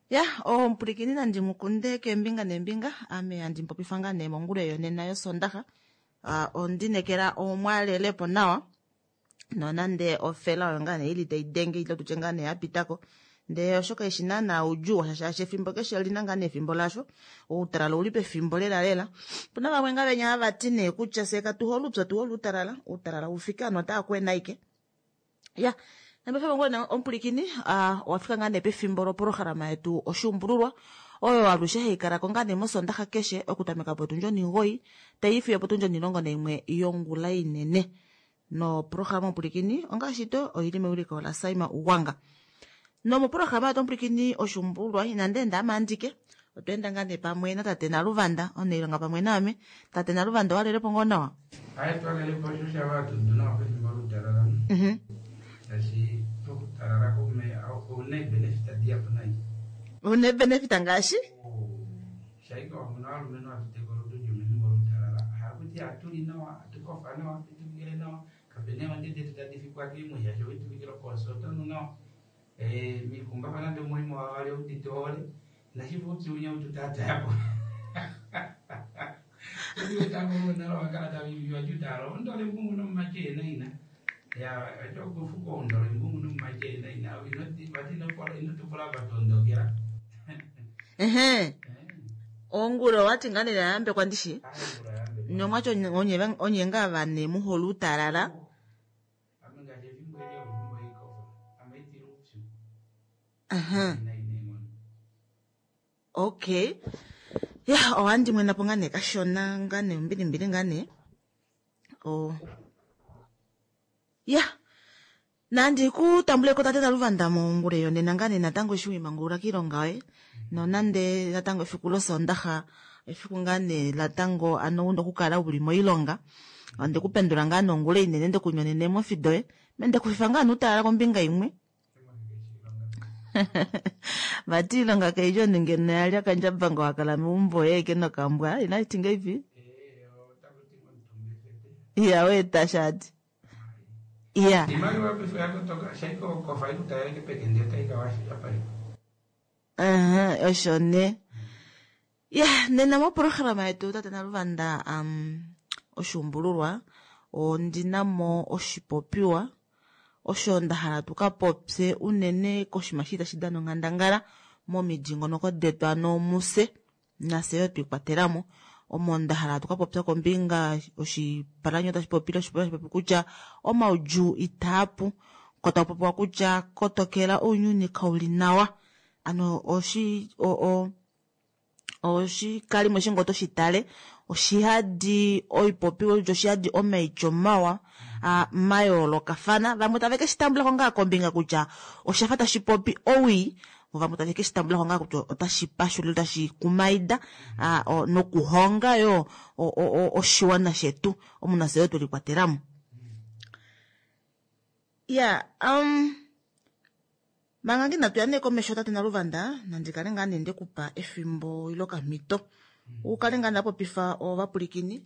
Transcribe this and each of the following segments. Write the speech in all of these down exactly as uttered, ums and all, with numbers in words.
Ya omupulikini nandi mukunde keembinga neembinga ame handi mupopifa ngaa nee mongula yonena yosondaxa. Uh, ondinekela omwalelepo nawa nonande ofela oyo ngaa nee ili tai denge ile tutye ngaa nee yapitako ndee oshoka eshi naana oudjuu washa shaashi efimbo keshe olina ngaa nee efimbo lasho outalala ouli pefimbo lela lela. Opuna vamwe ngaa venya hava ti nee kutya fyee katuhole oupyu otuhole outalala, outalala ufike ovanhu otava kwena ashike. Ya nambefo omupulikini uh, owafika ngaa nee pefimbo loprograma yetu oshuumbululwa oyo alushe haikala ko ngaa nee mosondaxa keshe okutameka potundi onimugoi taifiyo potundi onilongo naimwe yongula inene. Noprograma omupulikini ongaashi to oili mewiliko la Saima Ugwanga. Nomoprograma yetu omupulikini oshuumbululwa inandi enda ame andike otwa enda ngaa nee pamwe natate Naluvanda omunailonga pamwe naame. Tate Naluvanda owalelepo ngoo nawa? Aye twalelepo osho shava hatundu nawa pefimbo loutalala. Mhm. Shaashi pokutalala koume ouna eebenefit dihapu nai. Una eebenefit ngaashi? Shaika wamuna ovalumenhu hatu olutu mefimbo loutalala. Hakuti hatuli nawa, hatukofa nawa, hatutuvikile nawa, kapena eendje detu tadi fikwa keemwe shaashi owituvikila okoosa otonu nawa. Mikumbafa nande omulimo wavali oudite ohole, nashifa oupyu winya ututaatayapo. Wakala taviviwa jutalo ondole mbungu nomumache ena ina. Ya acho kufuka ondole mbungu nomumache ena ina. Vati inotupula vatondokela. Ehe. Ongula owati ngaa nee yayambekwa ndishi? Nomwati onye ngaa vane muhole outalala. Ame ngaashi efimbo eli olefimbo leikofa. Ame itila oupyu. Aha. Nai neenghono. Okay. Ya ohandi mwenapo ngaa nee kashona ngaa nee ombilimbili ngaa nee. Oh. Ya. Nandi ku tambuleko tate Naluvanda mongula yonena ngaa nee natango eshi wiimangulula kiilonga yoye. Nonande natango efiku losondaxa efiku ngaa nee natango ano una okukala uli moilonga. Onde kupendula ngaa nongula inene ndekunyonene eemofi doye. Mende kufifa ngaa nuutalala kombinga imwe. Vati iilonga kaidja omunhu ngeno yalya kandjabanga wakala meumbo yeeke nokambwa inashiti ngeipi? Iya weeta shati. Iya. Iimaliwa paife oyakotoka shaika okofa ikutaleleke pekende otai ka yapalekwa. Aha, osho nee. Ya, nena moprograma yetu tate Naluvanda um, oshuumbululwa ondina mo oshipopiwa osho nda hala tuka popye unene koshinima shi tashi dana onghandangala momidingonoko detu ano muse nafye yo twiikwatelamo. Omo nda hala tuka popya kombinga oshipalanyo tashi popile oshipopiwa tashi popi kutya omaudjuu itaapu ko taku popiwa kutya kotokela ounyuni kauli nawa. Ano oshi o, o oshikalimo eshi ngoo toshitale oshihadi oipopiwa oshihadi omaityo mawa mayoolokafana. Vamwe tave ke shi tambulako ngaa kombinga kutya oshafa tashi popi owii, vamwe tave ke shi tambulako ngaa kutya otashi pashula otashi kumaida nokuhonga yo oshiwana shetu omunafye yo twelikwatelamo. Ya um, manga nginatu ya nee komesho tate Naluvanda nandi kale ngaa nee ndekupa efimbo ile okamhito ukale ngaa ndapopifa ovapulikini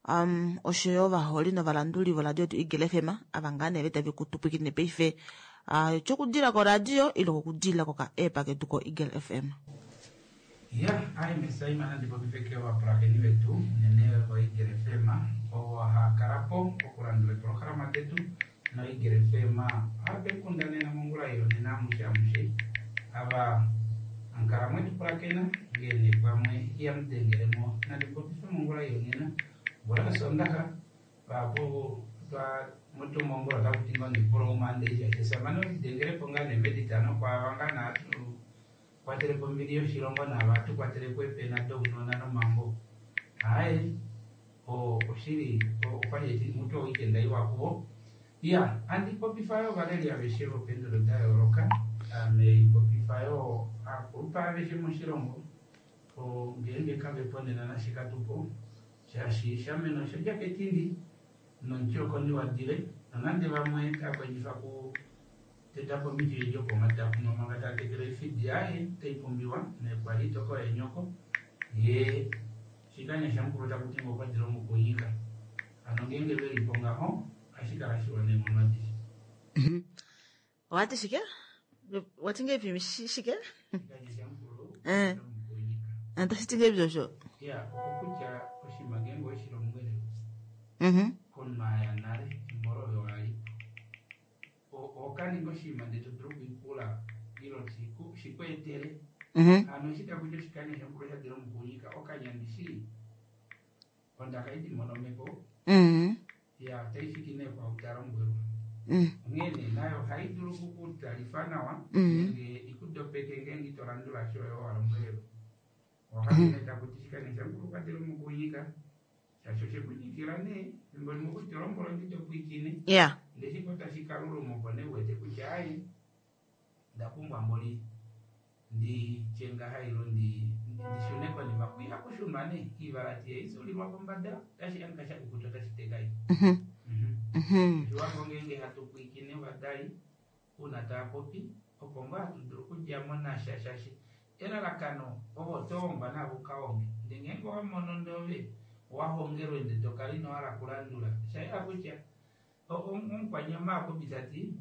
um, oshoyo ovaholi novalanduli voradio yetu Eagle F M ava ngaa nee tave kutupwikine paife uh, tyokudila koradio ile kokudila koka app ketu ko Eagle F M. Ya, ai mesaima nandi popifeke ovapulakeni vetu unene vo Eagle F M ovo hakalapo okulandula eprograma detu no Eagle F M ohave kundanena mongula yonena amushe amushe ava ankala mwetu pulakena ngene pamwe iyamudengelemo nandi popife mongula yonena ngula sondaxa vapo twa mutumo ngula takuti ngo ndipula umande isha samane odengelepo ngaa nemeditano kwava ngaa naatu kwatelepo ombili yoshilongo nava tukwatelepo eepena dounona nomambo. Aye oshili okwali mutu weekend iwa kuvo. Ya, andi popifa yo ovaleli aveshe vopendulo da yooloka. Ame popifa yo akulupa aveshe moshilongo. Ngeenge kavepo nena nashikatupo shaashi shameno osha ketindi nomuti okondi wadile nonande vamwe takondjifa ku tetapo omiti edi opo omadakuno manga taa tekele oifidi aye taipumbiwa nekwali itoko yenyoko ye shikanya shamukulu takuti ngo okwadila omukunyika. Ano ngeenge velipo ngaho ohashi kala shiwa neenghono adishe. Owati shike? Wati ngeipi shike? Shikanya Eh. Omukunyika. Otashi ti ngahelipi osho? Ya, okokutya oshinima ngeenge oweshi lombwele Mhm. komunhu aya nale efimbo olo ove walipo oho kaninga oshinima ndee to dulu okwiipula ile shiku- shikweetele Mhm. hano eshi takuti oshikanya shomukulu sha dila omukunyika okanya ndishi ondaka idi monomeko Mhm. ya otaifiki nee kwaau talombwelwa Mm. onghee nee nayo ohayi dulu okukutalifa nawa Mhm. nenge ikudopeke ngeenge ito landula shoyo walombwelelwa ohakine takuti oshikanya shamukulu kwatela omukunyika shaashi oshekunyikila nee fimbo limwe okuti tolombolo ndi topwiikine Ya. ndeshiko tashi kaluluma opo nee uwete kutya ai ndapumbwa mboli nditye ngaha ilo ndi ndishune konima kwiha kushunwa nee kiivalati yaisulilwa pombada tashi anika shakukuta otashi tekai Mhm. Mhm. Mhm. Oshiwambo ngeenge hatu pwiikine ovadali uuna tava popi opo ngoo hatu dulu okudjamo nasha shaashi elalakano ovo otohongwa navo ukahonge ndee ngeenge owamono ndove owahongelwe ndee tokala ino hala kulandula oshayela kutya o- o- omukwanyama apopi tati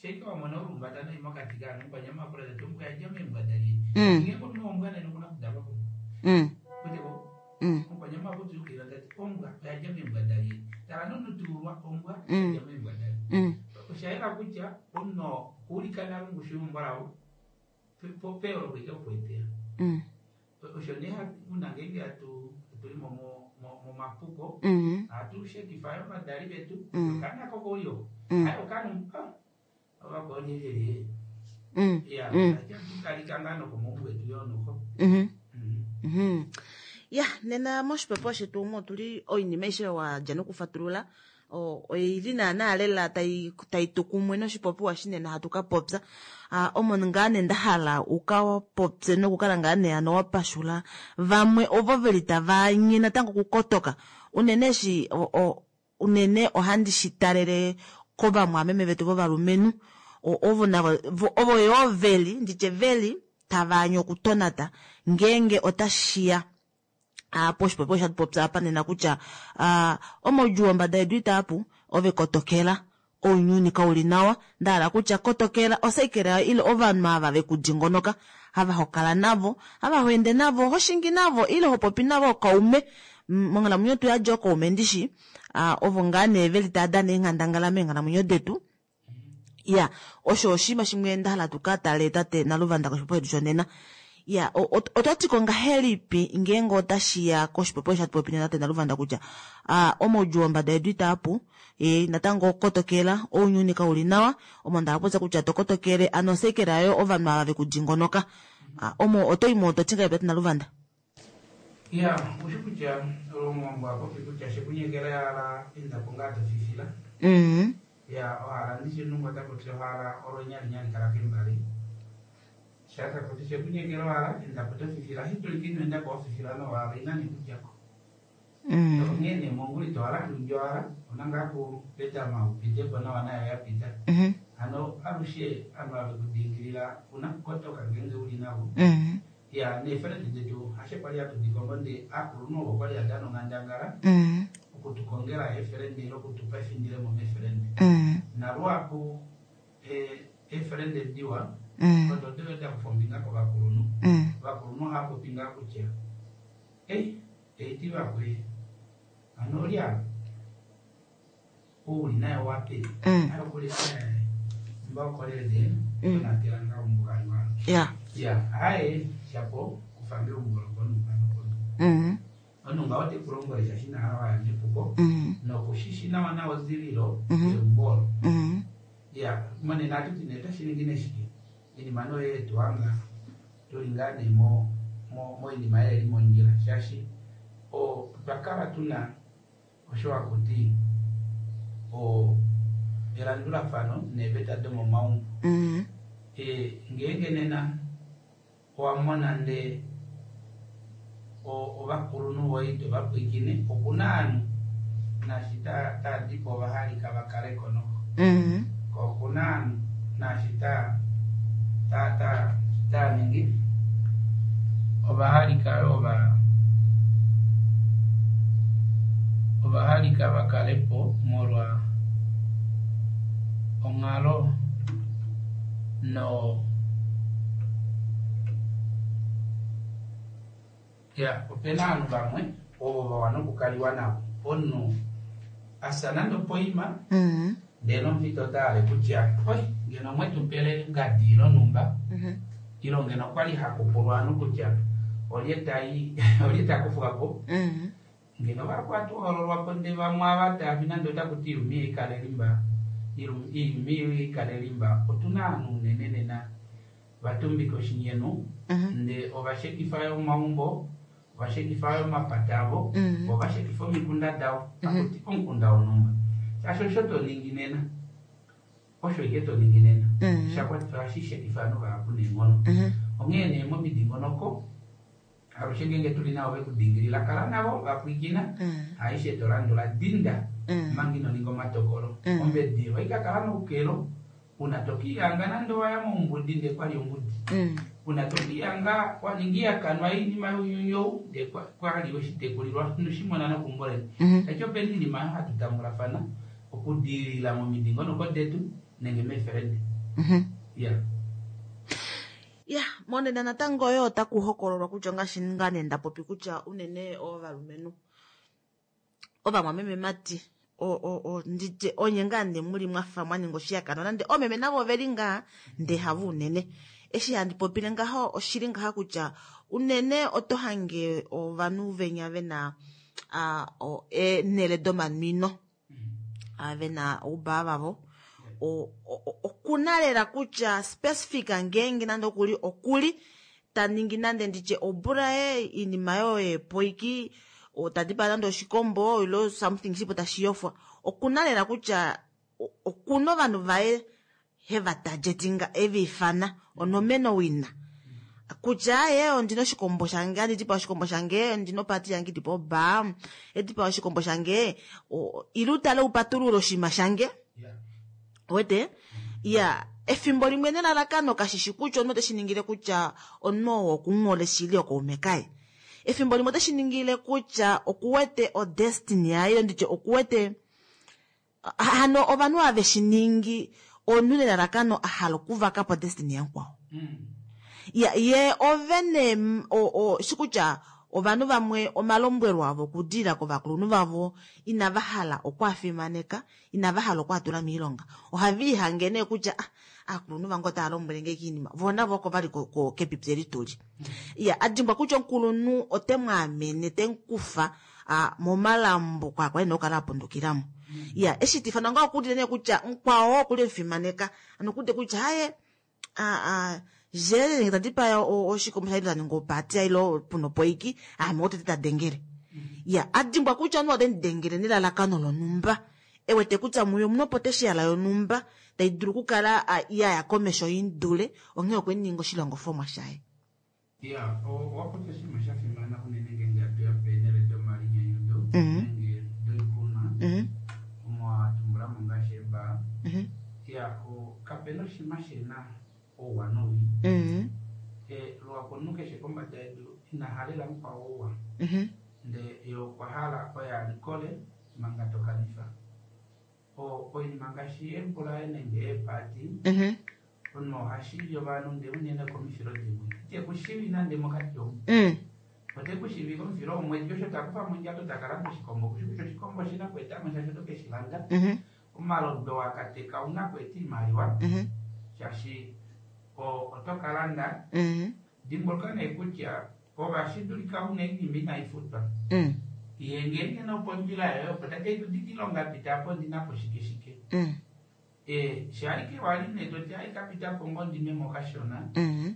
sheika wamona olumbata noi mokati kaanhu omukwanyama apula tati ombwa yadja meembwa dalye Mm. ngeenge omunhu wombwa nene okuna kudalwa po Mm. weteko Mm. omukwanyama apopyukila tati ombwa oyadja meembwa dalye tala nonutuulwa ombwa Mm. yadja meembwa dalye Mm. oshayela kutya omunhu okuulika nale ongushu yeumbo lavo peyooloko ike okuetela Mm. osho nee hatu- una ngeenge hatu tuli mo- mo- mo- momapuko Mhm. ohatu shekifa yo ovadali vetu Mm. okaana koko uli oko Mm. ayi okaana ovakoonyevelie Mm. ya Mm. tukalika ngaa nokomaumbo etu yo noho Mhm. Mhm. Mhm. Ya, nena moshipopiwa shetu omu otuli oinima aishe wadja nokufatulula o- oili naana lela tai tai tu kumwe noshipopiwa shinene hatu ka popya Ah, omo ngaa nee ndahala uka popye nokukala ngaa nee ano wapashula vamwe ovo veli tava anye natango okukotoka unene eshi o- o- unene ohandi shi talele kovamwameme vetu vovalumenhu O- ovo navo vo- ovo yoo veli nditye veli tava anye okutonata ngeenge otashiya ah, poshipopiwa shatu popya apa nena kutya ah, omaudjuu ombada yedu itaapu ove kotokela ounyuni kauli nawa ndahala kutya kotokela osaikela ile ovanhu ava vekudingonoka hava hokala navo hava hoende navo hoshingi navo ile hopopi navo kaume M- monghalamwenyo tu yadja okaume ndishi ah, ovo ngaa nee veli tava dana eenghandangala meenghalamwenyo detu ya osho oshinima shimwe ndahala tuka tale tate naluvanda koshipopiwa shetu shonena ya o- ot- otwatiko ngahelipi ngeenge otashiya koshipopiwa shatu popi nena tate naluvanda kutya ah, omaudjuu ombada yedu itaapu e, natango kotokela ounyuni kauli nawa omo ndahala popya kutya tokotokele ano osekela yo ovanhu ava vekudingonoka Ah, omo otoimo ototi ngahelipi tate naluvanda ya ushi kutya olomwambo apopi kutya shekunyekela yala endapo ngaa tofifila mm ya ohala ndishi nungu otapopi ohala olonyalinyali kala kembali shatapopi shekunyekela ohala endapo tofifila shitulika ino endapo wafifila nohala inani kudyako mm onghee nee monguli tohala kulya ohala ona ngaa kupetama upitepo nawa nayo yapita mhm hano alushe ava vekudingilila una kukotoka ngeenge uli navo mm ya neefelende detu ashe kwali hatudikongo ndee akulunhu ovo kwali hadana onghandangala mm okutukongela eefelende ile okutupa efindilemo meefelende mm naluhapu eh, eefelende diwa mm odo doyo dakufa ombinga kovakulunhu mm ovakulunhu ohava popi ngaa kutya ei eiti vakwe ano olya ouli naye wape Mm. ayokuli mba okolele Mm. onatela nga ombukalwa ya ya aye shapo kufa meumbo lokonumba nokono mm omunhu ngaho tekulombwele shashi nahala waya mepuko mm nokushishi nawa nawa ozililo Mhm. yeumbo olo mm ya monena atuti nee otashi ningi neshike inima noyo yetuhanga tuli ngaa nee mo- mo- moinima yeeli mondjila shaashi o- otwa kala tuna osho hakuti o elandulafano neeveta domomaumbo mm e, ngeenge nena owamona ndee o- ovakulunhu voye ito vapwiikine okuna ovanhu naashi ta- taadipo ovahalika vakaleko noho mm ko okuna ovanhu naashi ta ta ta taningi ovahalika yo va ovahalika vakalepo molwa onghalo no Ya, opena ovanhu vamwe ovo va wana okukaliwa navo. Omunhu asa nande opoima Mhm. ndele nomufita ota hale kutya oi ngeno omwetu pele ngadi lonhumba Mhm. ilo ngeno okwali hakupulwa ovanhu kutya olye tai olye takufwa po Mhm. ngeno vakwatu hoololwapo nde vamwe ava taafi nande otakuti iilumi ikale limba iilumi ikale limba otuna ovanhu unene nena vatumbika oshinyenu Mhm. nde ovashekifa yo omaumbo ovashekifa yo omapata avo Mhm. ovashekifa omikunda davo akuti omukunda wonhumba shaashi osho toningi nena osho ike toningi nena Mhm. shakwatifa ohashi shekifa ovanhu vahapu neenghono Mhm. onghee nee momidingonoko alushe ngenge tuli navo vekudingilila kala navo vapwikina Mhm. aishe tolandula dinda Mhm. manga ino ninga omatokolo Mm. ombedi oikakala noukelo una tokiyanga nande waya mombudi nde kwali ombudi Mhm. una tokiyanga waninga iyakanwa iinima younyuni nde kwa- kwali weshitekulilwa noshimona nokumboleni Mhm. tachi opena iinima oyo hatu tambulafana okudilila momidingonoko detu nenge meefelende Mhm. ya Ya, monena natango yo otaku hokololwa kutya ngaashi ngaa nee ndapopi kutya unene ovalumenhu ovamwamememati o- o- o- nditye onye ngaa nee muli mwafa mwa ninga oshihakanwa nande oomeme navo oveli ngaa ndee havo unene eshi handi popile ngaho oshili ngaha kutya unene oto hange ovanhu venya vena ah, o- eenhele domanwino ah, vena oubaa vavo o- o- o- okuna lela kutya specific ngeenge nande okuli okuli ta ningi nande nditye obulaye iinima yoye poiki tadipa nande oshikombo ilo something shipo tashi yofwa okuna lela kutya o- okuna ovanhu vaye heva targetinga eviifana onomeno wina kutya ye ondina oshikombo shange andidipa oshikombo shange ondina opati yange idipa obaa edipa oshikombo shange o- ile utale upatulule oshinima shange ya wete ya efimbo limwe nelalakano kashishi kutya omunhu oteshi ningile kutya omunhu oo okunghole shili okaume kaye efimbo limwe oteshi ningile kutya okuwete odestiny yaye ile nditye okuwete hano ovanhu ave shi ningi omunhu nelalakano a hala okuvaka po destiny yamukwao Mm. ya ye ovene mm, o, o, shi kutya ovanhu vamwe omalombwelo avo okudilila kovakulunhu vavo inava hala okwaafimaneka inava hala okwaatula miilonga ohava ihange nee kutya ah, aakulunhu vange otava lombwele nge kiinima voo navo oko vali ko- ko- kepipi eli tuli ya adimbwa kutya omukulunhu ote mwaamene temukufa ah, momalambo kwaakwa ena okukala apundukilamo ya eshi tifana nga okudile nee kutya mukwao okuli emufimaneka ano okude kutya haye a a je nge tadipa oshikombo shaye taninga opati ilo puno poiki ame otete tadengele ya adimbwa kutya omunhu ote mudengele nelalakano lonhumba ewete kutya muye omuna opotential yonhumba tai dulu okukala ah, yaya komesho indule onghee okwe ninga oshilongofomwa shaye ya owapopya oshinima sha fimana unene ngenge hatu ya peenhele domalinyanyudo Mhm. nenge doikunwa Mhm, omo watumbulamo ngaashi eebaa mhm, ya o- kapena oshinima shena ouwa nowii mhm, Eh, lwapo omunhu keshe kombada yedu ina halela mukwao ouwa mhm, nde ye okwa hala oye alikole manga tokanifa O- oinima ngaashi eembulaye nenge eepati mhm, omunhu ohashivi ovanhu nde unene komifilo dimwe itekushivi nande mokati omu mm, ote kushivi komufilo womwedi osho takufa mondjato takalanda oshikombo kushi kutya oshikombo oshina kweetamo shaashi oto keshi landa mhm, omalodo wakateka ouna kweeta iimaliwa mhm, shaashi o- oto kalanda mhm, dimbuluka nee kutya ovashi dulika una oinima inai futwa mm, ye ngenge nopondjila yoye opo tate tudikilonga pitapo ndinapo shike shike mm, e shalike wali nee toti ai kapitapo ngo ndinwemo kashona mhm,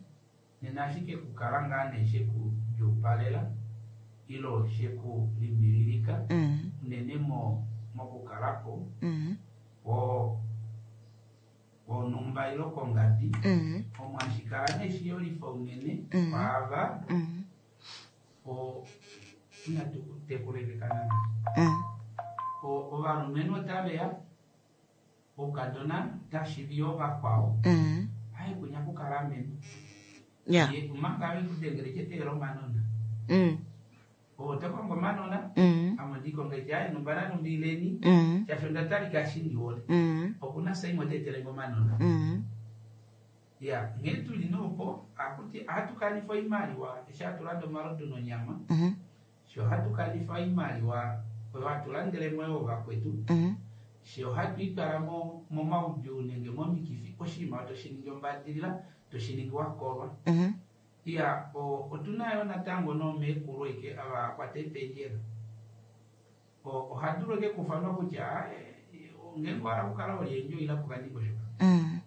nena ashike kukala ngaa nee shekudjuupalela ilo shekulimbililika mhm, unene mo mokukalapo mhm, wo wonhumba ilo kongadi mhm, omo hashikala nee shiyolifa unene Mm. kwaava mhm, o inatu tekulelekana mhm, O- ovalumenhu otaveya oukadona tashivi ovakwao mhm. ai kunya kukala amene ya Ye, omanga vekudengele cheteela omanona mm, otokongo omanona mm, ame ndikonga ayi numba nanumbileni mm, shaashi onda talika shindiwole mm, okuna saimwe oteetelenge omanona mm. Ya nghee tuli noopo akuti ohatu kanifa oimaliwa eshi hatu landa omalodu nonyama Mhm. sho ohatu kanifa oimaliwa oyo hatu landelemo yoo vakwetu Mhm. she ohatu itwala mo momaudjuu nenge momikifi oshinima toshi ningi ombadilila toshi ningi wakolwa Mhm. iya o- otuna yo natango nomeekulu eke ava kwata ependjela O- ohadulu eke kufanwa kutya eh, ngeenge owahala okukala oliendjo ila pokandingosho Mm.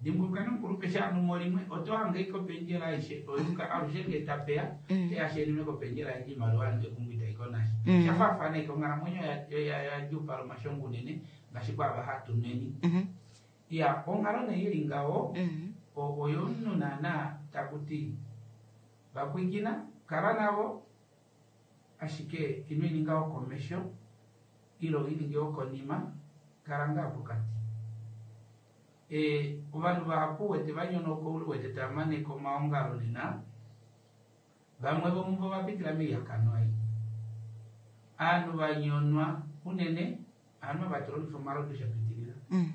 dimbuluka nomukulupe shaanumo limwe oto hange ike opendjela aishe oyuka alushe ngee tapeya Mm. teyashenime kopendjela yandje imaliwa yange kumbu itaiko nasha Mm. shafaafana ike onghalamwenyo ya- ya- yadjuupala omashongo unene ngaashi kwaava hatu nweni Mhm. iya onghalo nee ili ngaho Mm. o- oyomunhu naana takuti vakwikina kala navo ashike ino ininga wokomesho ilo ininge wokonima kala ngaa pokati e, ovanhu vahapu wete vanyonoka oule wete tamaneka omaongalo nena vamwe vomuvo vapitila moihakanwa ei aanhu vanyonwa unene aanhu ava tulongifa omalodu shapitilila Mm.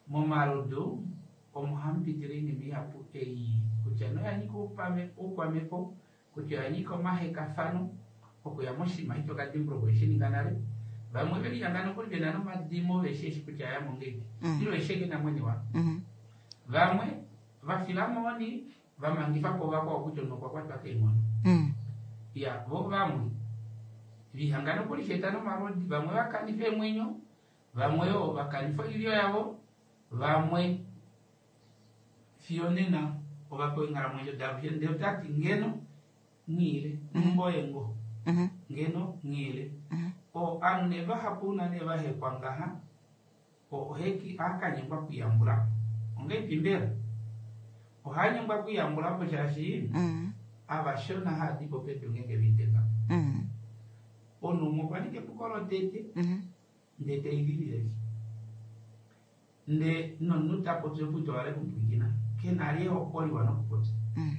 momalodu omo hamu pitile oinima ihapu ei kutya noya nyika oupame- oukwamhepo kutya oya nyika omahekafano okuya moshinima ito kadimbuluka oweshi nale vamwe velihanga nokuli vena nomadimo veshi eshi kutya ayamo ngeipi Mm. ilo esheke namwene wavo Mhm. vamwe vafila mooni vamangifapo vakwao kutya omunhu okwa kwatwa keenghono Mm. ya vo vamwe vihanga nokuli sheeta nomalodi vamwe vakanifa eemwenyo vamwe yo vakanifa oilyo yavo vamwe fiyo nena ovapewa eenghalamwenyo davo ndee otati ngeno nghiile mboye ngo Mhm. ngeno nghiile Mhm. o aanhu nee vahapu una nee vahekwa ngaha o- oheki ohakanyengwa okwiiyambulapo ongeipi mbela ohanyengwa okwiiyambulapo shaashi Mm. avashona haadipo pedu ngenge viteka Mm. omunhu umwe okwa ninga epuko lotete Mhm. ndee teililile nde nomunhu tapopi okuti owale kupwikina kena ali ehoko liwa nokupopya Mm.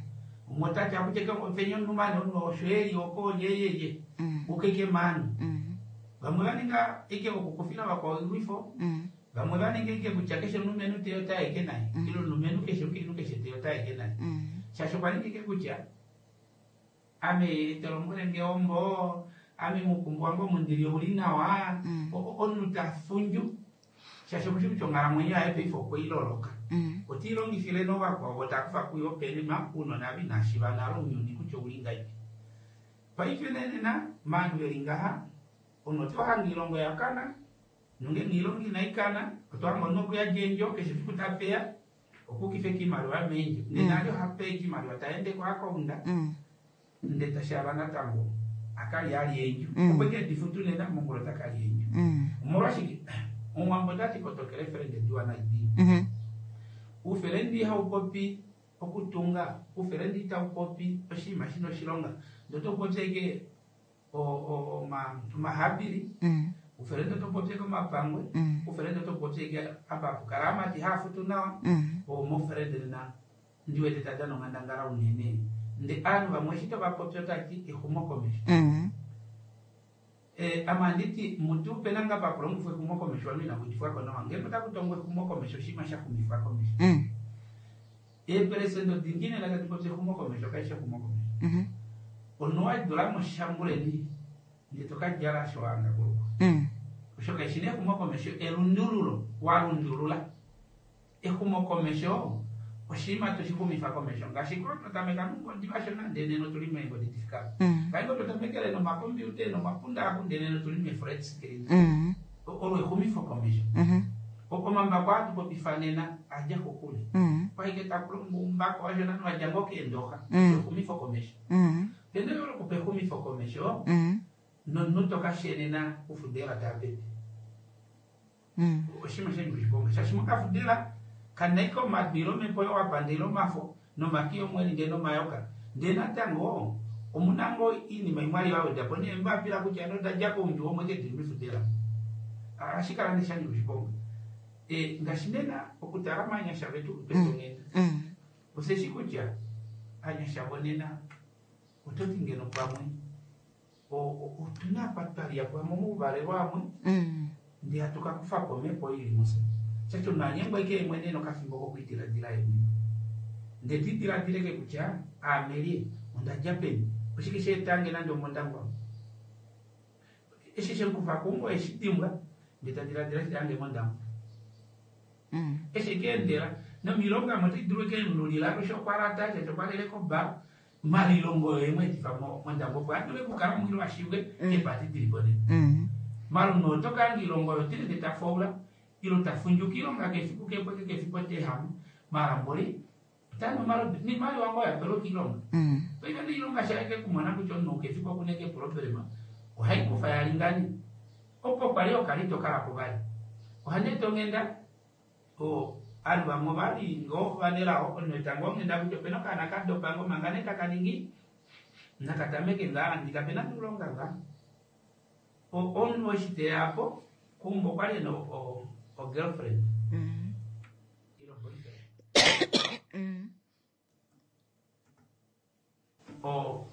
umwe otati akutye penya omunhu mane omunhu osho eli oko yeyeye Mm. ukeke mani Mm. vamwe vaninga ike okukufila vakwao oilwifo Mm. vamwe vaninga ike kutya keshe omulumenhu teyo taeke naye Mm. ile omulumenhu keshe omukainhu keshe teyo taeke naye Mm. shaashi okwa ninga ike kutya ame tolombwele nge ombo ame mukumbu wange omundili ouli nawa Mm. O- o- omunhu tafundju shaashi okushi kutya onghalamwenyo yaye paife okweiloloka Mm. otiilongifile novakwao takufa kuyo peni maunona vinashiva nalo ounyuni kutya ouli ngaipi paife nenena maanhu veli ngaha omunhu otohanga ilongo yakana nongenge ilongo inaikana otohanga omunhu okuyadja eendjo keshe fiku tapeya okukifa kiimaliwa meendjo nenali ohapeya kiimaliwa taende koakaunda Mm. nde tashala natango akali ali eendjo Mm. opo ike difutu nena mongula otakali eendjo Mm. omolwashike omuwambo otati kotokele efelende diwa naidi Mhm. ufelendi ihaupopi okutunga ufelendi itaupopi oshinima shina oshilonga ndee otopopi eke omahapili Mm. ufelendi otopopi eke omapangwe Mm. ufelendi otopopi eke apa apukala amati haafutu nawa Mm. omofelende nena ndiwete tadana onghandangala unene nde aanhu vamwe eshi tovapopi otati exumokomesho Mm. Eh, ame anditi mutu upena nga pakulongifwa exumokomesho ovanhu inakudifwako nawa ngenge otakutongwa exumokomesho oshinima shaxumifwa komesho Mm. eepelesendo dingi nena tati popya exumokomesho kaishi exumokomesho Mhm. omunhu wadula moshambuleni ndee tokadjala osho wahanga kulukwa Mm. osho kaishi nee exumokomesho elundululo walundulula exumokomesho oshinima toshixumifa komesho ngaashi ko twatameka nongodi vashona ndee nena otuli meengodi difika Mm. ngaingo twatamekele nomakombiuta nomapunda aku ndee nena otuli mee-flat screen Mm. olo exumifo komesho Mhm. omambako atupopifa nena adja kokule Mm. kwaike takulongo umbako washona wadja ngoo keendoxa Mm. exumifo komesho Mm. pene olokupa exumifo komesho Mm. nomunhu tokashenena kufudela tapepe Mm. oshinima shanyika oshiponga shaashi mokafudela kanaika omadu ile omhepo yowapanda ile omafo nomaki omweli ndee nomayoka ndee natango omuna ngoo iinima imwe ali vawedapo neembapila kutya nodadja koundju womwe ke dili mefudela ashikala nee shanyika oshiponga e, ngaashi nena okutala maanyasha vetu twetonghenda Mm. oseshi kutya anyasha vonena ototi ngeno pamwe o- o- otuna apa twalya pamwe mouvalelwa amwe Mm. ndee hatu kakufapo omhepo ili muse shaashi omunhu anyengwa ike yemwene nokafimbo kokwidiladila yemwene Ndee tidiladileke kutya aamelie ondadja peni oshike sheetange nande omondangwa eshi shekufa kumbo eshi dimbwa ndee tadiladila shitange mondangwa Mm. eshi keendela nomilonga mo otai dulu keemululila alushe okwalata shaashi okwalele koba malilongo oyo emweetifa mondangwa opo adule okukala mwilo ashibwe Mm. eepati dilipo nena Mm. malume oto kanga ilonga oyo tileke tafaula ilo tafundjuka ilonga kefiku kepweke kefiku otehamu mara mboli otanu omalodu niimaliwa ngoo yapelwa kiilonga Mm. paife niilonga shaeke kumona kutya omunhu kefiku okuneke eproblema ohaikufa yalingani opo kwali okali tokalapo vali ohaneta onghenda o ovanhu vamwe ovali ngoo vanelao omunhu eta ngoo onghenda kutya opena okaana kadopa ngoo manga nee taka ningi nakatameke ngaa andi kapena nuulonga ngaa O- omunhu eshi teyapo kumbo okwali ena o- o- o-girlfriend Mm. ilo boyfriend Mm. o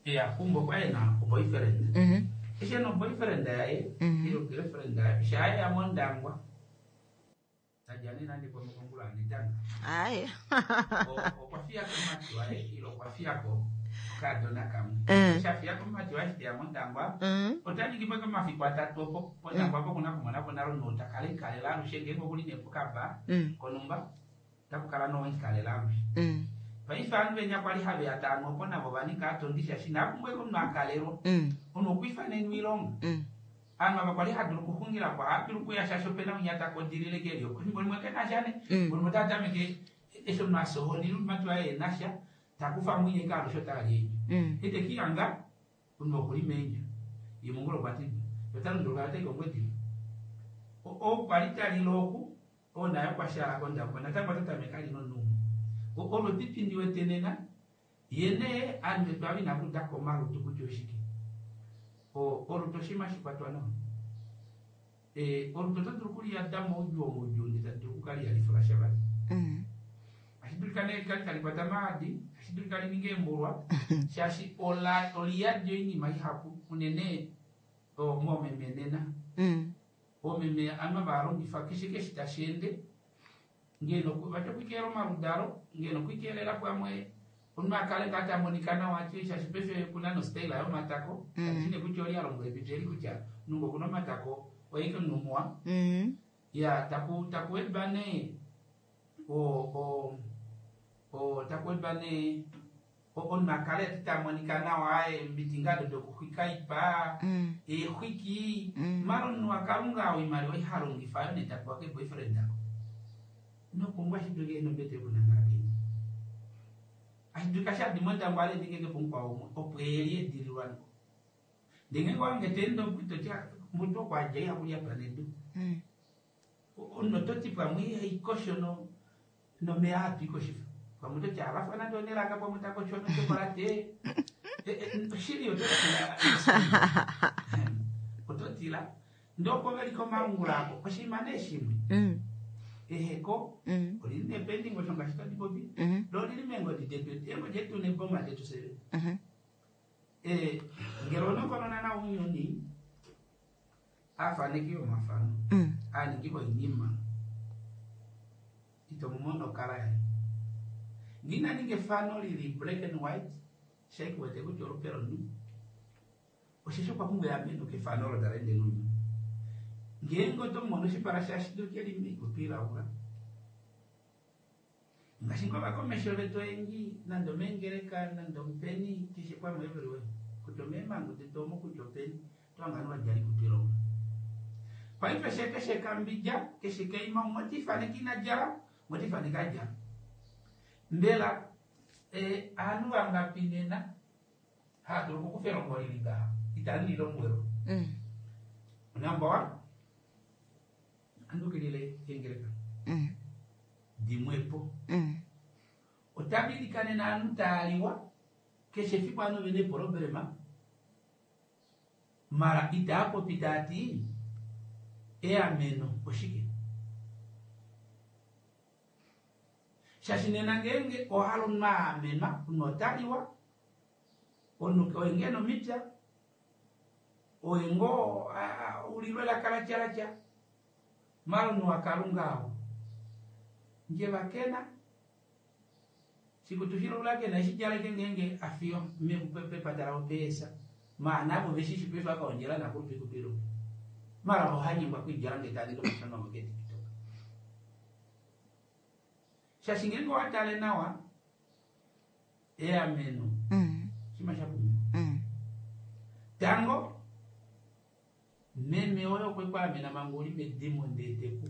ya kumbo okwali ena o-boyfriend Mhm. eshi ena o-boyfriend yaye Mhm. ilo girlfriend yaye shaaya mondangwa tadja nee nande pomukongula anetanga Aye. okwa fiyako omumati waye ilo okwa fiyako okadona kamwe Eh. eshi afiyako omumati waye eshi teya mondangwa Mm. ota ningi po omafiku atatu opo pondangwa po kuna kumona po nalo omunhu takala ekalela alushe ngeenge okuli nee pokaba Mm. konumba otakukala noikalela alushe Mm. paife ovanhu venya kwali haveya taanu opo navo vaninga atondi shaashi inapumbwa omunhu akalelwa Mm. omunhu okwiifanenwa oilonga Mm. ovanhu ava kwali hadulu okuxungila po ohadulu okuya shaashi opena winya takodilile keli opo efimbo limwe kena sha ne Mm. efimbo limwe otatameke eshi omunhu asohonile omumati waye enasha takufa mwinye ke alushe otali eendjo Mm. ete kihanga omunhu okuli meendjo ye mongula okwa tidwa ota lunduluka otai kongwediva ou kwali talile oku oo naye okwa shala kondangwa natango ota tameke ali nomunhu umwe olo epipi ndiwete nena ye nee ovanhu vetu ava inakuudako omalutu kutya oshike O- olutu oshinima shikwatwa nawa Eh, olutu oto dulu okuliyada moudjuu omoudjuu ndee tali dulu okukala ihali sha vali Mm. ashi dulika nee kali tali kwata maadi ashi dulika lininge eembulwa shaashi ola oliyadi oinima ihapu unene o, moomeme nena Mm. oomeme anu valongifa keshe keshe tashi ende ngeno vati okwikelela omaludalo ngeno okwikelela pamwe omunhu akale ngaa tamonika nawa ati shaashi paife kuna nostyle yomatako Mm. kashine kutya oli alongwa epipi eli kutya nungo okuna omatako oyeke omunhu muwa Mm. ya taku takuwedwa nee o o o takuwedwa nee o- omunhu akale ati tamonika nawa eembiti ngaa do dokuxwika ipa Mm. eexwiki Mm. mara omunhu wakalunga oimaliwa ihalongifa ayo nee tapewa keboyfriend ako nopumbwa ashidulika ena ombete yokunangala kenya ashidulika shadi mondangwa ale ndingenge pomukwao umwe opo eli edililwa ngo ndee ngenge wange teende oku toti mutu okwadja ihakulya panedu Mm. omunhu ototi pamwe ihaikosho no nomeya hatu ikoshifa pamwe ototi alafa nande onelaka pamwe takosho nochokolate oshili ototila ototila ndee opo veli komalungula ako oshinima nee shimwe Mm. eheko Mm. olili nependingo osho ngaashi tadi popi Mhm. lo olili meengodi detu eengodi detu neboma detu seve Mhm. Eh, ngele onokonona nawa ounyuni aafaneki yomafano Mm. aaningi voinima ito mumono okala yaye ngina ninga efano lili black and white shaikuwete kutya olupe lomunhu osheshi okwa pumbwa eameno kefano olo tala ende nounyuni ngeenge oto mono oshipala shashi dulike li moikutu ilaula ngaashi ngoo ovakomesho vetu oyendji nande omeengeleka nande omupeni keshe pamwe everywhere kutya omeemango detu omo kutya openi otwangani wadjala ikutu ilaula paife she keshe kambidja keshe keima umwe otifaneka ina djala umwe otifaneka adjala mbela eh, ovanhu vangapi nena haadulu okukufa elongo lili ngaha itali lilombwelwa Mm. number one andukilile eengeleka Mm. dimwepo Mm. otavilikanena ovanhu taaliwa keshe efiku ovanhu vena eproblema mara itaapopi taati eameno oshike shaashi nena ngeenge ohala omunhu aamenwa omunhu otaliwa omunhu oye ngee nomipya oye ngoo a- a- ulilwe elaka latyalatya mara omunhu wakalunga ao Njevakena sikutushilulakena eshijaleke ngenge afiyo mepepatala opeesa maana avo veshishi paife akaondjela nakulupi mara ohanyengwa kuidjala ngee taninga omafano avo keTikTok. Shaashi ngeenge owatale nawa eameno Mm. shima shapumbiwa. Mm. Tango meme oyo okwe kwaamena manga uli medimo ndee teku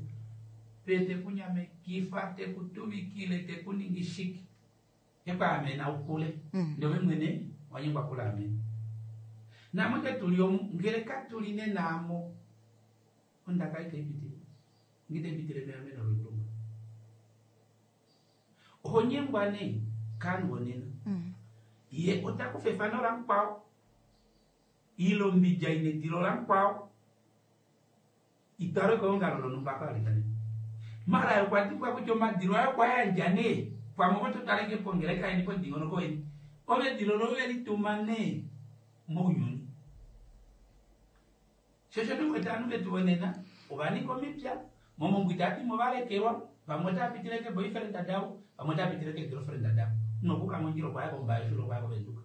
pe tekunyamekifa tekutuvikile tekuningi shike ekwaamena ukule Mm. ndee ove mwene wanyengwa kulaamena. Namwe ke tuli omu ngele katuli nenaamo ondaka itaipitile ngitaipitile meameno loilonga. Oho nyengwa nee kaanhu vonena Mm. ye otakufa efano lamukwao ile ombidja ina edilo lamukwao itwalwe keongalo lonhumba kawalikane. Mara okwa dimbwa kutya omadilo ayo okwa yandja nee pamwe oto taleke pongeleka yeni pomudingonoko weni ove edilo loye velituma nee mounyuni. Shosho ndiwete ovanhu vetu vonena ovaninga omipya momongwa itadimo valekelwa vamwe otavapitile ke boyfriend davo vamwe otavapitile ke girlfriend davo nokuka mondjila okwaya kombaye shilo okwaya kovenduka.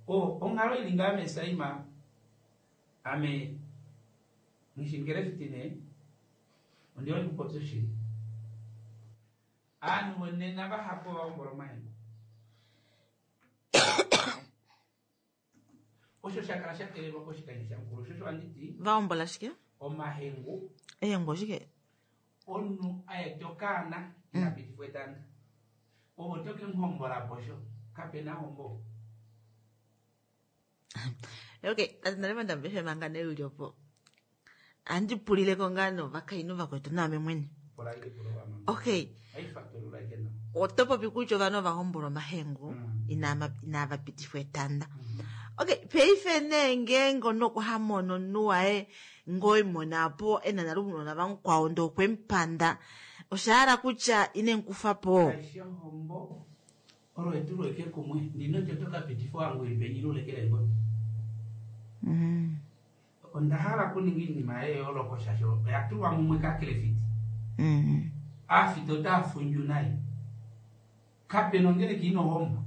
O onghalo ili ngaa mesaima ame ngishingele nee ondihole kupopya oshili. Aanhu vonena vahapu ovahombola omahengu. Osho shakala shakelelwa koshikandjo shamukulu shosho handiti Vahombola shike? omahengu Ehengu oshike? omunhu aeta okaana ina pitifwa etanda ove oto kemuhombola posho kapena hombo. Okay, tate ndambefe manga newi opo. Andi pulileko ngaa novakainhu vakwetu naame mwene. Pula epulo wamama. Okay, Aifatulula ike nawa. oto popi kutya ovanhu ovahombola omahengu Mm. inava inava pitifwa etanda. Okay, paife nee ngeenge onokuhamona omunhu waye ngoimona po ena nale ounona vamukwao ndee okwemupanda oshahala kutya ine mukufa po. Kaishi ohombo olo etulo eke kumwe ndinoti oto kapitifa wangu ili penyi lulekela engodi. Mm. Onda hala kuninga iinima yeyooloko shaashi oya tulwa mumwe kakelefiti. Mm. Aafita otaa fundju naye. Kapena ongeleka ina ohombo.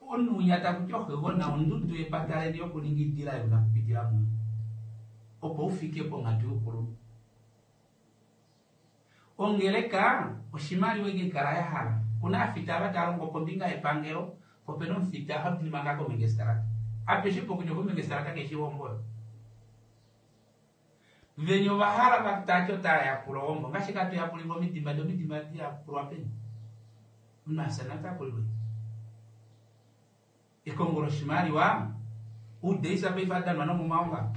Omunhu winya takuti oxegona ondudu yepata leni yokuninga idila yona kupitila muyo opo ufike ponghatu youkulunhu. Ongeleka oshimaliwa ike kala yahala. Kuna aafita ava tava longo kombinga yepangelo po opena omufita hadili manga komengestalata. Apeshe pokutya komengestalata keshi ohombo. Veni ovahala vatati otava yapula ohombo ngaashi katu yapulilwa omidimba ndee omidimba diyapulwa peni. Omunhu afya natakulilwe. Ekongo loshimaliwa udeisa paife adanwa nomomaongalo.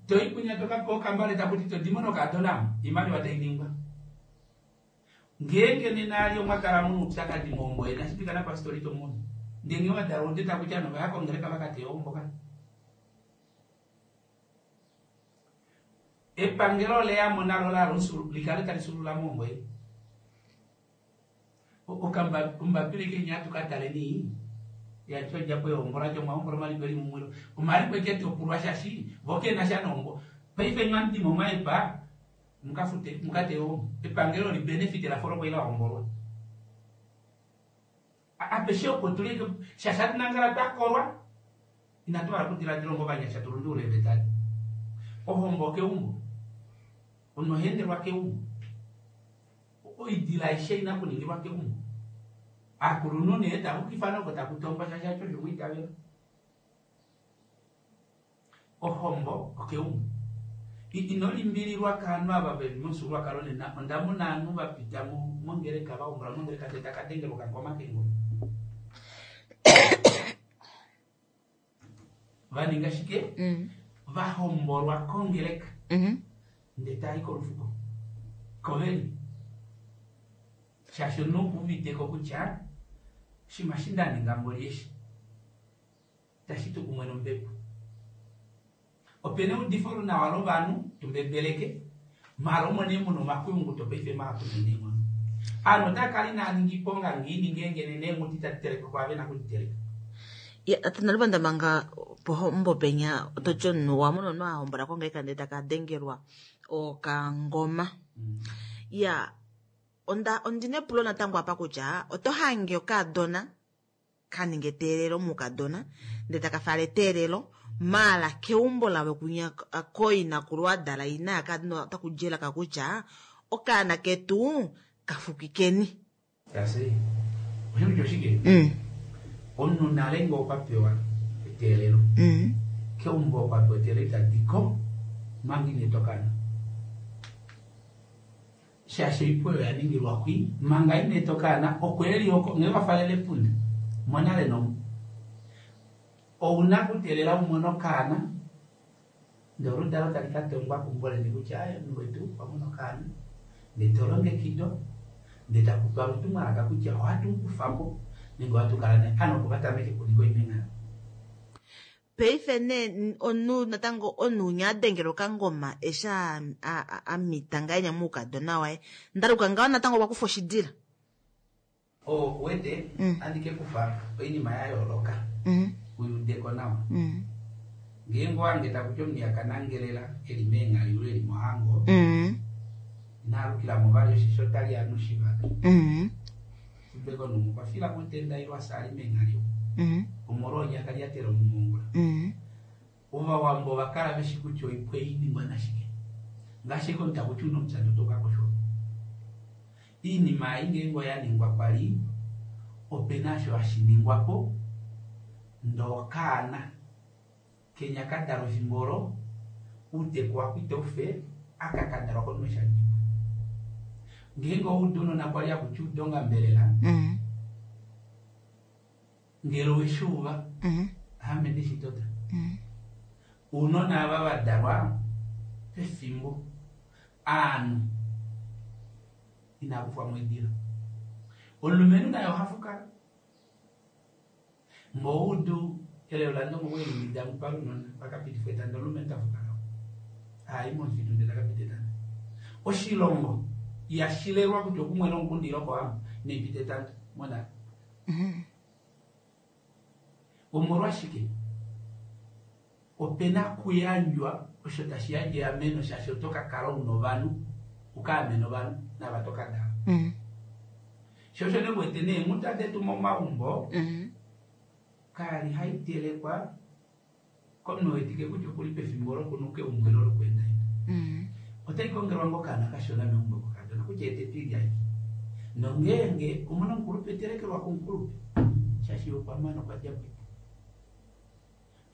Toi kunya tokapewa okambale takuti todimo nokadona iimaliwa tainingwa. Ngeenge nena ali omwakala muna oupyakadi mohombo yeni ashipika napastori tomunu. Ndee ngee wadala ode takuti ovanhu ovaya kongeleka vakateya ohombo ka. Epangelo oleyamo nalo lalo likale tali sulula mohombo yeni. Okamba ombapila ike nya tukataleni yati odjapo yohombola ti omwahombola omaliko eli mumwe omaliko eke topulwa shaashi vo kenasha nohombo. Paife nywe amudimo mwaepa mukafute mukateye ohombo. Epangelo li benefit lafa olo kwali lahombolwa. Apeshe opo tuli shaashi hatu nangala twakolwa inatu hala okudiladila onga ovanyasha tulundulule eeveta. Ohombo keumbo. Omunhu oha endelwa keumbo. Oidila aishe ina okuningilwa keumbo. Aakulunhu nee tavukifana oko taku tongwa shaashi acho osho mwiitavela. Ohombo okeumbo. Ino limbililwa kaanhu ava veli momufyuululwakalo nena onda mona ovanhu vapita mongeleka vahombola mongeleka ndee taka dengelwa okangoma keengoma. Vaninga shike? Mm. Vahombolwa kongeleka Mm. ndee taayi kolufuko. Koveni. Shaashi omunhu okuuviteko kutya oshinima eshi nda ninga mboli eshi tashi tu kumwe nombepo. Opena eudifo nawa lovanhu tumbebeleke maala omo nee muna omakuyunguto paife mahapu neenghono. Aanhu otava kala inaa ninga iiponga ngiini ngeenge nena eenghuti itadi telekwa kwaava vena okuditeleka. Ya, tate Nalubanda manga Pohombo penya ototi omunhu wa mona omunhu a hombola kongeleka ndele taka dengelwa okangoma. Mm. Ya onda ondina epulo natango apa kutya oto hange okaadona kaninga eteelelo mukadona ndele taka fala eteelelo maala keumbo lavo kunya koinakulu adala ina yakadona otaku djelaka kutya okaana ketu kafukikeni. Tasi osho kutya oshike Mm. omunhu nale ngee okwa pewa eteelelo Mm. keumbo okwa pewa eteelelo itadiko manga ina eta okaana shaashi oipo oyo yaningilwa kwi manga ina eta okaana okweli oko ngee wafalele epunda monale nomu ouna kuteelela umone okaana ndee oludalo tali katongwa keumbo leni kutya aye omunhu wetu okwa mona okaana ndee tolongekidwa ndee takupewa olutumwalaka kutya ohatu mukufapo nenge ohatu kala naye ano opo vatameke okuninga oimengha. Paife nee omunhu natango omunhu unya adengela okangoma eshi a- a- a- amita ngahenya moukadona waye ndaluka ngaho natango okwa kufa oshidila. O wete Mm. andi kekufa oinima ya yooloka Mm. uyudeko nawa Mm. ngeenge owange takuti omunhu yakanangelela eli meenghali ile eli mohango Mm. inaalukilamo vali oshisho otali anu shivaka Mm. ubeko nomu okwa fila motenda ilwa saali meenghali Mm. omolwa onyaka lyatela omumongula Mm. ovawambo ovakala veshi kutya oipwe iningwa nashike ngaashi komuntu takuti una omupyandi otokakoshwa iinima ei ngeenge oya ningwa kwali opena osho hashi ningwapo ndee okaana kenya kadalwa efimbo olo outeku wako itaufe aka kadalwa konima eshi adikwa ngeenge owaudu ounona kwali hakuti udonga mbelela Mm. ngele oweshuuva Mm. ame ndeshitota Mm. ounona ava vadalwa pefimbo aanhu inakufwamo edila omulumenhu naye oha fukala ngoudu elelo landongo welimida mupalunona vakapitifwa etanda omulumenhu tafukala hayi momufitu ndele takapita etanda oshilongo yashilelwa kutya okumwe nomukundi ile kohamba inaipita etanda monale Mm. omolwashike opena kuyandjwa osho tashi yandje eameno shaashi oto kakala una ovanhu uka amene ovanhu nava tokadala Mm. sho osho newete neenghuta detu momaumbo Mm. kali haitelekwa komunhu wetike kutya okuli pefimbo lokunuka eumbo elo lokweendaenda Mm. otai kongelwa ngoo okaana kashona meumbo kokadona kutya ete twilya iki nongeenge omuna omukulupe etelekelwa komukulupe shaashi okwa mana okwa dja po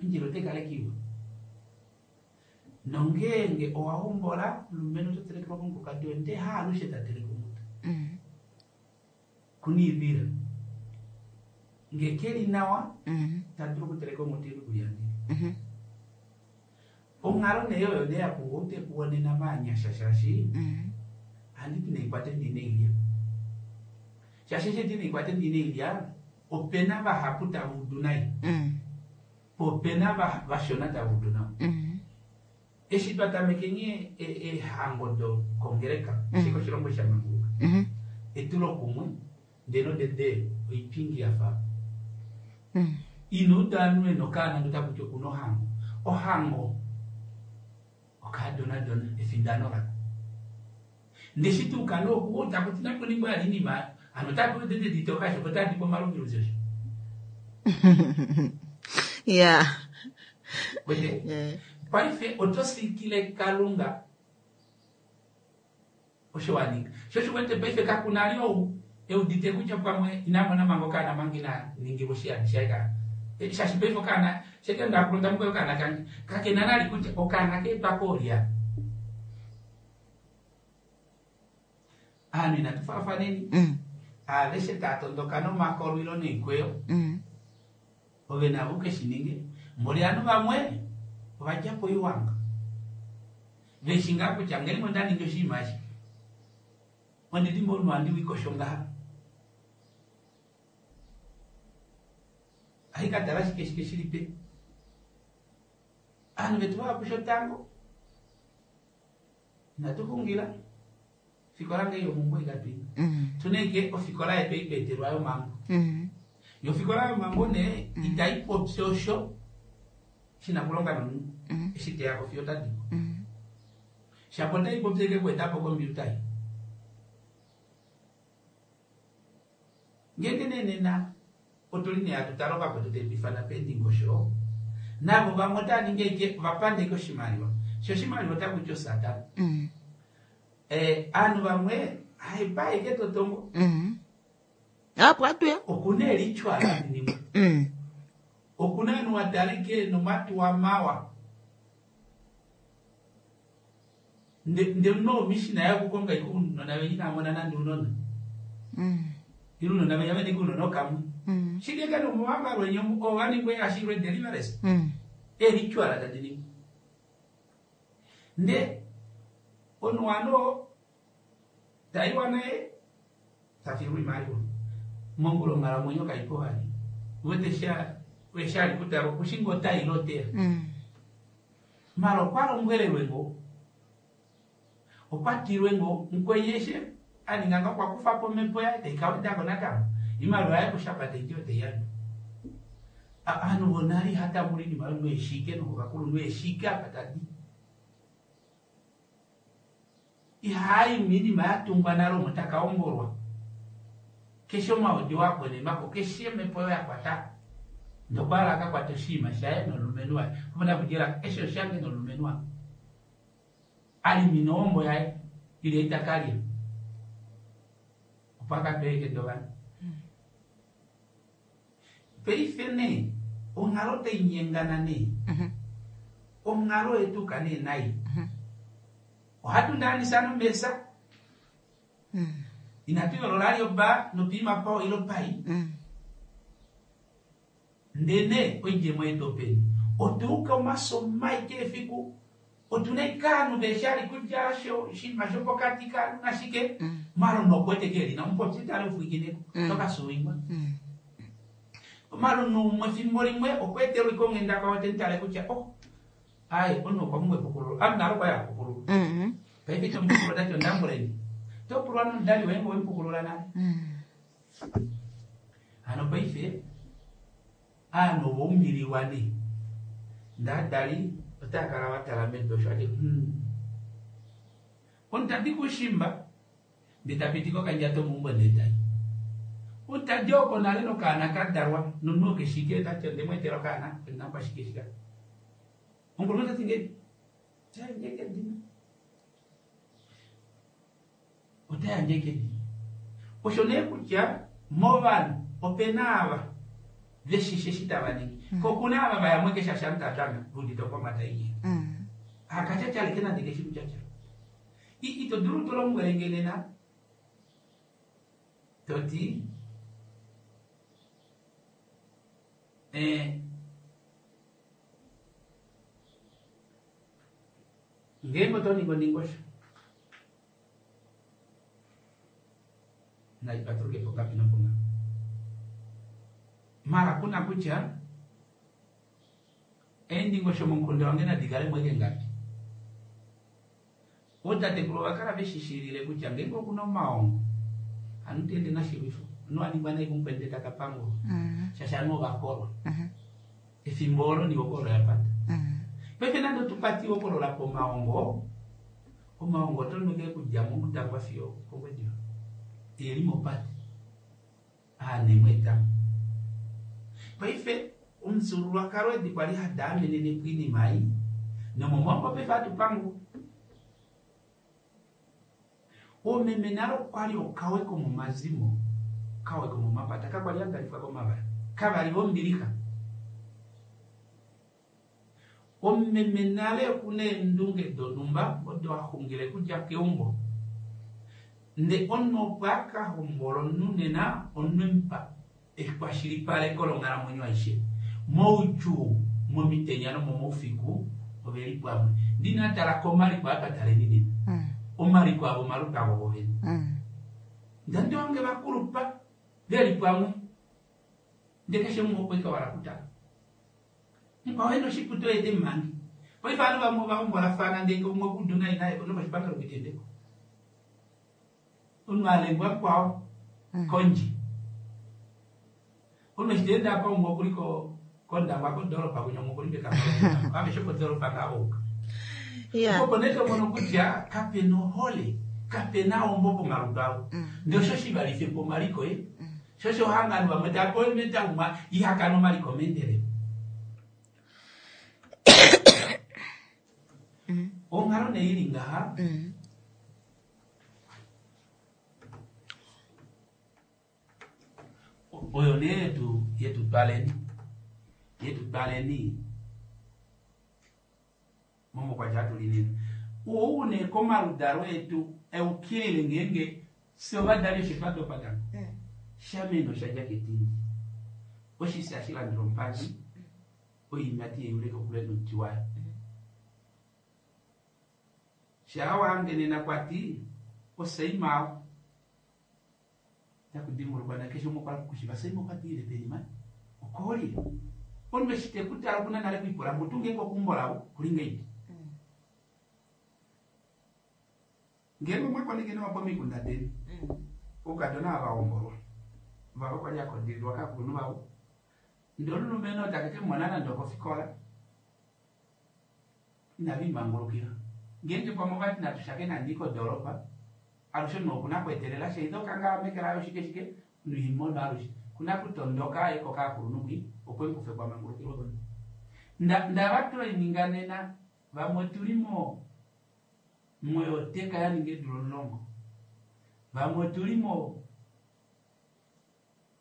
ondjila otai kala iwa nongeenge owa hombola omulumenhu oto telekelwa komukukadi woye ndee haalushe ta teleke onghuta Mm. kuna iivila ngee keli nawa Mm. tadulu okuteleka onghuta ile okulyandile Mhm. onghalo nee oyo nee yapumbwa outeku wonena maanyasha shaashi Mm. ohandi ti naikwate ndi neilya shaashi eshi ti naikwate ndi neilya opena vahapu tava udu nai Mm. po opena va- vashona tava udu nawa Mm. eshi twa tameke eehango dokongeleka eshi koshilongo sha manguluka Mhm. etulokumwe ndee nodede oipingi yafa Mm. ino uda ovanhu vena okaana ndee otakuti okuna ohango ohango okaadonadona efindano lako ndee shi tuu kana oku takuti nakuningwa yali inima hano otapewa dede ditoka osho otadipa omaluviluzi osho Yeah. wete Yeah. paife oto sikile kalunga osho waninga sho osho wete paife kakuna ali ou eudite kutya pamwe inamona manga okaana manga ina ningilwa oshiyani shaye ka Eh, shaashi paife okaana sheke ndakulonda mukoyo okaana kange kakena nali kutya okaana keetwa koolya aanhu inatu faafaneni Mm. aveshe taatondoka nomakolwilo noikweyo Mm. ove navo ukeshininge mboli ovanhu vamwe ovadja poiwanga veshi ngaa kutya ngeenge onda ningi oshinima eshi ondidi omunhu handi wikosho ngaha haikatala shike shike shili pe ovanhu vetu vahapu shotango inatu xungila ofikola ngee yomumbo ikatwina Mm. tuneke ofikola yetu eitweetelwa yomambo Mm. yo ofikola yomambo nee itai popi osho Shina kulonga nomunhu Mhm. eshi teya ko fiyo tadiko Mhm. shapo taipopi eke kuetapo kombiuta ei ngeenge nee nena otuli nee hatu tala ovakwetu taipifana peendingosho navo vamwe otaa ningi eke vapandeke oshimaliwa sho oshimaliwa otakuti osatana Mhm. eh, aanhu vamwe haipa eke totongo Mhm. Apo atuya. okuna elichwa laninimwe Mhm. okuna anu watalike nomatuwa mawa nde nde no mishina yakukonga ikunona venyina amona nandi unona Mhm. ilunona venya vene kunona okamwe Mhm. shileke nomuwanga lwenye ovaningwe ashilwe deliverance Mhm. elichwala tadiningwa nde onu wano taiwa naye tafirwa imaliwa mongula onghalamwenyo kaipo vali wete sha weshali kutala okushinga otailoteya Mhm. mala okwa lombwelelwe ngo okwa tilwe ngo mukwenyeshe aninga nga okwa kufa po omhepo yaye taikawedako natango imaliwa yaye kushapa taiti oteiyana ovanhu vonale ihatambula inima yo noeshike nokovakulunhu eshike apa tadi ihaayi minima yatungwa nale omo takaombolwa keshe omaodi wakwenemako keshe omhepo yo yakwata ndokwala akakwata oshiima shaye nomulumenhu waye opona kudjela eshe oshange nomulumenhu waye alimina ohombo yaye ile itakalya opo akapeleke dovanhu paife nee onghalo tainyengana nee Mhm. onghalo yetuka nee nai Mhm. ohatu ndaanisa nomesa Mhm. inatu yoolola lyoba nopiima pao ilo pai Mhm. ndene oidjemo yetu openi otuuka omaso mai keefiku otuna ikaanu veshali kudja sho shinima shopokati kanu nashike Mm. malo nokwete kelina omupopyi tale ufwikineko Mm. tokasuwingwa Mhm. malo numwe efimbo limwe okweetelwa ikongenda kwawo tentale kutya oh ayi ono okwa pumbwa epukululo ame nalo kwaya pukulula Mhm. paife tomupukulula tati ondambuleni topulwa nomudali woye ngo wemupukulula nale Mhm. hano paife aanhu ovaumbililwa ne ndaadali otaakala watala medu osho ati hmm. omutadi kushimba ndee tapiti kokandjato meumbo ndetai omutadi oko nale nokaana kadalwa nomunhu okeshike tati ondemweetela okaana onakwashike shika omukulunhu tati ngeni tayandje edina otayandje edina osho nee kutya movanhu opena ava veshishe eshi tava ningi ko kuna ava vayamwe keshasha mutatanga vudite okwamata inye Mhm. akachakyaleke nande keshi kutyatya ito dulu tolombwele nge nena toti eh, ngeenge oto ningi ondingosho naipatuluke pongapi nopongapi mara kuna kutya eendingosho momukunda wange nadi kale mweke ngapi ootatekulu ovakala veshishilile kutya ngeenge okuna omaongo anu tiende nashilwifo anu aningwa nai kumukwende takapangulwa Mhm. shaashi anu ovakolwa Mhm. efimbo olo ni okolo yapata Mhm. paife nande otupatiwe okolola pomaongo omaongo otonuke kudja momutangwa fiyo kongwediva eli mopate aanemwe etamo paife omufyuululwakalo edi kwali hadi amenene po oinima ei nomomaumbo paife hatu oomeme nale okwali okawe komomazimo kawe komomapata kakwali hadalifwa komavala kavali vombilixa omumeme nale okuna eendunge donhumba odo axungile kudja keumbo nde omunhu opo akahombola omunhu nena omunhu emupa ekwashilipaleko longhalamwenyo aishe moudjuu momitenya nomomoufiku oveli pamwe ndinatala komaliko akataleni nena Mhm. omaliko avo omalupe avo vovene Mhm. ndandi wange vakulupa veli pamwe nde keshe mumwe okwe wala kutala mukwao ena oshiputo ete mmange paife ovanhu vamwe ovahombolafana ndenge umwe kudu naye naye nokoshipangelo kuitendeko omunhu alengwa mukwao Mm. kondje omunhu eshi teende apa umwe okuli ko Kondangwa kodoolopa kunya omukulimbeka aveshe kodoolopa ngaouka. Yeah. Opo nee tomono kutya kapena ohole, kapena ombo pomalutu avo. Ndee osho shivalife po omaliko e. Sho osho hangano vamwe tava pewa eemeta umwe ihakana omaliko meendelelo. Onghalo nee ili ngaha, oyo nee yetu yetu twaleni yetu twaleni momokwatya atu li nena. Ou nee komaludalo etu eukilile ngeenge fye ovadali osho twa dopa tango. Shameno osha dja ketindi. Oshisi hashi landula omupandi, oiimati yeyule kokule nomuti wayo. Shaa wange nena kwati osaima takudimbulukwa nakeshe umwe okwa kushiva saima okwa diile peni mani okoolile omunhu eshi tekutala okuna nale kwipula mutu ngeenge okuumbo lavo kuli ngeipi ngeenge omwakoneke nawa pomikunda deni oukadona ava hombolwa vava kwali akodililwa kakulunhu vavo ndee omulumenhu oo take kemumona nande okofikola inavimangulukila ngeenge pamwe ovati natu shakene kodoolopa alushe omunhu okuna kweetelela sha ile okangala meke laye oshike shike noimono alushe kuna kutondoka aye kokakulunhu kwi opo emukufe kwamangulukilwe koni ndava twaininga nena vamwe otuli mo moyoteka yaninga eedula omulongo vamwe otuli mo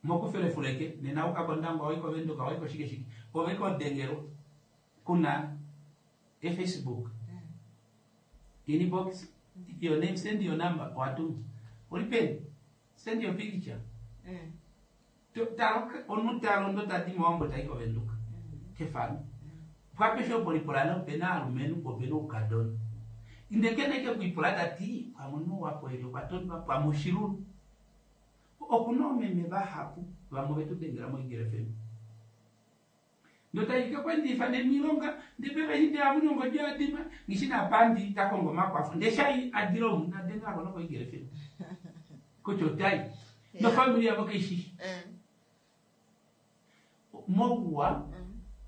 mokufelefuleke nena uka kOndangwa wai koVenduka wai koshike shike ove kodengelwa kuna e-Facebook inbox your name send your number watuma uli peni send your picture talo omunhu talondo tadi mOwambo tai koVenduka kefano pwapeshe opo lipula opena aalumenhu opena oukadona ndee kene ke kwipula tati pamwe omunhu wapo eli okwa tondwa pamwe oshilulu okuna oomeme vahapu vamwe vetu dengela moIgele F M ndotaike kwendifa nemilonga ndepeva amunongo dyadima ngishi napandi takongo omakwafo ndee shai adila omu nadengelako nokoIgele F M kutya otai nofamili yavo keishishi mouwa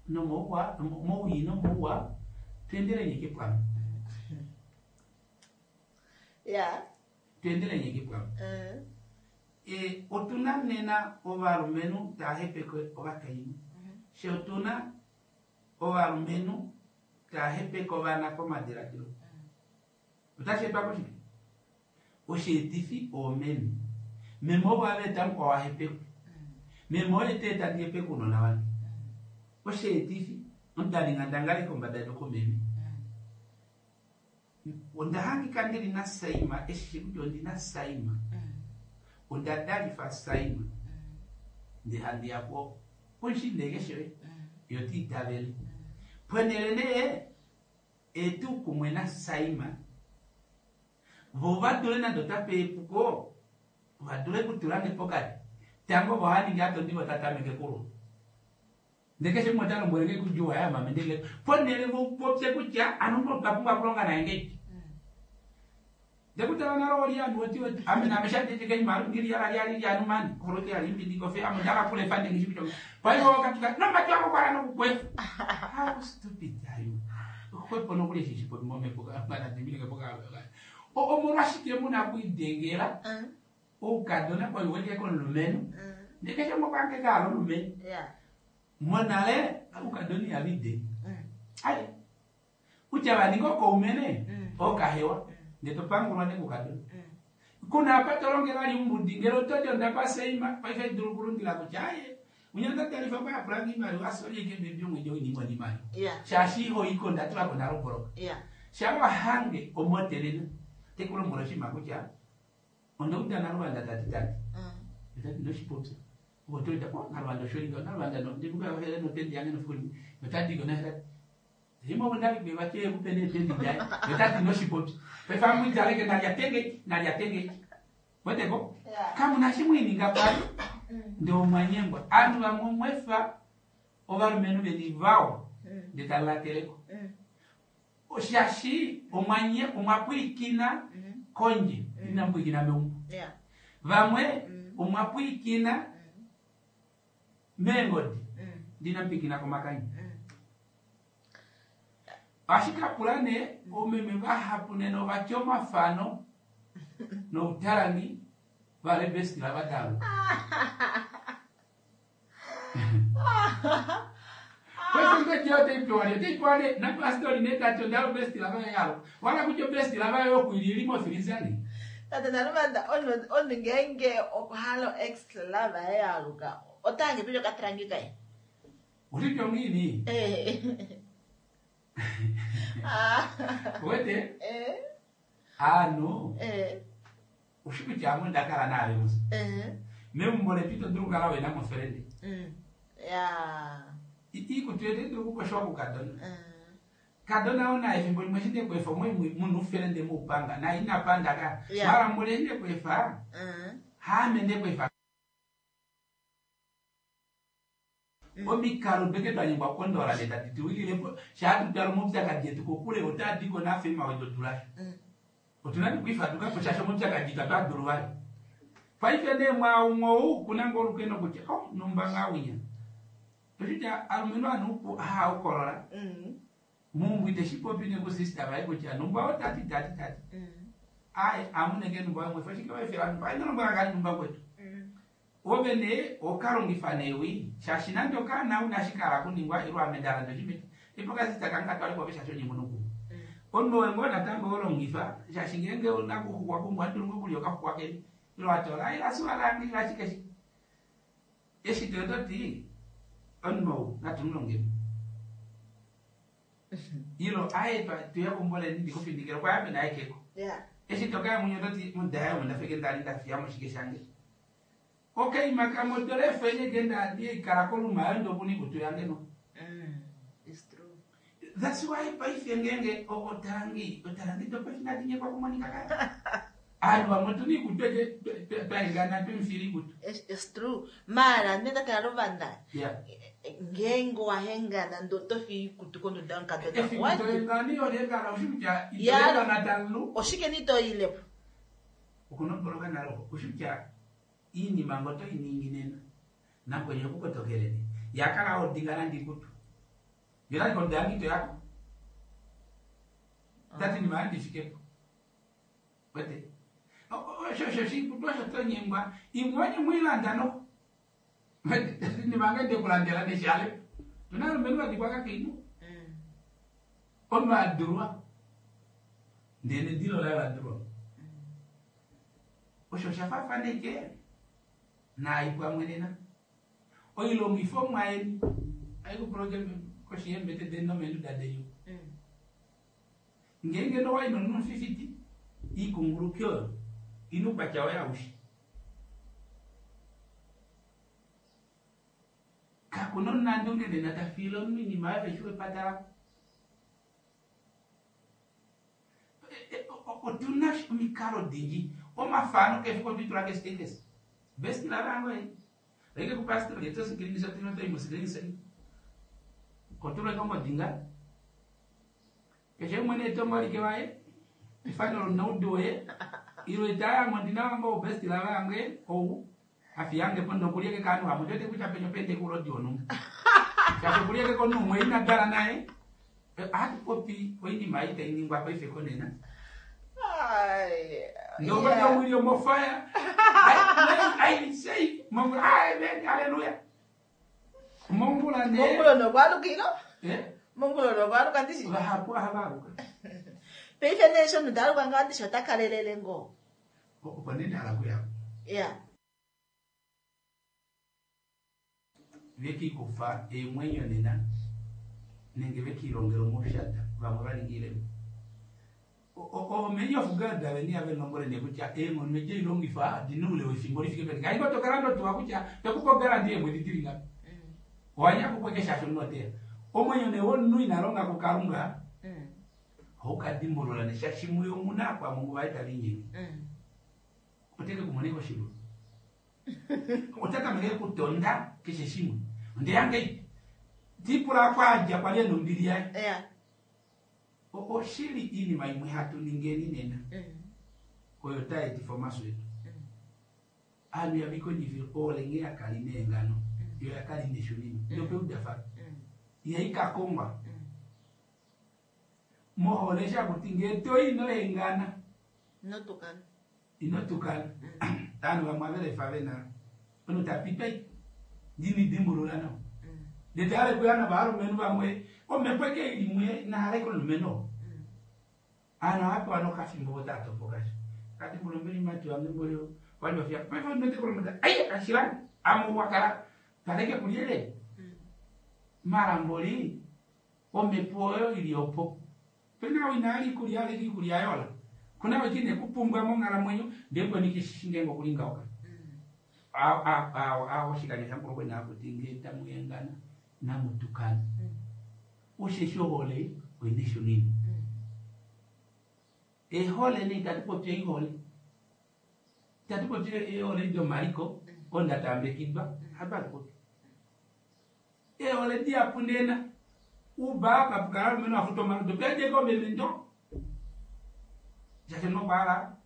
nomouwa mowii nomouwa tweendelenye kepwamwe Yeah. tweendelenye kepwamwe e otuna nena ovalumenhu tava hepeke ovakainhu she otuna ovalumenhu tava hepeke ovana komadiladilo otashi etwa koshike osheetifi oomeme meme ovo ava mukwao wahepekwa meme oye te tandi hepeke ounona vange osheetifi omudalinga kombada yedu komeme onda hangika ndili nasaima eshi kutya ondina saima onda dalifa saima ndee handi yapo poshindeke shoye yo tiitavele pwenele nee etu kumwe nasaima vo vadule nande otape epuko vadule kutula nge pokati tango vo haningi atondi vo tatameke kulwa ndee keshe umwe ota lombwele nge kudjuwa ya mame ndele ponele vopopye kutya ano otwa pumbwa okulonga naye ngeipi ndekutala nalo olianu oti oti ame name shandeteke imalu ngili yala lyali lyanu mani holoke yali mbindi kofe ame ndakakula efande ngishi kutya paife wakatuka nomati wako kwala nokukwefa how stupid are you xwepo nokuli eshi shipopi momhepo kanadimilike poka omolwashike muna kuidengela oukadona koiwelike komulumenhu ndee keshe umwe okwange kaala omulumenhu monale oukadona ihavide ai kutya vaninga okoumene okahewa ndee topangulwa nekukadona kuna apa tolongela ali umbudi ngele otodi onda seima paife dulu kulundila kutya aye unyanda talifa kwa yapulanga imaliwa asolieke bebi omwedi oinimwa nimaliwa shaashi ihoiko ndatulako naloboloka shawa hange omotelena tekulombwela oshinima kutya ondauda naluvanda tati tati tati ndoshipopya otoida o naluvanda osholinga naluvanda ndikukaele notendi yange nofiku limwe notadiko nahe imo ndali vache kupene tendi daye notati noshipopya paife amwitaleke nalya tenge nalya tenge weteko kamuna shimwininga pali ndee omwanyengwa aanhu vamwe omwefa ovalumenhu veni vawa ndee talateleko shaashi omwanye omwapwilikina kondje inamupwilikina meumbo vamwe omwapwilikina meengodi Ndina mpikina komakanya. Ashike apula nee omeme vahapu nena ovatya omafano noutalangi vale bestila vataluka. Paife otai pewa nee otai pewa nee napastori nee tati ondalo bestila vaye yaluka. Wala kutya obestila vaye okuili ili mofiliza nee. Tate Naluvanda, omunhu ngeenge okwa hala ex love yaye yaluka, otange pili okatalangi kaye. Ushitya ongiini? Wete? Aanhu ushi kutya ame onda kala naave musa. Meumbo letu ito dulu okukala wena mo friend. Iikutu yetu otai dulu okukoshwa kukadona. Kadona oo naye efimbo limwe eshi ndekweefa omwe muna ufelende moupanga naye ina panda ka. Mara mboli eshi ndekweefa haame ndekweefa. Omikalo deke twanyengwa okukondola nee tadi tuwililepo shaa tutala omaupyakadi etu kokule otaa diko nafema wetu dula. Otuna okwifadukapo shaashi omaupyakadi itatu adulu vali. Paife nee mwaumwe ou kuna ngoo olukeno kutya oh numba ngaa winya. Oshitya alumenhu anuupu haahokolola. Mumbu iteshi popi nekusista vaye kutya numba otati tati tati. Aye amunenge numba wemwefa ashike waefela numba aye nolombwela ngaa numba kwetu. Ove nee okalongifa newi shaashi nande okaana una shikala kuningwa ilo ame ndalanda oshimeti ipo kasista kange katwale kove shaashi onye munuku. Omunhu owe ngoo natango olongifa shaashi ngeenge una kuxuxwa kumwe ohadulu ngoo okulya okaxuxwa keni ilo atola aye lasuwa lange ilo ashike shi. Eshi to toti omunhu ou natumulongeni. Ilo aye tuya kumboleni ndikufindikile okwa ya pena ekeko. Eshi tokaya munye ototi mudaya omo ndafeke ndali ndafiya moshike shange. Okay, makamodole efenye genda ndiikala koluma yo ndokuni kutu yange no. It's true. That's why paife ngenge otalangi otalangi dopaife nadinyekwa kumonika kaya. Aanhu vamwe otuna iikutu eke twaengana twemufila ikutu. It's true. Mara nenda tala Luvanda. Yeah. Ngeenge wahengana ndo tofi ikutu konduda yomukadona. Efimbo toengani olengana ushi kutya itoengana talu. Oshike nitoilepo? Okunoboloka nalo ushi kutya iinima ngo toyi ningi nena nakwenye okukotokeleni yakala odinga nande ikutu yona konda yange ito yako tati nima yandifikepo wete osho osho shikutu osho tonyengwa imwe onye mwilanda no wete nima ngende kulandela neshale tuna alumenhu vadikwa kakainhu omunhu adulwa ndele nedilo laye ladulwa osho osha faafaneke naipwamwe nena oilongifomwa yeni aikupulake koshi yeembete deni nomeenduda denyu ngeenge nowai nomunhu fifty ikunguluki oyo ina oukwatya wayo aushe kakuna omunandunge nena tafiile omunhu oinima oyo veshi wepata lako. Otuna omikalo dingi omafano kefi kotwitula kestatus best love yange leke kupastor yeto screenshot ino toi screenshot kotula kongo dinga keshe umwe netongo like waye ifano lonaudu we ilo itaya ngondina wango best love yange ou afiyange pondo kulieke kanu hamutote kucha penyo pende kulodi onu shasho kulieke konu mwe ina dala naye hatupopi oinima ei tainingwa paife konena. Nobody will your more fire. I I say, Mongol, amen, hallelujah. Mongol ne. Mongol no kwalukilo? Eh? Mongol no kwaluka ndishi. Vahapu havaluka. Paife ne shono ndaluka nga ndishi otakalelele ngo. Opo nene ala kuya. Yeah. Veki kufa emwenyo nena nenge vekilongelo moshata vamwe vaningile. Omenye of God aveni ave nombole ne kutya eng'ono eje ilongifa dinule wefimbo lifike peni. Kaingo tokala ndo tuwa kutya tekupo garanti emwedi tili ngapi. Wanya kukwekesha shonotea. Omwenyo ne wonu inalonga kukalunga. Hokadimbolola ne shashimuyo muna kwa Mungu vaita vinyingi. Oteke kumoneko shilu. Otaka mege kutonda keshe shimwe. Nde yange tipula kwaja kwa leno mbili yae. Yeah. Oshili iinima imwe hatu ningeni nena oyo taetifa omaso etu. Aanhu yavikondjifile olenge yakali neengano Yo yakali neshunino yopeudafano ihaikakongwa mohole shakuti ngee toi inohengana inotukana inotukana ovanhu vamwe avelefa vena omunhu tapitwa ndinidimbulula nawa ndee tayale kuya novalumenhu vamwe omhepo eke ilimwe inahala ike omulumenhu aanhu ohapewa nokafimbo vo taatopoka sha kadimbula ombeli mati wange mboli wali wafiya paife onotekolomota ai ashilani ame wakala paleke kulyele malamboli omhepo oyo ili opo pena ou inaali ikulya aleke ikulya yola kuna weki nekupumbwa monghalamwenyo ndee kweni keshishi ngeenge okulingaoka oshikanya shamukulu kwena akuti ngee tamuhengana namutukana osheshi ohole oina eshunino ehole nee itatu popi oihole itatu popi eehole domaliko oyo ndatambekidwa hatu atupopi eehole dihapu nena uba papukala alumenhu afuta omaludo pejeke omeme ndo shaashi nokwaala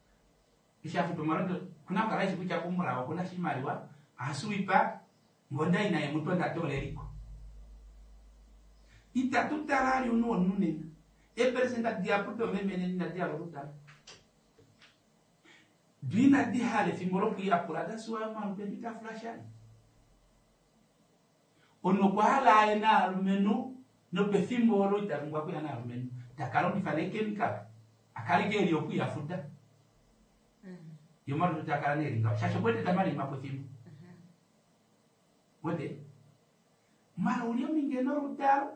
eshi afuta omalodo kuna kukala eshi kutya kumulawo okuna shimaliwa ahasuwipa ngonda ina yemutonda toleliko itatu tala ali omunhu womunhu nena eeperesenta dihapu domeme nena inadi hala okutala do inadi hala efimbo lokwiiyapula dasiwa omalutu edu itafula shali omunhu okwa hala aye naalumenhu nopefimbo olo ita pumbwa okuya naalumenhu takalongifa neekemikala akaleke eli okwiyafuta ye omalutu takala neelingaho shaashi okwete tamalimapo efimbo wete mala uli ominge noludalo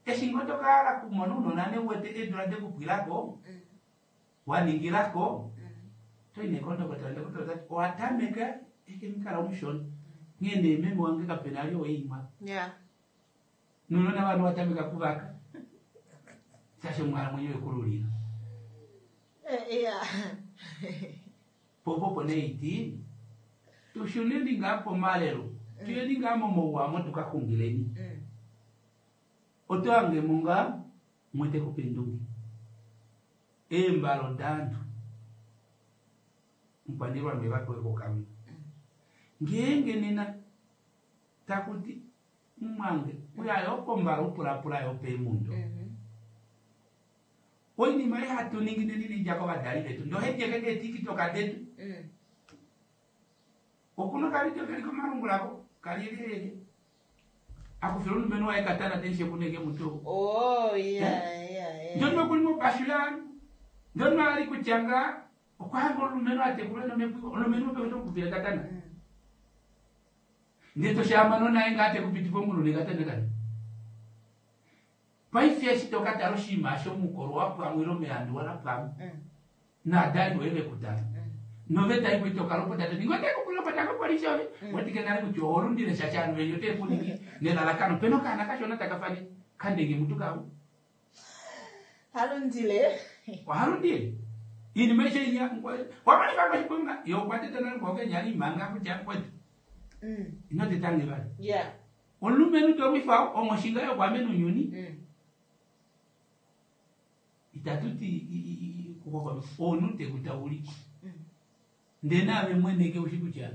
eshi ngoo tokahala kumona ounona neuwete eedula dekupwilako waningilako toi nekondokotela ndokotola tati owatameka ekemikala omushona nghee nee meme wange kapena ali oweimwa Yeah. nounona vanhu watameka kuvaka shaashi onghalamwenyo yekululila Eh, yeah. popopo neiti tushuneni ngaa pomalelo tuyeni ngaa momouwa mo tukaxungileni Mm. oto hangemo ngaa mwete kupendunge eembalo daantu mukwaniilwa me vapewe kokamwe ngeenge nena takuti mumwange uya yopombala upulapula yopeemundo Mhm. oinima ei hatu ningi neni idja kovadali vetu ndohedjeke keetikitoka detu Mm. okuna okavidio keli komalungulako kalielelele akufila omulumenhu waye katana tenshekuneke mutu Oh, yeah, yeah, yeah. ndonima kuli mobashu yaanu ndonima ali kutya nga okwahanga omulumenhu atekulwe nomhepo omulumenhu ope tokufila katana Mm. ndee toshaamano naye nga atekupitipa omunu nekatana kani paife eshi tokatala oshinima shomukolo wapwamwe ile omeandu walapwamwe Mm. naadali voye vekutala Mm. noveta imwe tokalopota toningi otekupulopota kopolisi ove wetike nale kutya oholundile shaashi aanhu veni otekuningi nelalakano pena okaana kashona takafani kandenge mutu kawo Halundile. ohalundile iinima ishe inya wamanifango shiponga ye okwa teta nale kwokenya imanga kutya kwetu Mm. ino tetange vali Yeah. omulumenhu tolwifa ongoshinga yokwamena unyuni Mm. itatuti omunhu tekutaulikwa Mm. ndee naave mwene ke ushi kutya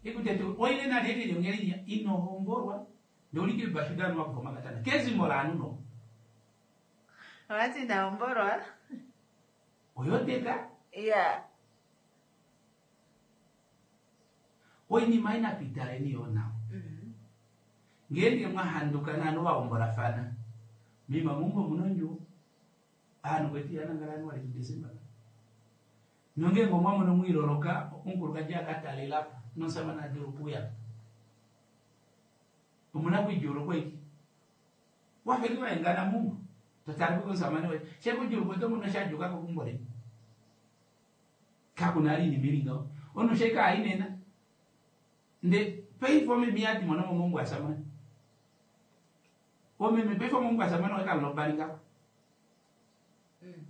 ekutete oile nalelele ongelinya inohombolwa ndeulike bashudanu wakufa makatana kezimo laanhu no Wakati naombolwa. oyoteka Yeah. oinima inatuitaleni yo nawa Mm. ngeenge mwahanduka naanhu vahombolafana mima mumbo munondjuwo aanhu kweti yanangalani wali kudesemba nongeenge omwamono mwiloloka omukulukadi akatalelapo nomusamane adulu okuuya omuna kwijuulukwa iki wafeki waengana mumbo totala kuko omusamane waye shekudjuulukwa oto mono shadjuka keumbo leni kakuna ali inima ili ngaho omunhu sheka ainena nde paife omeme yadi mono momungu asamane omeme paife omungu asamane wakalobali ngako Mm.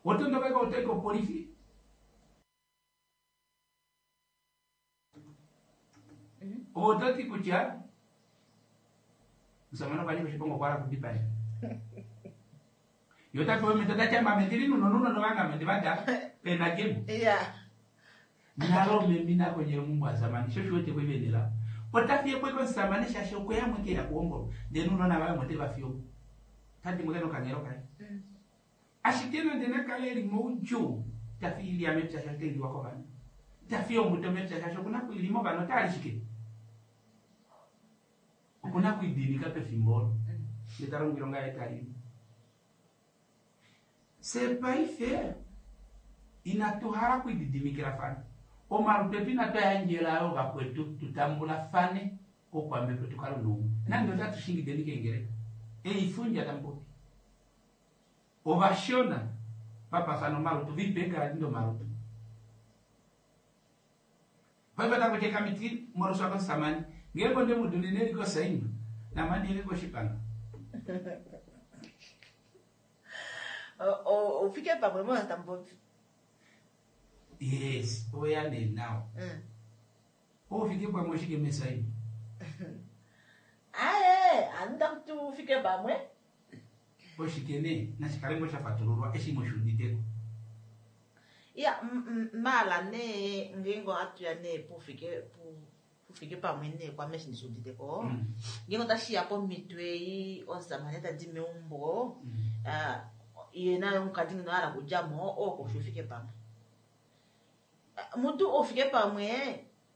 otondokeka otoi kopolifi Mhm. ototi kutya musamane okwa nyika oshiponga okwa hala kudipaya ye otapewa omhito tati ame ndili nunonunono vange ame ndivadala pena jemo Yeah. nalo omeme inakondjela omumbo asamane sho shiwete kwevenela Ota fiye po omusamane shaashi okwe ya mweke ya kuhombolwa ndele nounona vaye omo te va fiye omo. Ota dimbuke nokanghelo kaye. Ashike nande nakale eli moudjuu, ta fiye oilya mepya shaashi otai liwa kovana. Ta fiye ombuto mepya shaashi okuna okuilima ovana otali shike. Okuna okuidiinika pefimbo olo. Ndele ta longo oilonga yaye tali. Fye paife inatu hala okuididimikilafana. Omalutu etu inatu a yandjela yo vakwetu tu tambulafane oukwamhepo tu kale noumwe. Nande otatu shingideni keengeleka. Eifundja tamu popi. Ovashona vapafana omalutu vipe eegaladi domalutu. Paife otaku ti ekamiti moloswa komusamane. Ngeenge onde mu dunine eli kosaima, namani ele koshipanga. Ufike pamwe mo tamu popi. Yes, oya nee nawa. Oufike pamwe oshike mesaima? Aye, anu takuti ufike pamwe. Oshike nee? Nashikale ngoo sha fatululwa eshi moshuuditeko. Ya, maala nee ngeenge ohatu ya nee pufike pufike pamwe nee kwame eshi ndishuuditeko. Ngeenge otashiya pomhito ei omusamane tadi meumbo, ye naye omukadi ngeno a hala okudjamo, oo koshi ufike pamwe. Mutu oufike pamwe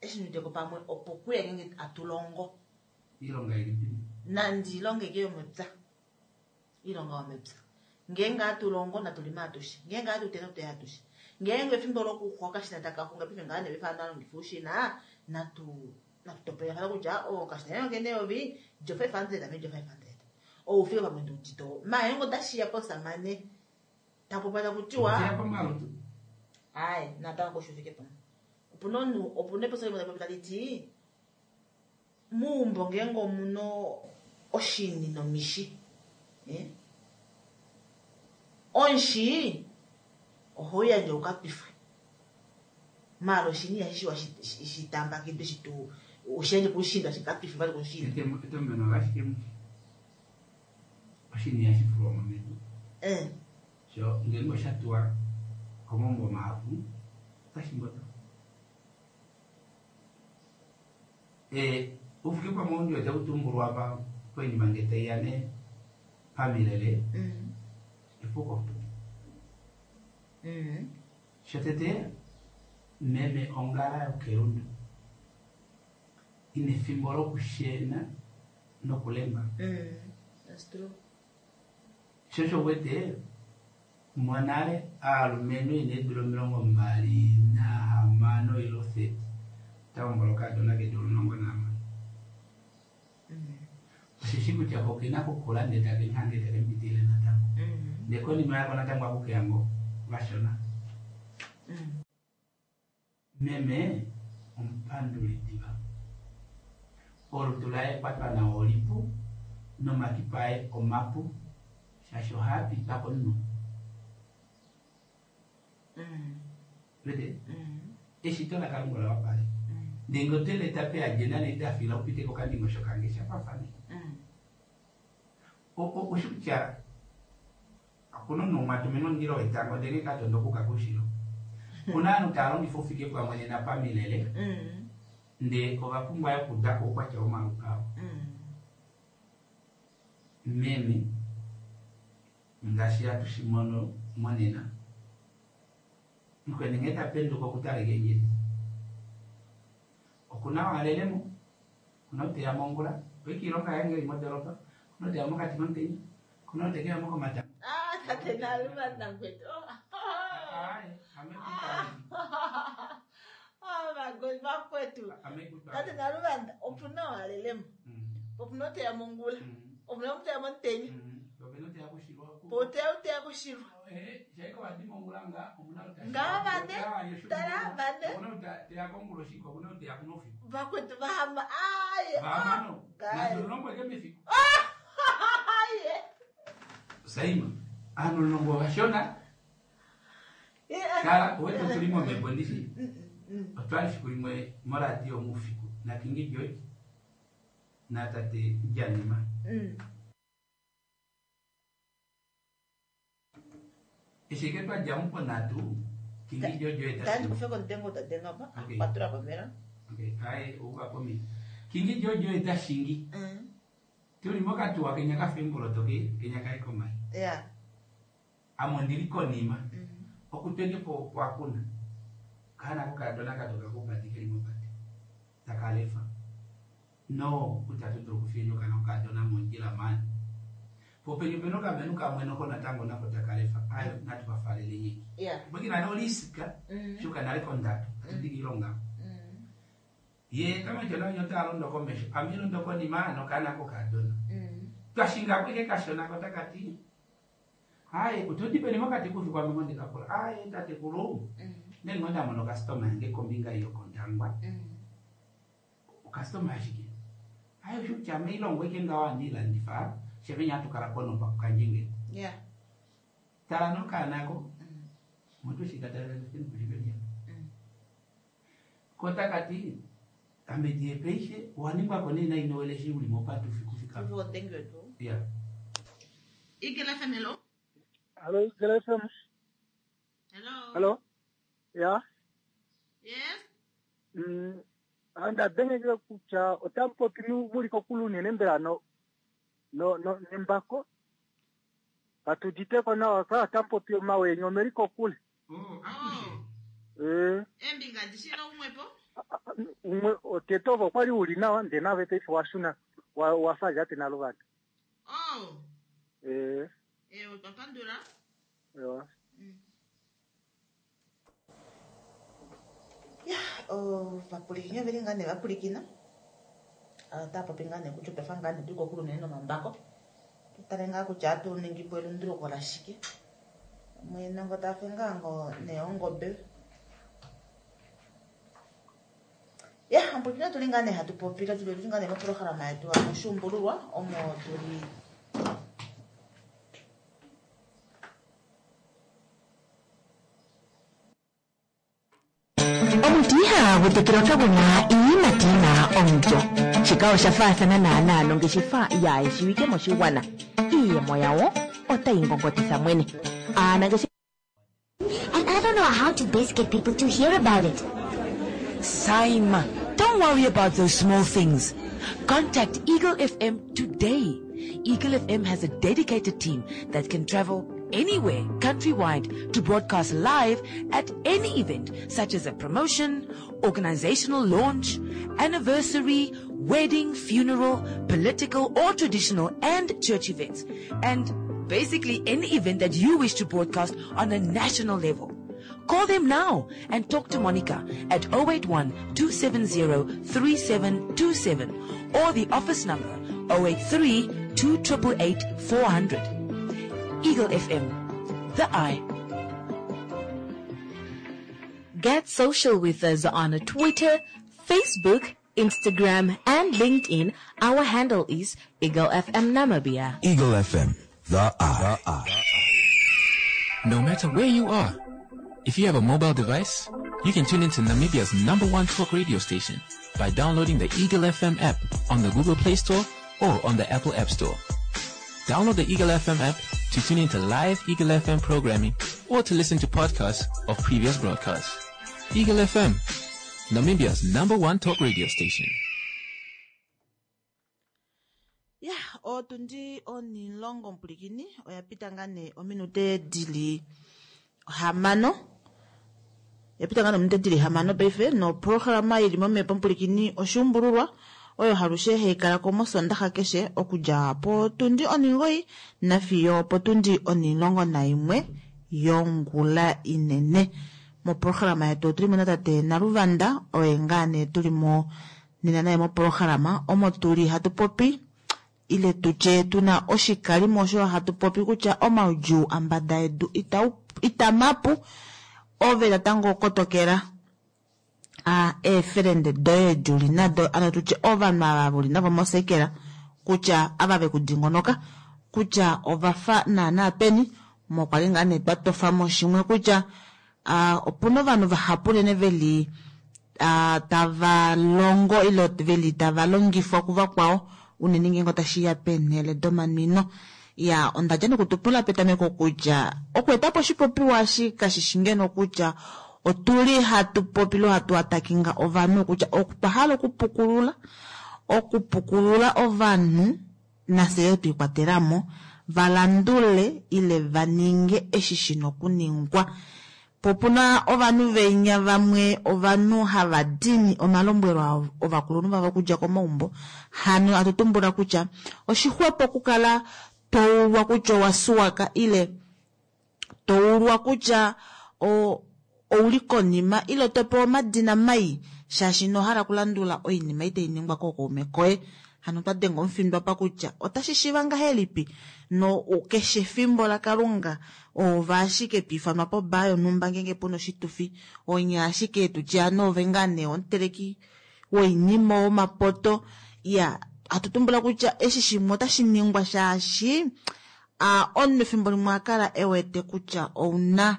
eshi nduditeko pamwe opo kuya ngeenge atulongo. Ilonga ilipi? Nandi ilonga ike yomepya. Ilonga yomepya. Ngeenge atulongo natulima atushe. Ngeenge atutete tuteya atushe. Ngeenge efimbo lokuxwa okashina taka xunga paife ngaa nee paife alongifa oushina natu natutopolelafana kutya o okashina kene eyovi lyo five hundred ame lyo five hundred. Oufike pamwe ndiudite oo. Maala ngeenge otashiya pomusamane tapopi takutiwa Oshiya komalutu. Aye, natango koshi ufike pamwe. Opuna omunhu, opuna epopyo limwe tali popi tali ti meumbo ngeenge omuna oshini nomishi. Eh? Omushi oho yandje ukapifwe. Maala oshini ihashi shiwa shitambakidwe shitu ushiyandje kushinda shikapifwe vali kushinda. Etomeno lashike oshini ihashi fulwa mo medu. Eh. Sho ngeenge osha tuwa komaumbo mahapu otashi mboto. Eh, oufike pamwe oundi otau tumbulwa pa poinima nge taiya ne pamilele. Epuko. Shotete meme ongala yokelundu ina efimbo lokushena nokulemba. That's true. Sho osho wete monale aalumenhu ina eedula omilongo mbali nahamano ile thirty ota hombola okaadona keedula omulongo nahamano. Osheshi kutya ko okena kukula ndele take muhange take mupitilile natango. Ndele konima yako natango akukeya ngoo vashona. Meme omupanduli diva. Olutu laye kwatwa nawa olipu nomakipa aye omapu shaashi ohaa pitwa komunhu. Wete? Eshito laKalunga ola wapala. Ndele ngee oto leta peadjena neitafila upite kokandingosho kange shafafane. Oshi kutya okuna omunhu umwe atuminwa omundilo wetango ndele ngee katondo okuuka koushilo. Okuna ovanhu tava longifa oufike pamwe nena pamilele ndee ova pumbwa yo okuuda ko oukwatya womalutu avo. Meme ngaashi hatu shi mono monena mukweni nghee ta penduka okutala keendjedi. Okuna oo alelemo, okuna ou teya mongula, oike oilonga yaye ngee eli modoropa, okuna ou teya mokati komutenya, okuna ou tekeya mo komatango. Ah, tate Naluma Nangwetu. Aye, ame kutala. Ah, my vakwetu. Ame kutala. Tate Naluma opuna oo alelemo. Opuna ou teya mongula. Opuna ou teya momutenya. Opena ou teya kushilwa. Po teya ou teya kushilwa. Eh, shaiko wadi mongula nga omuna ou Nga vane, tala vane. Okuna ou teya konguloshi, okuna ou teya kunoufiku. Vakwetu vahama. Aye. Vahamano. Guys. Nandi omulongo eke mefiku. Aye. Saima, ovanhu omulongo ovashona. Kala, owete tuli momhepo ndishi. Otwali efiku limwe moradio moufiku naKing George natate Janima. Eshi eke twadja mo ponhatu, King George oye Tandi tati. kufe komutenga utadenga pa. Okay. Kwatula pamela. Okay, aye ouka pomhito. Kingi George oye ta shingi. Mm. Tuli mokatuwa kenya kafa emboloto ke kenya kaye komai. Yeah. Ame ondili konima. Mm. Okutwenge po kwakuna. Kana kokadona katoka kopati keli mopati. Takalefa. No, utatu dulu kufinya kana kokadona mondjila mani. Popenye peno kamenu kamwe noko natango nako takalefa. Ayo natu bafalele nyingi. Yeah. Bwekina no lisika. Mm. Shuka nale kondatu. Atudigi ilonga. Mm. Ye kama chona nyota alondo komesho. Amilo ndoko ni mano kana kokadona. Mm. Twashinga kweke kashona kotakati. Hayi utudipeni mokati kufi kwa mimondi kapola. Ayi tate kulu. Mm. Nengonda mono customer yange kombinga iyo kondangwa. Mm. Customer ashike. Ayo shucha meilongo ike ngawa ndila ndifa. Shevenya tukala kono pa kanjinge. Yeah. Tala no kanako. Mm. Mutu shikatala kinu kushibenya. Mm. Kota kati amedie peishe waningwa kone na inowele shi ulimopa tufi kufika. Tuvo thank you too. Yeah. Eagle F M, hello. Hello, Eagle F M. Hello. Hello. Ya. Yes. Mm, anda dengekele kutya otamu popi muli kokule unene mbela no no no nembako katuditeko nawa ka otamu popi omawenyo omeli kokule. Oh, akushe. Oh. Eh, Embinga ndishilo umwepo. umwe otete ovo kwali uli nawa nde nave paife washuna wa- wafa ate naluvanda. Oh. Eh, Eh, otwapandula. yo. Ya, ovapulikini oveli ngaa nee vapulikina. Otava popi ngaa nee kutya otwafa ngaa nee tuli kokule unene nomambako. Tutale ngaa kutya atu ningi po elunduluko lashike. Mwene tafe ngaa ngo nee ongobe. Ya, omupulikini otuli ngaa nee hatu popile tuli ngaa nee moprograma yetu moshuumbululwa omo tuli Omuti ihagu tekelwa kagu na iiyimati yi na omulyo. Shika osha faathana naanaa nongeshefa yaayeshiwike moshigwana. Iiyemo yawo otayi ngongotitha mwene. Aanangeshefa And I don't know how to best get people to hear about it. Saima, don't worry about those small things. Contact Eagle F M today. Eagle F M has a dedicated team that can travel anywhere countrywide to broadcast live at any event such as a promotion, organizational launch, anniversary, wedding, funeral, political or traditional and church events. And basically any event that you wish to broadcast on a national level. Call them now and talk to Monica at oh eight one two seven zero three seven two seven or the office number oh eight three two eight eight four hundred. Eagle F M, the eye. Get social with us on Twitter, Facebook, Instagram, and LinkedIn. Our handle is Eagle F M Namibia. Eagle F M, the eye. The eye. No matter where you are, if you have a mobile device, you can tune into Namibia's number one talk radio station by downloading the Eagle F M app on the Google Play Store or on the Apple App Store. Download the Eagle F M app to tune into live Eagle F M programming or to listen to podcasts of previous broadcasts. Eagle F M, Namibia's number one talk radio station. Ya, otundi onilongo mupulikini oya pita ngaa nee ominute dili hamano ya pita ngaa nee ominute dili hamano paife noprograma ili momhepo mupulikini oshuumbululwa oyo halushe hayi kala ko mosondaxa keshe okudja potundi oningoyi nafiyo potundi onilongo naimwe yongula inene. Moprograma yetu otuli mo natate Naluvanda oye ngaa nee tuli mo nena naye moprograma omo tuli hatu popi ile tutye tuna oshikalimo osho hatu popi kutya omaudjuu ambada yedu itau- itamapu ove natango kotokela a eefelende doye duli nado ano tutye ovanhu ava vuli navo mosekela kutya ava vekudingonoka kutya ovafa naana peni mokwali ngaa nee twatofamo shimwe kutya ah, opuna ovanhu vahapu unene veli ah, tava longo ile veli tava longifwa kuvakwao unene ngeenge otashiya peenhele domanwino. Ya onda dja nokutupula petameko kutya okweetapo oshipopiwa eshi kashishi ngeno kutya otuli hatu popile hatu atakinga ovanhu kutya otwa hala okupukulula Okupukulula ovanhu, nafye yoo twiikwatelamo, valandule ile vaninge eshi shina okuningwa. Po opuna ovanhu venya vamwe ovanhu hava dini omalombwelo ovakulunhu vavo okudja komaumbo, hano hatu tumbula kutya oshixwepo okukala toulwa kutya owasuwaka ile toulwa kutya o ouli konima ile topewa omadina mai shaashi inohala okulandula oinima itai ningwa kookaume koye. Hano otwa denga omufindo apa kutya otashi shiiva ngahelipi no keshe efimbo laKalunga ove ashike twiifanwa pobaa yonhumba ngeenge puna oshitufi, onye ashike tutye ano ove ngaa nee omuteleki woinima womapoto. Ya hatu tumbula kutya eshi shimwe otashi ningwa shaashi omunhu efimbo limwe akala ewete kutya ouna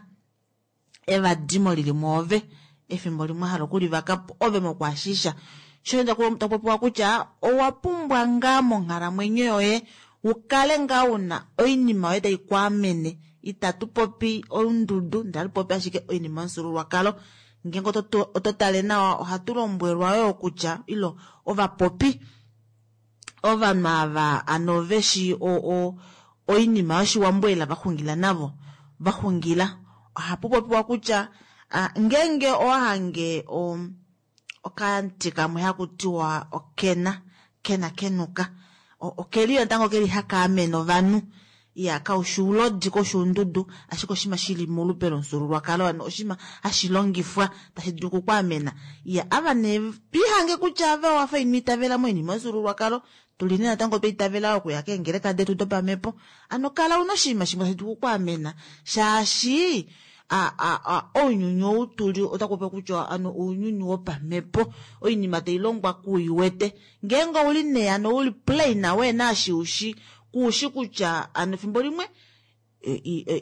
evadimo lili mwoove, efimbo limwe ahala okulivakapo ove mokuashisha. Sho takupopiwa kutya owa pumbwa ngaa monghalamwenyo yoye ukale ngaa una oinima yoye tai kwaamene. Itatu popi oundudu, ndele hatu popi ashike oinima yomufyuululwakalo. Ngeenge oto tale nawa ohatu lombwelwa yoo kutya ilo ovapopi ovanhu ava ano veshi oinima yoshiwambo ela vaxungila navo vaxungila. Ohapu popiwa kutya ngeenge owahange okamuti kamwe haku tiwa okena, kena kenuka, okeli natango keli haka amene ovanhu. Ya kaushi oulodi kaushi oundudu, ashike oshinima shili molupe lomufyuululwakalo, ano oshinima hashi longifwa tashi dulu okukwaamena. Ya ava nee twiihange kutya ave owafa ino itavela moinima yomufyuululwakalo, tuli nee natango twa itavela okuya keengeleka detu dopamhepo, ano kala una oshinima shimwe tashi dulu okukwaamena shaashi ounyuni ou tuli otaku popiwa kutya ano ounyuni wopamhepo, oinima tailongwa kuiwete. Ngeenge ouli nee ano uli plain weena eshi ushi kuushi kutya ano efimbo limwe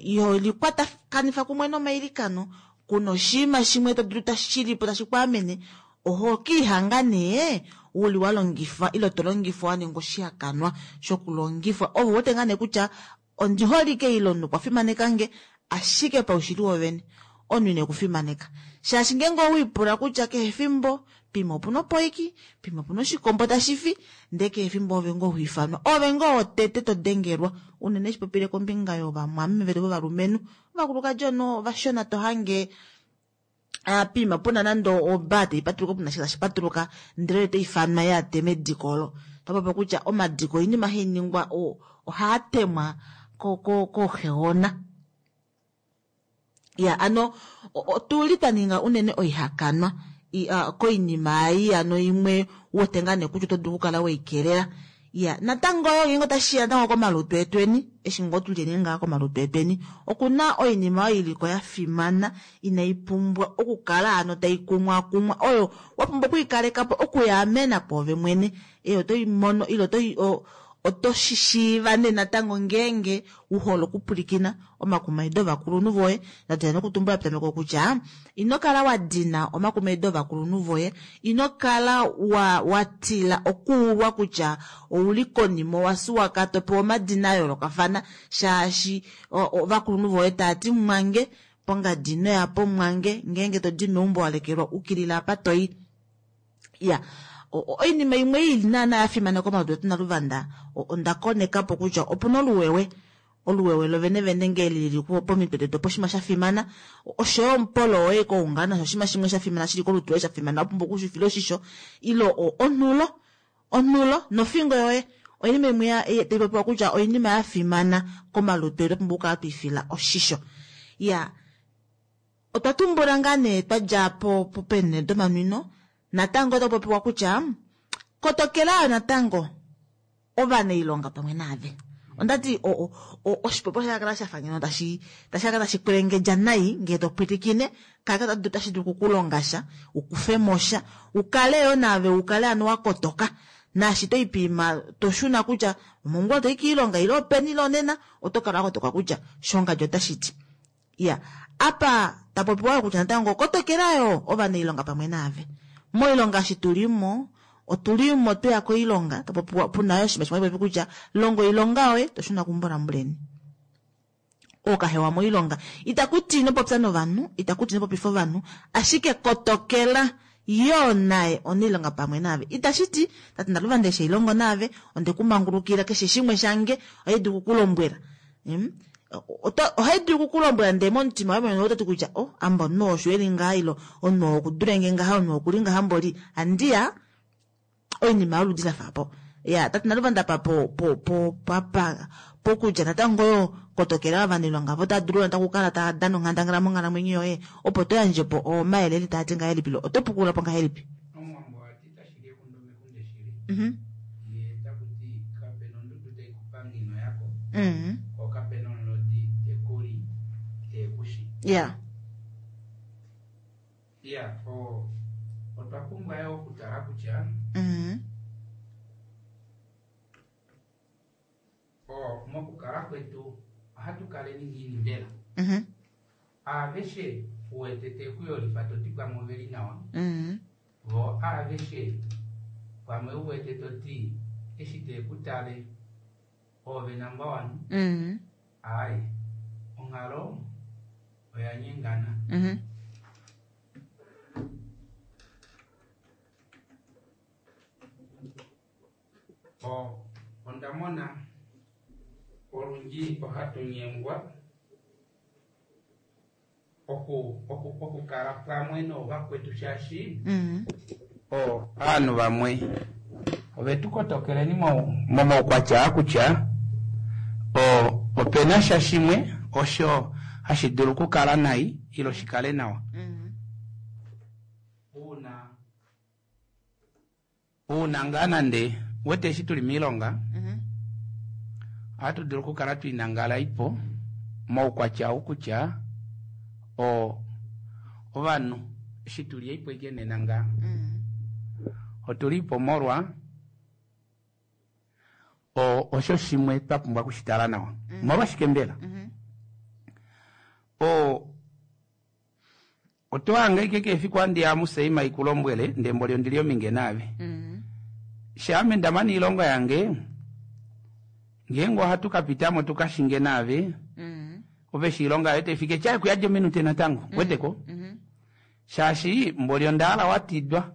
iho likwatakanifa kumwe nomailikano, kuna oshinima shimwe to dulu tashilipo tashi kwaamene, oho kiihanga nee uli walongifwa ile to longifwa waninga oshihakanwa shokulongifwa. Ove uwete ngaa nee kutya ondi holike ile omunhu okwa fimanekange, ashike paushili wovene omunhu ine kufimaneka. Shaashi ngeenge owiipula kutya kehe efimbo pimwe opuna opoiki, pimwe opuna oshikombo tashi fi, ndee kehe efimbo ove ngoo hoifanwa, ove ngoo wotete to dengelwa. Unene shipopile kombinga yovamwameme vetu vovalumenhu, ovakulukadi ono ovashona to hange pima puna nande obaa taipatuluka, puna sha tashi patuluka ndele otaifanwa ya tema ediko olo. Topopi kutya omadiko oinima hainingwa ohaa temwa kooxeona. Ya ano otuli twa ninga unene oihakanwa koinima ei ano imwe uwete ngaa nee kutya oto dulu okukala weikelela. Ya natango yo ngeenge otashiya natango komalutu etweni, eshi ngoo tulyeni ngaa komalutu etweni, okuna oinima oyo iliko ya fimana inai pumbwa okukala ano tai kumwakumwa, oyo wa pumbwa okuikaleka po okuyaamena kwoove mwene. E otoi mono ile otoi oto shishiiva nee natango ngeenge uhole okupwilikina omakumaido ovakulunhu voye. Ndadila nokutumbula petameko kutya ino kala wa dina omakumaido ovakulunhu voye, ino kala wa watila okuulwa kutya ouli konima owasuwaka topewa omadina a yoolokafana shaashi ovakulunhu voye taati mwange pongadi ino yapo mwange, ngeenge todi meumbo walekelwa ukilila apa toi. Ya oinima imwe ili naana ya fimana komalutu etu naluvanda, onda konekapo kutya opuna oluwewe, oluwewe lovene vene ngee lili pomitwe detu opo oshinima sha fimana, oshoyo omupolo woye koungana osho oshinima shimwe sha fimana shili kolutu loye sha fimana, wapumbwa okushifila oshisho, ile onhulo, onhulo nofingo yoye oinima imwe tai popiwa kutya oinima ya fimana komalutu etu wapumbwa okukala twiifila oshisho. Ya otwa tumbula ngaa nee twadja po peenhele domanwino, natango otaku popiwa kutya kotokela natango ovanailonga pamwe naave. Ondati oshipopiwa shakala shafa ngeno tashi tashi kala tashi kwelengedja nai ngee to pwilikine, kaka tashi dulu okukulonga sha, ukufemo sha, ukale yo naave ukale ano wakotoka. Naashi toipima toshuna kutya omongula toi kiilonga ile openi ile onena, oto kala wakotoka kutya shongadji otashi ti. Ya apa tapopiwa kutya natango kotokela yo ovanailonga pamwe naave. Moilonga eshi tulimo, otulimo tweya koilonga, tapopiwa puna yo oshinima shimwe popi kutya longa oilonga yoye toshuna kumbolambuleni. Okahewa moilonga itakuti ino popya novanhu, itakuti ino popifa ovanhu, ashike kotokela Yoo naye onailonga pamwe naave. Itashi ti tate Naluvanda eshi hailongo naave onde ku mangulukila keshe shimwe shange ohai dulu okukulombwela. Mm? Ohai dulu okukulombwela ndee momutima woye mwene ototi kutya oh amba omunhu osho eli ngaha ilo omunhu okudulenge ngaha omunhu okuli ngaha mboli andiya oinima yoludi lafa po. Ya tate Naluvanda pa po po po papa pokutya natango yo kotokela ovanailonga vo otava dulu natango okukala tava dana onghandangala monghalamwenyo yoye opo to yandje po omayele taa ti ngahelipi lo oto pukula po ngahelipi. Omuwambo ati tashi li ekundu mekunde shili. Mhm. Ye taku ti kapena ondudu tai ku pangino yako Mhm. ko kapena omulodi tekuli tekushi. Ya. Ya, o otwa pumbwa yo okutala kutya Mhm. o mokukala kwetu ohatu kaleni ngiini mbela. Mhm. Aveshe uwete tekuyolifa toti pamwe oveli nawa Mhm. vo aveshe pamwe uwete toti eshi tekutale ove number one Mhm. ayi onghalo oya nyengana. Mhm. O onda mona olundji ohatu nyengwa oku oku okukala pamwe noovakwetu shaashi Mhm. o aanhu vamwe ovetu kotokeleni mo- momaukwatya kutya o opena sha shimwe osho hashi dulu okukala nai ilo shikale nawa. Mhm. Uuna uuna ngaa nande wete eshi tuli miilonga Mhm. ohatu dulu okukala twinangala ipo moukwatya ou kutya o ovanhu eshi tuli ipo ike nena ngaa Mhm. otuli ipo molwa o osho shimwe twa pumbwa okushitala nawa. Molwashike mbela? Mhm. O oto hanga ike kefiku andi ya museima ikulombwele ndembo ondili ominge naave. Mhm. Shaame ndamana iilonga yange ngeenge ohatu kapitamo tukashinge naave Mhm. ove shi ilonga yoye taifike tyaye kuyadja ominute natango weteko Mhm. shaashi mboli ondahala watidwa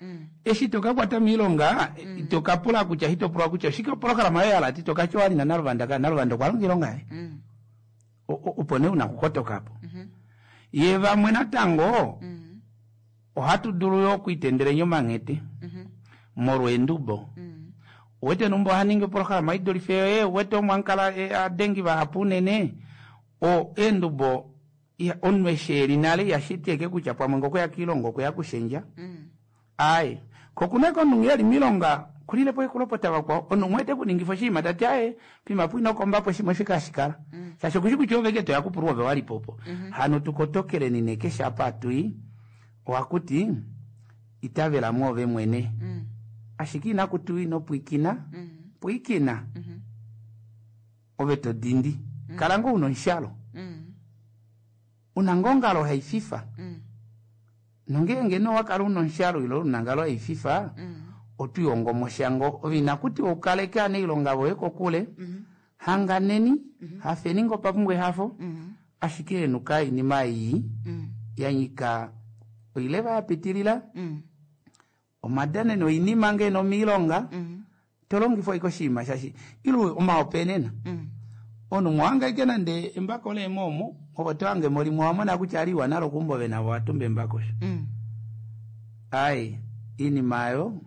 Mhm. eshi tokakwata miilonga tokapula kutya hitopulwa kutya oshike opolohalama yoye yalati tokatya owali naNaluvanda ka Naluvanda okwa longa iilonga yaye Mhm. O- o- opo nee una okukotoka po Mhm. ye vamwe natango Mhm. ohatu dulu yo okwiitendelenya omanghete Mhm. molwa eendubo Mhm. uwete numba ohaningi opolohalama idulife yoye uwete omo amukala eh, adengi vahapu unene o eendubo iha- omunhu eshi eli nale ihashiti eke kutya pamwe ngokuya kiilonga okuya kushendja Mhm. aye kokuna komunhu eli miilonga kulilepo ekulopota vakwao omunhu umwe tekuningifa oshinima tati aye pimapo inokombapo shimwe shikashikala shaashi okushi kutya ove ke toya kupulwa ove walipopo hano tukotokeleni nee keshe apa atui ohakuti itavela mwoove mwene Mhm. ashike inakutiwa ino pwiikina Mhm. pwiikina Mhm. ove to dindi kala ngoo una omushalo Mhm. una ngoo ongalo haififa Mhm. nongeenge nee owakala una omushalo ilo una ongalo haififa Mhm. otwiihongo moshango ove inakutiwa ukaleke anailonga voye kokule Mhm. hanganeni hafeni ngoo papumbwa ehafo Mhm. ashike henuka oinima ei Mhm. ya nyika oileva ya pitilila Mhm. omadaneno oinima ngeeno miilonga Mhm. tolongifwa ike oshinima shashi ilo omahopenena Mhm. omunhu mwahanga ike nande embako leemoomo ove tohange mo limwe owamona kutya aliwa nalo kumba ove navo watumba embako osho Mhm. ai iinima ayo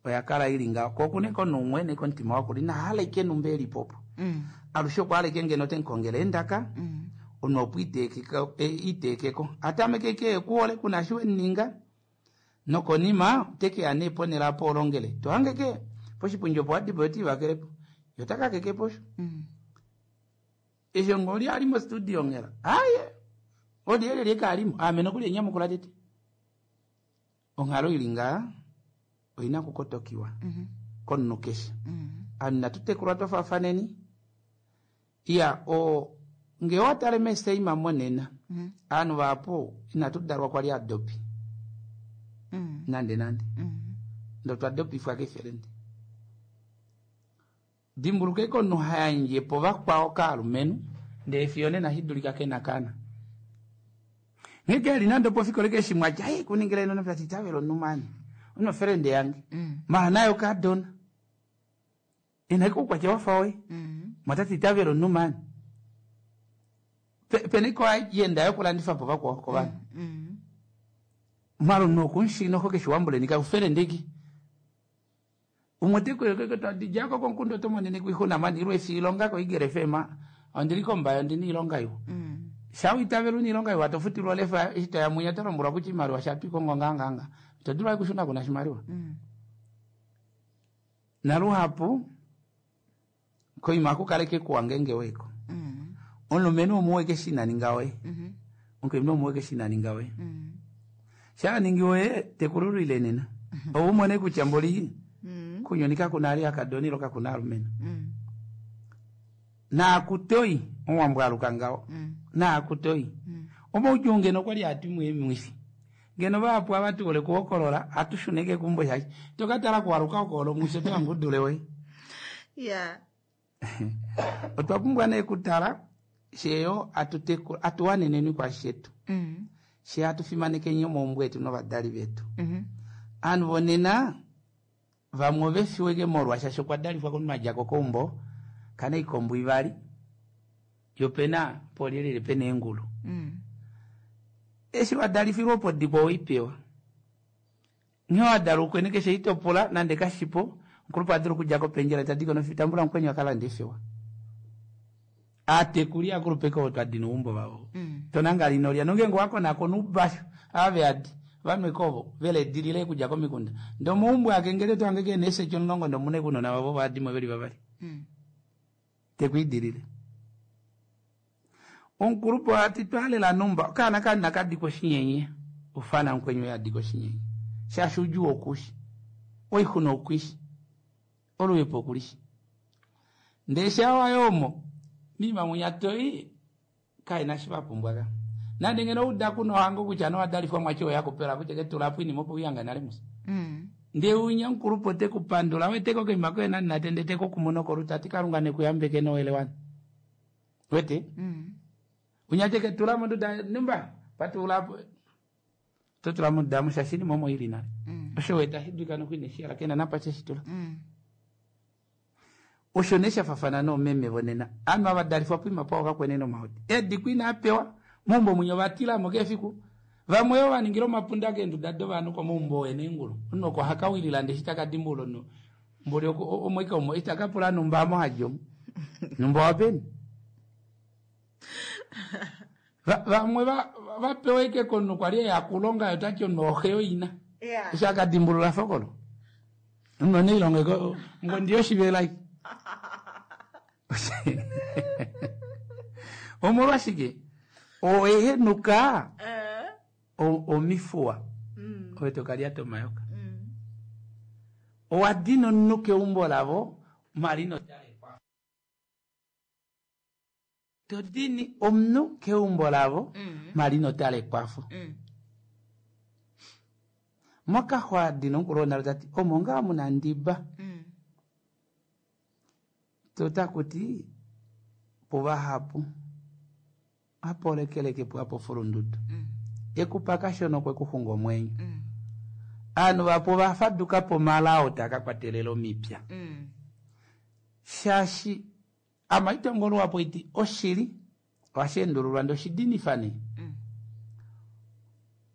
oya kala ili ngaho ko okuna ike omunhu umwe neke omutima wakula inahala ike numba elipopo Mhm. alushe okwahala ike ngeno temukongele endaka Mhm. omunhu opo iteekeko- e- iteekeko atameke ike ekuhole kuna shi wemuninga nokonima otekeya nee ponele apo olongele tohange ke poshipundi opo wadipo yotiivakelepo yotakakekepo osho Mhm. esho ngoli ali mostudio ngela aye olyelye lyekaalimo ame nokuli enyamukula tete onghalo ili ngaa oina okukotokiwa Mhm. komunhu keshe Mhm. anu inatu tekulwa twafafaneni iya o ngee owatale meseima monena Mhm. aanhu vahapu inatu dalwa kwali adopi Mhm. nande nande Mhm. ndo twadopifwa kefelende dimbuluka ike omunhu hayandje po vakwao kaalumenhu ndee fiyo nena shidulika kena kana Nghee keli nande pofikola keshe mwacha hey kuningila ino nafati tavelo numani. Uno friend yange. Mara nayo kadona. Ina iko kwa chawafa we. Mwatati tavelo numani. Peniko yenda yo kulandifa po vakwa ko vanhu. Mara no kunshi no hoke shiwambule nika ufere ndiki. Umwe teko yoko tadijako konkundo tomonene kuihuna mani irwe silonga ko igere fema. Andiliko mbayo ndini ilonga yo. Shawitavelu ni ilonga yo watofutirwa lefa ita ya munya torombura kuchimariwa shatwiko ngonganganga. Todula kushuna kuna shimariwa. Naluhapu koima kukaleke kuwangenge weko. Onlumenu omuweke shina ningawe. Onkemno omuweke shina ningawe. Sha ningiwe tekururu ile nena. Obumone kuchamboli. Kunyonika kunali akadoni loka kunalumena. Na akutoi owambwaluka ngao. Na akutoi. Omo ujunge nokwali atimwe mwisi. Ngeno vapo abatu ole kuokolola atushuneke kumbo yaki. Tokatala kuwaluka okolo mwisi tangudule we. Yeah. Otwapumbwa ne kutala sheyo atuteku atuwaneneni kwa shetu. Mm. She atufimanike nnyo mu mbwetu n'abadali betu. Mm Anu bonena vamwe befiweke molwa shasho kwadalifwa kunumajako kombo kana ikombo ivali yopena polilile pene engulu. Mm. Eshi wadalifirwa opo dipo oipewa. Nyo wadalukwe nekeshe itopola nande kashipo nkulupa adulu kujako penjera tadiko nofitambula nkwenyo akala ndifiwa. Atekulia kulupeka otwadino umbo vavo. Mm. Tonanga linolia nongengo wako nako nubasho ave adi vanwe kovo vele dilile kujako mikunda. Ndo muumbwe akengele twangeke nese chonlongo ndo mune kuno na vavo vadimo veli vavali. Mm. Tekuidilile. Onkulupo ati twalela numba kana kana kadiko shinyenye ufana nkwenyo ya diko shinyenye. Shashuju okushi. Oihuno okushi. Oluwepo okulishi. Ndesha wayomo mima munyatoi kaina shivapumbwaga. Nande ngeno uda kuno hango kucha no adalifwa mwacho yako pera kuche ketula pwini mopo uyanga nale musa. Mm. Nde unya nkulupo te kupandula weteko ke makwe na natende teko kumono koruta tikarunga ne kuyambeke no elewani. Wete? Mm. Unyateke tula mundu da numba patula totula mundu da mushashini momo ili nale. Mm. Osho weta hiduka no kwine shira kena napa cheshitula. Mm. Oshonesha fafana no meme bonena. Anu abadalifwa pwima pawo kakweneno mahoti. Edi kwina apewa mumbo munyo batila mokefiku. Vamweyo vaningiro mapunda kendu dado vanu kwa mumbo wene ngulu. Uno kwa hakawilila ndeshitaka dimbulo no. Mboli omweka omo itakapula numba amo hajo. Numba wapeni. Vamwe vapeweke kono kwa lie ya kulonga yotacho noheo ina. Yeah. Ishaka dimbulula fokolo. Uno nilonge ko ngondiyo shibelai. Omolwashike oehenuka omifua owetokalya tomayoka owadina onuka eumbo lavo malino todini omunhu keumbo lavo malino tala ekwafo. Mokaxwa dina omukulu tati omo ngaa muna ndiba. Totakuti puvahapu apolekeleke pwapo fulundudu. Ekupa kashono kwekuxunga omwenyo. Anu vapo vafadukapo malao takakwatelela omipya. Shashi amaitongolo wapo iti oshili washendululwa ndo shidinifane.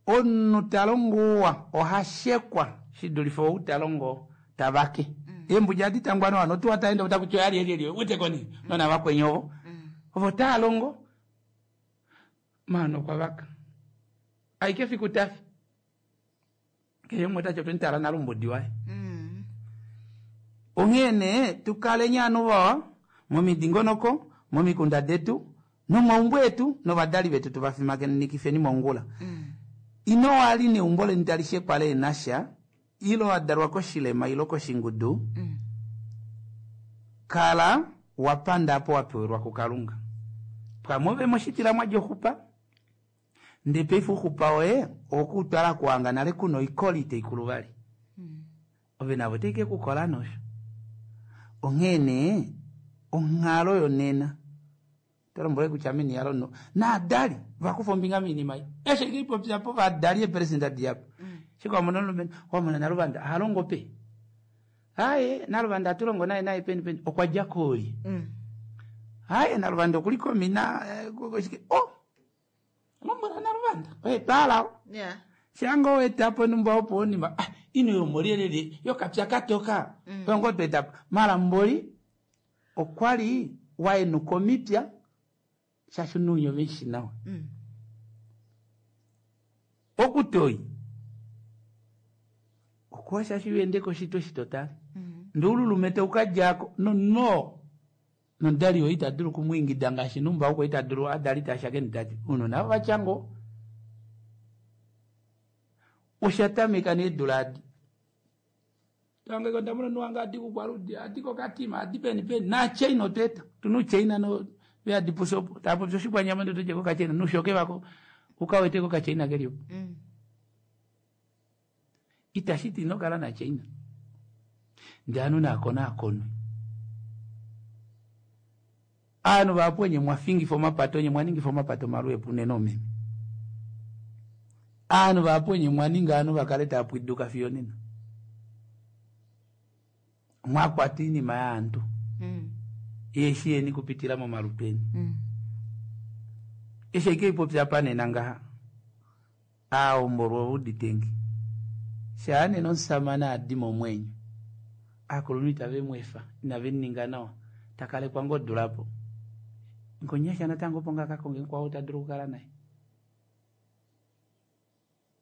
Onu talongowa ohashekwa shidulifo utalongo tabake. Embu jadi tangwano wano tuwa taenda utakucho yali yali yali ute koni nona wakwenyovo. Ovo talongo mano kwa vaka. Aike fikutafi. Keyo mweta choto ntala nalumbo diwae. Ongene tukale nyanu wa momidingonoko momikunda detu nomaumbwe etu novadali vetu tuvafimake nikifeni mongula. Ino wali ne umbole ntalishe kwale nasha ilo adarwa koshilema ilo koshingudu. Kala wapanda apo wapewerwa kukalunga. Pamove moshitila mwajohupa ndepeifu hupa oye okutwala kuanga nale kuno ikolite ikuluvali. Ove navo teke kukola nosho. Onghene onghalo yonena Tolombwele kutya meni yalo naadali vakufa ombinga miinima iyi. Eshe kiipopya po vaadali epresident diapo. Shika wamona omulumenhu wamona Naluvanda ahalongo pe. Aye Naluvanda atulongo naye naye peni peni okwa dja kooli. Aye Naluvanda okuli komina oh lombwela Naluvanda oye twalao. Yeah. Shango wetapo numba opo onima ah ino yomolielele yokapya katoka. Mm. Ongo twetapo malamboli okwali waenuka omipya shasho nunyo venshi nawa. Mm. Okutoi okuwa shashi uende koshito shitotale. Mm. Ndululumete ukajako no no nondali yo itadulu kumwingida ngaashi numba uko itadulu adali tashakeni tati uno navo vachango oshatameka needula adi tange konda muno nuwanga adi kukwarudi adi kokatima adi peni peni na chaina oteta tunu chaina no veadi pusopo tapo oshikwanyama ndo toje kokachaina nushoke vako ukawete kokachaina kelipo mm. Itashiti inokala na chaina ndanu nakona akonwe anu vapo nye mwafingifo mapato nye mwaningifo mapato maluepu neno meme anu vapo nye mwaninga anu vakaleta apwiduka fiyo nena mwakwata iinima yaantu mm. Yeshi yeni kupitila momalutu eni mm. Eshe ike ipopya panena ngaha aombolwa uditengi shaane nomusamane adi momwenyo akulunhu itave mwefa inave ninga nawa takalekwa ngodulapo ngonyasha natango opo ngakakonge mukwao tadulu okukala naye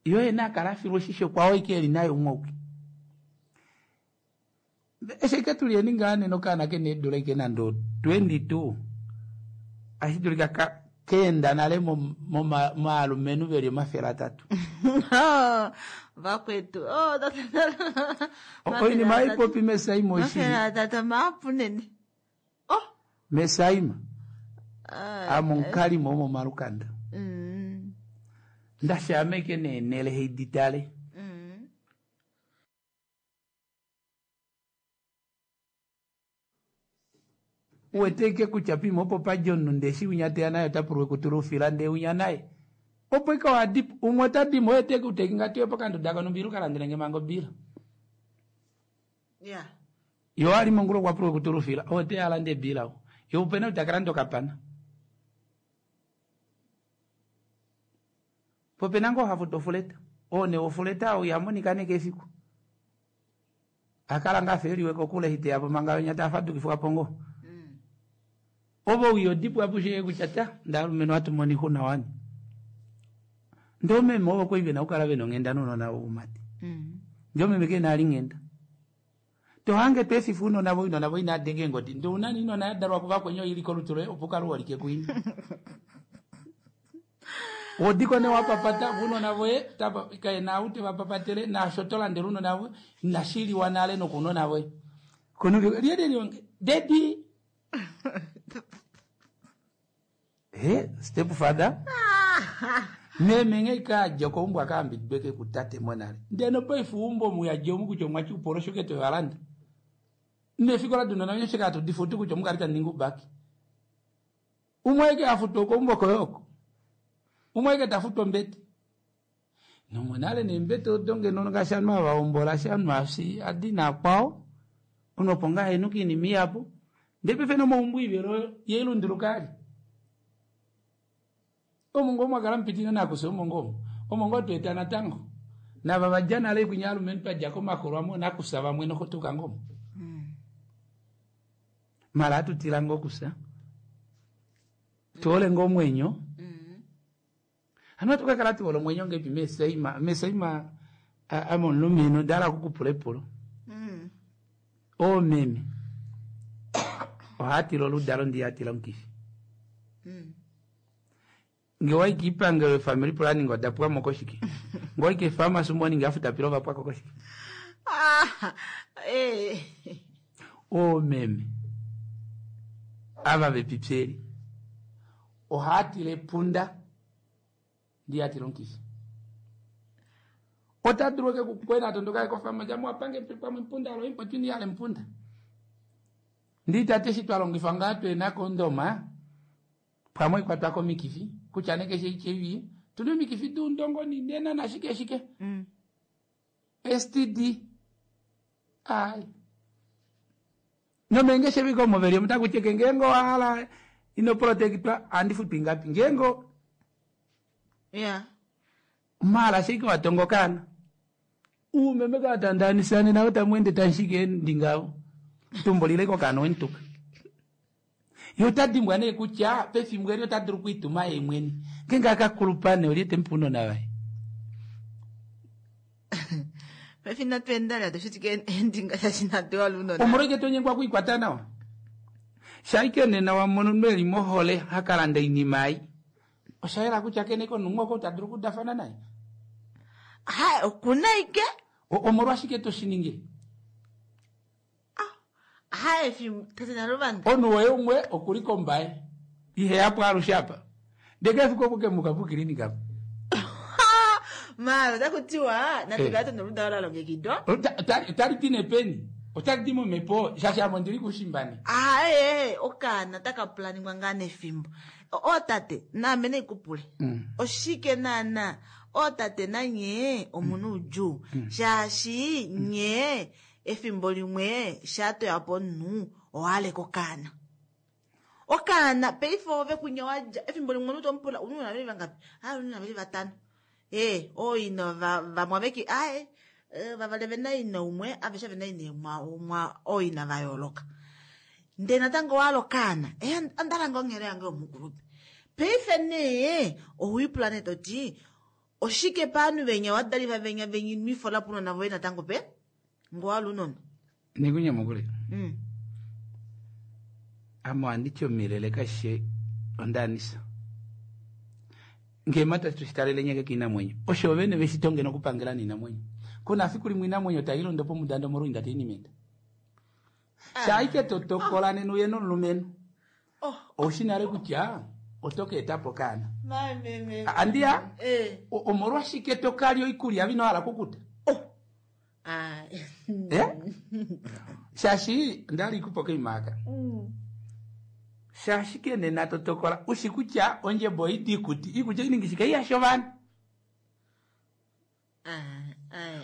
yo yena akala afilwa oshisho kwao ike eli naye umwe ouki eshe ike tulieni ngaa nena okaana kena eedula ike nande twenty two ashi dulika ka keenda nale momaalumenhu veli omafele atatu vakwetu oinima aipopi mesaima oshili atatu maapu nene oh mesaima amonkalimo omomalukanda ndashameke neenele heiditale uweteke kutya pima opo padja omunhu ndeshi winya teya naye otapulwa kutula ufila ndee winya naye opo ike wadipo umwe otadimo oye teke uteki ngati pokanduda konumbila ukalandelenge manga obila yeah. Yo ali mongula okwapulwa kutula ufila oye teya alande ebila o yo upena utakalanda okapana popena ngoo hafuta ofuleta one ofuleta oo ihamonika neke efiku akala nga afeliwe kokule hiteyapo manga yonya tafadukifwapo ngoo ovo wiyo dipu apushe kutya ta ndalumenhu atumoni xuna wani ndee omeme ovo kwai vena okukala vena onghenda nounona voumati ndee omeme kena ali nghenda tohange twefifa unona vo inona vo inadenge eengodi ndee unani inona yadalwa kuvakwenye oili kolutu loye opo ukale uholike kuina wodiko ne wapapata vunona voye kaena aute vapapatele nasho tolandela unona voye nashiliwa nale nokunona voye kono lielelionge dedi he step father meme ng'eikadja koumbwa akaambidweke kutate monale ndeno paife umbo muyadja omu kutya omwatyi upoloshoke toyalanda nefiko ladunona nyoshe katudifutu kutya omukali taninga ubaki umwe eke afuta okoumbo koyoko umwe eke tafuta ombete nomonale nembete odo ngeno ngaashi ovanhu avaombola shi ovanhu afi adi nakwao unopo ngaa henuka iinima ihapu ndee paife nomaumbo ivelo yeilunduluka ali omo ngoo mwakala mupitile nakusa omo ngoo omo ngoo tweeta natango nava vadja nale kwinya alumenhu twadja komakolo amo nakusa vamwe nokotuka ngomo mala atutila ngoo kusa tuole ngoo omwenyo hano atukakala tuola omwenyo ngepi mesaima mesaima ame omulumenhu ndala kukupula epulo oomeme ohatila oludalo ndiyatila omukifi nge waiki ipangelo efamily planning odapwamo koshike nge waiki efamasi morning afutapila ovapwako koshike ah, eh. Oomeme ava vepipyeli ohatila epunda ndiyatila omukifi otadulu eke kukwena atondoka kofamasi amuwapange pamwe mpunda loye mpotwini yale mpunda ndi tate eshi twalongifa ngaa twena kondoma Pamwe kwatwa komikifi kutya nee keshe H I V tuna omikifi duundongo ninena nashike shike Mm. S T D ai nomenge sheviko moveli mutakucheke ngengo hala ino protectwa andi futu ingapi ngengo Yeah. mala shiki watongokana umeme katandanisane nawe tamwende tanshike ndingao tumbolileko kano wentuka yo tadimbwa nee kutya pefimbo eli otadulu kuituma ye mwene ngenge akakulupane oliete mpuno navaye Pefina twendala toshitike endinga shashinatuwa lunona. omolweke tonyengwa kuikwata nawa shaike nena wamono nweli mohole hakalanda inima ai oshayela kutya kene konungoko otadulu kudafana naye Ha, okuna ike? Omolwashike toshiningile Ha, efimbo tate Naluvanda. onu woye umwe okuli kombaye iheyapo alushe apa ndeke efiku okukemuka pukilinika apa Mara otakutiwa natukale Eh. tuna oludalo la longekidwa. Otali ti nepeni otali ti momhepo shaashi ame ondili kushimbane Aye, okaana taka pulaningwa ngaa nefimbo. Ootate naame neikupule. Oshike naana ootate nanye omuna oudjuu shaashi nye efimbo limwe shaatoyapo omunhu owaaleka okaana. Okaana paife ove kunya wadja efimbo limwe omunhu tomupula ununa veli vangapi? Aaye ununa veli vatano. Eh, ooina vamwe aveki aaye vavali vena ina umwe aveshe vena ina umwe ooina vayooloka. Ndele natango owahala okaana eh ondalanga onghelo yange yomukulupe. Paife nee owipula nee toti oshike paanhu venya wadalifa venya venya inwifola puunona voye natango pe ngowahala uunona. Nikunyamukule Mm. ame ohanditi omilele kashe ondanisa ngema tatushi nyeke kiinamwenyo osho vene veshito ngeno okupangela niinamwenyo kuna fiku limwe iinamwenyo tailondo pomudanda omolwoinda tainimenda shaike totokola nena uye nomulumenhu oushi nale kutya oto ka etapo okaana andiya omolwashike tokalya oikulya vinohala kukuta Eh? Shaashi ndali kupo koimaka shaashi ke nena totokola ushi kutya ondjebo oidi ikuti ikutya iningi shike iyasha ovanhu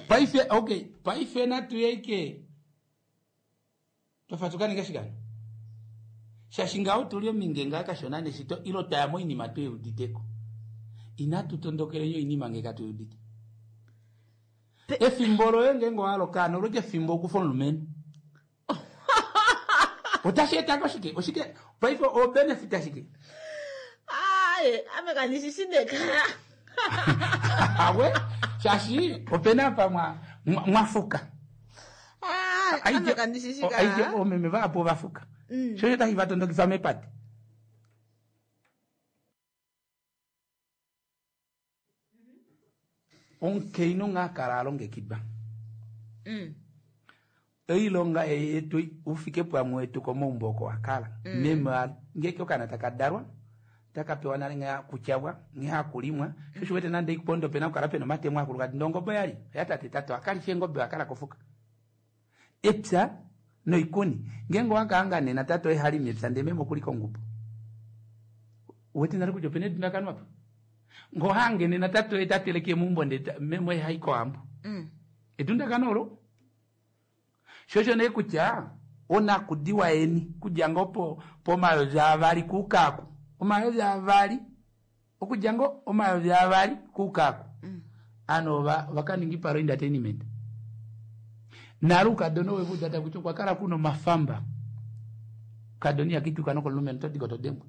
paife okay paife natuyeike tofa tukaninga shikano shaashi ngaho tuli ominge ngaa kashona neshito ilo taya moinima tweuditeko inatu tondokelenyo oinima nge katuudite efimbo loye ngenge owahala okaana olweke efimbo okufa omulumenhu otashi etako shike oshike paife obenefit ashike Aye, ame kandishishi neka. Awe shaashi opena apa mwa mwafuka Ame kandishishi ka. aije omeme vahapu ovafuka Mm. shosho tashi vatondokifa mepate omukainhu ngha kala alongekidwa Mm. oilonga ei yetu ufike pwamwe wetu komaumbo oko wakala Mm. meme ngeke okaana taka dalwa taka pewa nale nghee hakutyabwa nghee hakulimwa shosho wete nande ikupondo pena kukala pena omatemo akulu kati ndongobe yali yatate tate wakalifa engobe wakala kofuka epya noikuni ngenge owakaanga nena tate oye halima epya ndee meme okuli kongubo uwete nale kutya opena edundakano apa ngohange nena tate oye tateleke meumbo ndee meme oye hai kohambo Mm. edundakano olo shosho nee kutya onakudiwa yeni kudja ngoo po pomayovi avali kuukaku omayovi avali okudja ngoo omayovi avali kuukaku ano vakaninga ipalo entertainment nale ukadona wevuda takuti okwakala kuna omafamba ukadona ihakituka nokolulumenhu todiko todengwa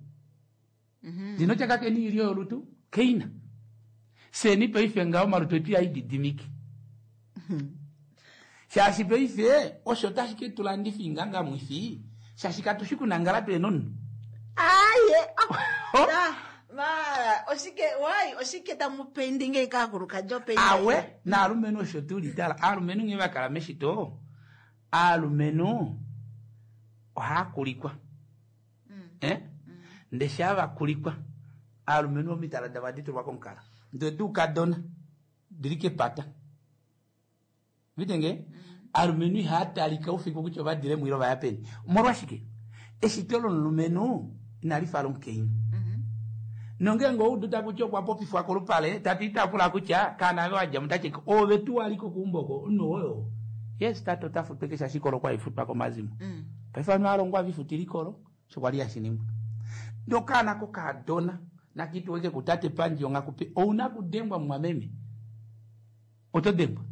ndino tyakakeni ilyo yolutu keina seni paife ngaho omalutu etu ihaididimike shaashi paife osho tashi ke tulandifa ingangamwifi shaashi katushi kunangala pena omunhu Aye. Oh. Mara, oshike wai oshike tamu painting kaakulukadhi opainting. Awe naalumenhu osho tuli tala aalumenhu nghee vakala meshito aalumenhu ohaakulikwa eh? Ndee shaa vakulikwa aalumenhu omitala davo ohadi tulwa komukala ndee duukadona dili kepata vitenge aalumenhu ihaatalika oufiku kutya ovadile mwilo vaya peni omolwashike eshito lomulumenhu inali fa lomukainhu Nongeenge oudu takuti okwa popifwa kolupale tati itapula kutya kaana ave wadja mutati ove tu waliko keumbo oko omunhu oyo. Yes tate ota futwa keshe ashike olo kwa ifutwa komazimo. Mm. Paife ovanhu alongwa vifutila ikolo osho kwali hashi ningwa. Ndee okaana kokaadona nakituweke kutate pandji ongakupe ouna kudengwa mumwameme. Oto dengwa.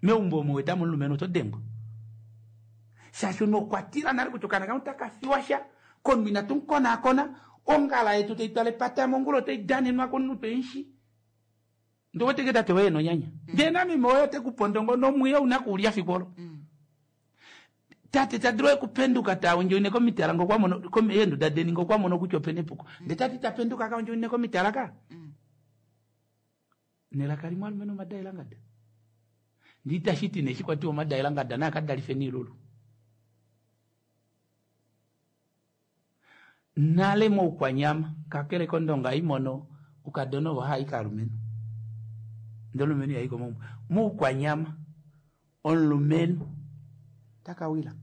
Meumbo omo weta momulumenhu oto dengwa. Shaashi nokwatila nale kutya okaana kamwe otaka fiwa sha komunhu inatu mukonaakona ongala yetu taitwala epata mongula otai danenwa komunhu twemushi. Ndee oweteke tate woye nonyanya. Ndee nameme woye otekupondo nomwiyo ouna kuulya fiku olo. Tate tadulu okupenduka tawondjoine komitala ngokwamono eenduda deni ngokwamono kutya opena epuko. Ndee tati tapenduka kawondjoine komitala ka. Nelaka limwe alumenhu omadaelangada. Ndee itashiti nee eshi kwatiwa omadaelangada naa kadalife niilulu. Nale moukwanyama kakele kondonga imono ukadona ovo haai kaalumenhu. Ndee omulumenhu ihai komaumbo. Moukwanyama omulumenhu takawila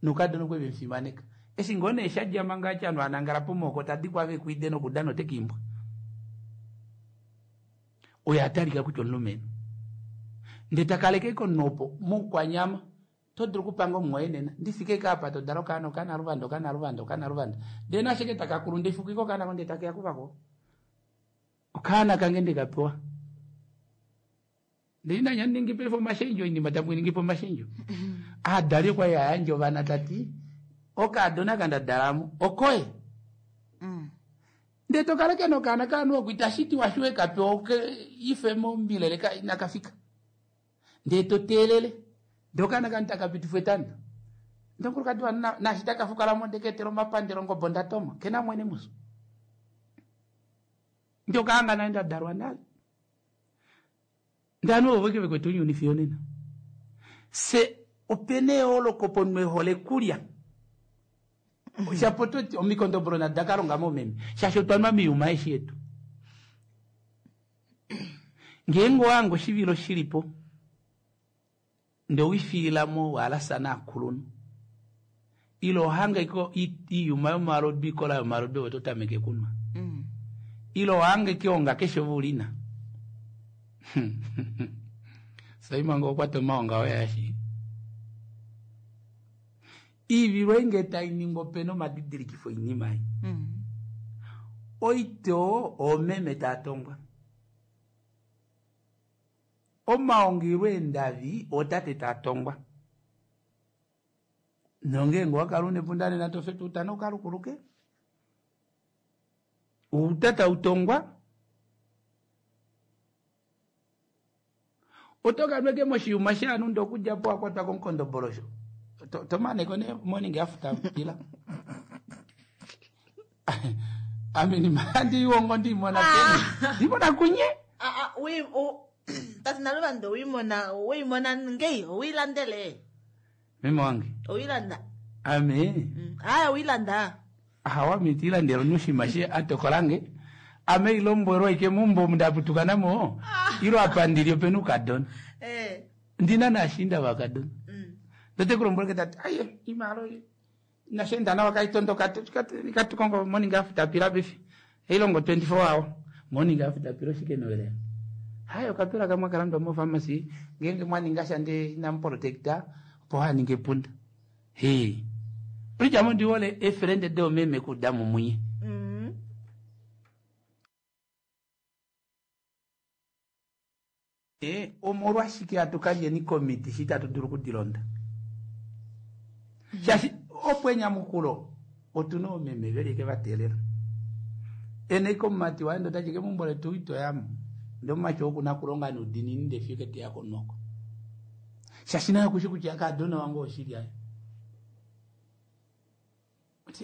noukadona okwe vemufimaneka. Eshi ngoo nee shadja manga ati ovanhu vanangala pomooko tadikwa vekwide nokudana otekiimbwa. Oyo atalika kutya omulumenhu. Ndee takaleke komunhu opo moukwanyama to dulu okupanga omumwoye nena ndifike kaapa todala okaana okaana luvanda okaana luvanda okaana luvanda ndee nashike takakulu ndefukika okaana ko ndee takeya kuvako okaana kange ndekapewa. Ndee inanya ningi paife omashendjo oinima tamuningi po omashendjo. Aadali okwali ayandja ovana tati okaadona kandadalamo okoye. Ndee tokaleke nokaana kaanhu oko itashiti washiwe kapewa oke ife mombilele inakafika. Ndee toteelele ndee okaana kanu takapitifwa etanda. Ndee omukulukadi wanhu naashi takafukalamo ndee keetela omapandelo ongobo ndatoma kena mwene muso. Ndee okaanga nale ndadalwa nale. Ndee ovanhu ovo veke vekwetu ounyuni fiyo nena. Se opena eyooloko pomunhu ehole kulya. Shapo toti omikondobolo nadakalonga moomeme shaashi otwa nwa miyuma eshi yetu. Ngeenge owange oshivilo shilipo ndee owifiilamo waalasa naakulunhu ile ohange iyuma yomalodu ikola yomalodu ove totameke kunwa. Ile ohange keonga keshe ove ulina. Saima ngoo okwata omaonga oye ashi. Iivilo ei tainingwa opena omadidilikifo oinima ei. Oitoo oomeme taatongwa. Omaonga ile eendavi ootate taatongwa. Nongeenge owakala una epunda nena tofetu utana ukalukuluke. Outa tautongwa. Oto kanweke moshiyuma shaanhu ndee okudjapo wakwatwa komukondobolosho. Tomaneko nee morning after pila. Ame ndiiwongo ndiimona peni. Ndimona kunye. Tate Naluvanda owiimona owiimona ngei owiilandele. Meme wange. Owiilanda. Ame. Aya owiilanda. Ahawa ame itiilandela omunhu oshinima she atokolange. Ame ilombwelwa ike meumbo omu ndaputuka namo ilo apa ndili opena oukadona. Ndina naashiinda vakadona. Ndee oteku tati aye imalo inasheenda nawa kaitondoka ikatukongo morning after pila paife. Eilongo twenty four hour morning after pila oshike noelea. Hai okapila kamwe akalandwa mopharmacy ngeenge mwaninga sha ndee inamuprotecta opo haninga epunda. Hee. Pridjamo ndihole efrende doomeme kuda mumunye. Omolwashike hatu kalyeni komiti shi itatu dulu okudilonda. Shaashi opo enyamukulo otuna oomeme veli eke vateelela. Ene komumati waye ndee otati kemeumbo letu itoyamo. Ndee omumati oo okuna okulonga noudiinini ndee fiyo keteya konoko. Shaashi naye okushi kutya kaadona wange oshili aye.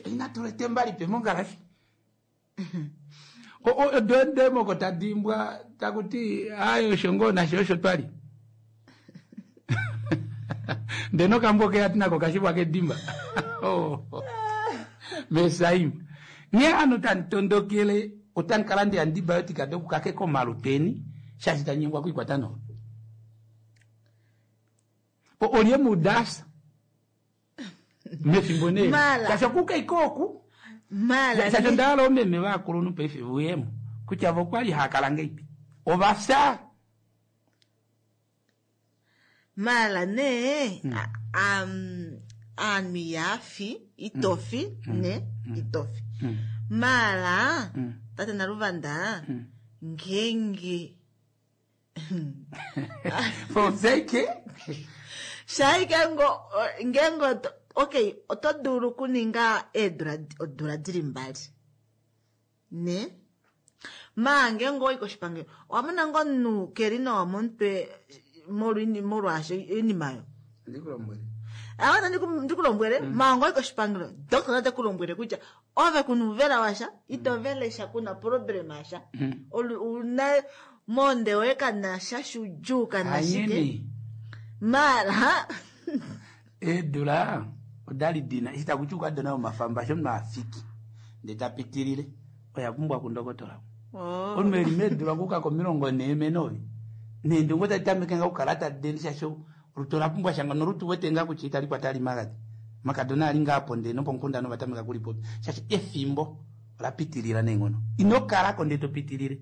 Inatula etemba lipe mongalafi. Odemoko tadiimbwa takuti aye osho ngoo nasho osho twali. Ndee nokambo keya nako kashivwa kedimba. Mesaima. Nghee hano tanditondokele otandikala ndi antibiotic dokukake komaluteni shaashi tanyengwa kwiikwata nawa. Olye mudasa mefimbo nee. Shaashi okuka ike oku Mala Shaashi onda hala oomeme vaakulunhu paife vuyemo kutya vo okwali haakala ngeipi ovafya. Mala nee a- am- aanhu ihaafi itofi ne itofi mala tate Naluvanda ngeenge Foseke shaike ngo ngeenge oto- okay oto dulu okuninga eedula odula dili mbali ne maa ngeenge owayi koshipangelo owamona ngoo omunhu keli nawa momutwe molwa molwaasho oinima oyo ndikulombwele awana ndikulombwele maa ngoyi koshipangelo doctor ote kulombwele kutya ove kuna uuvela washa ito velesha kuna problem asha Olu- una monde woye kana sha shudjuu kana shike anyeni mara eedula odali dina eshi takuti ukadona omafamba sho omunhu afiki ndee tapitilile oya pumbwa kundokotola. Oh. Omunhu eli meedula okuuka komilongo nhee menovi neendungu tadi tameke nga okukala tadi shaashi olutu ola pumbwa shanga nolutu wete nga kutya itali kwata ali magadhi makadona ali ngaa ponde nopomukunda novatameka kulipopi shaashi efimbo ola pitilila neenghono ino kalako ndee topitilile.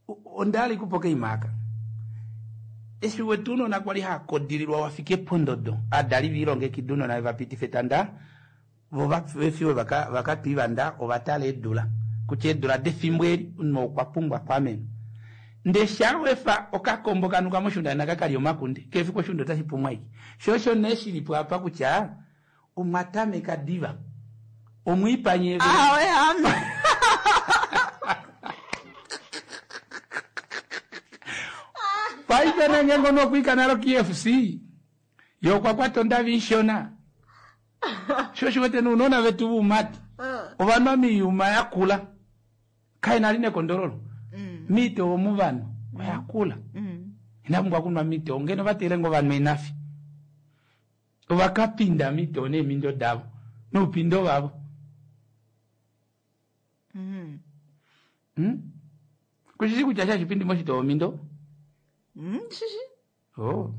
O- ondali kupo keimaka eshi wetu unona kwali hakodililwa wafike pondodo adali viilongekida unona vapitife etanda vo vefiwe vakatwivanda ovatala eedula kutya eedula defimbo eli omunhu okwa pumbwa kwamenwa ndee shawefa okakombo kanuka moshunda naka kali omakunde kefiku oshunda otashi pumwa aike sho osho nee shilipo apa kutya omwatameka diva omwiipanye awe ame paife nenge ngono okwiika nalo K F C ye okwa kwata ondavi ishona sho oshiwete nuunona vetu vuumati ovanwa miiyuma yakula kaina ali nekondololo miitewo omuvanhu oyakula inapumbwa kunwa miitewo ngeno vatele ngo vanhu enafi ovakapinda miitewo neemindo davo noupindo vavo. Hmm? Kushishi kutya shashipindi moshitowo mindo? Mm, shishi Oh.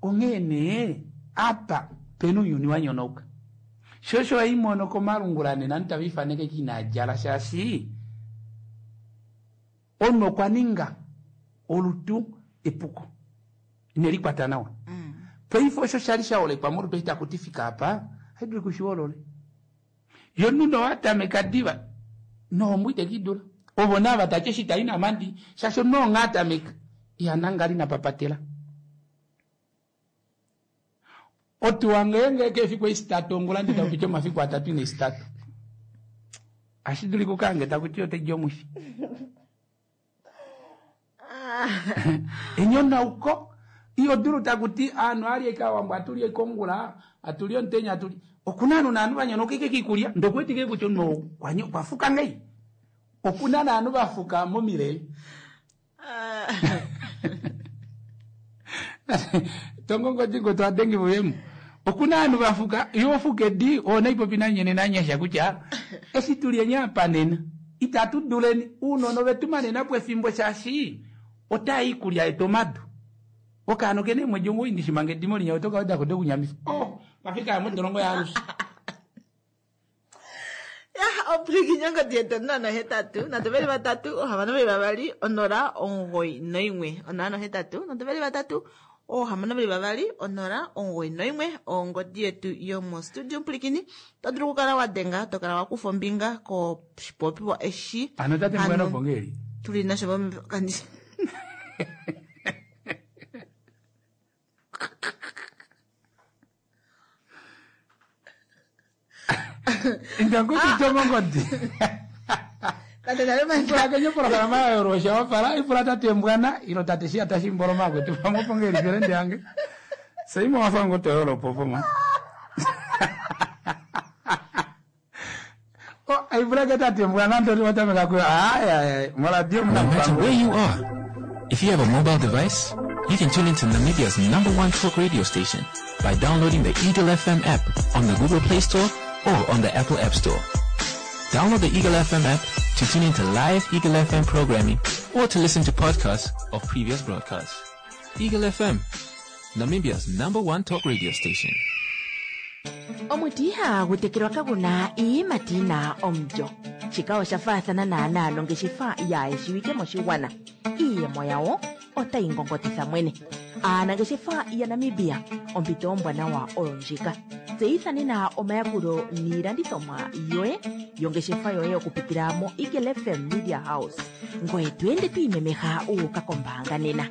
Onghee nee apa pena ounyuni wa nyonauka sho osho haimono komalungula nena ovanhu tava ifaneke inadjala shaashi omunhu okwa ninga olutu epuko inelikwata nawa. Paife osho shali shaolekwa molutu eshi takuti fika apa haidulu kushiholole yo omunhu nowatameka diva nohombo itekidula ovo nava tati eshi tai namandi shaashi omunhu onga atameka ihanangali napapatela. Otuwa ngeenge kefiku esitatu ongula ndee takupiti omafiku atatu ina esitatu ashi dulika ukange takuti otaidi omwifi. Enyonauko iyo dulu takuti aanhu alye kawambo atulye kongula atulye omutenya atulye okuna aanhu naanhu vanyonauka ike kiikulya ndokuwetike kutya omunhu okwafuka ngei okuna naanhu vafuka momilele. Tongongodi twadengi vuyemo okuna aanhu vafuka yo ofuka edi oona ipopi nanyene nanyasha kutya eshi tulye nyaapa nena itatu duleni uunona ovetu manena po efimbo shaashi otaa iikulya yetu omadu okaana okena eemwedi omuwoi ndishimanga edimo linya otokawedako dokunyamifa oh vafika modolongo yaalushe. Ya opulikinye ongodi yetu onola nohetatu nhatu veli vatatu ohamano veli vavali onola omugoyi noimwe onola nohetatu nhatu veli vatatu ohamano veli vavali onola omugoyi noimwe ongodi yetu yomostudio mupulikini to dulu okukala wa denga to kala wa kufa ombinga koshipopiwa eshi ano tate mbwana opongeli tuli nasho kandi indanguti tongongodi tate nale ipula kenye programa ya yorosha wafala ipula tate mbwana ilo tate shi atashimboloma akwetu pamwe opongeli felende yange seimo wafango toyolo popoma oh ipula ke tate mbwana ndoti watameka kuyo aya aya moradio No matter where you are, if you have a mobile device, you can tune into Namibia's number one talk radio station by downloading the Eagle F M app on the Google Play Store or on the Apple App Store. Download the Eagle F M app to tune into live Eagle F M programming or to listen to podcasts of previous broadcasts. Eagle F M, Namibia's number one talk radio station. Omuti ihagu tekelwa kaguna iiyimati yina omulyo. Shika osha faathana naanaa nongeshefa yaayeshiwike moshigwana. Iiyemo yawo otayi ngongotitha mwene. Aanangeshefa yaNamibia, ompito ombwanawa oyo ndjika. Tseyitha nena omayakulo niilandithomwa yoye yongeshefa yoye okupitila mo Eagle F M Media House. Ngoye to ende to imemeha wu uka kombaanga nena.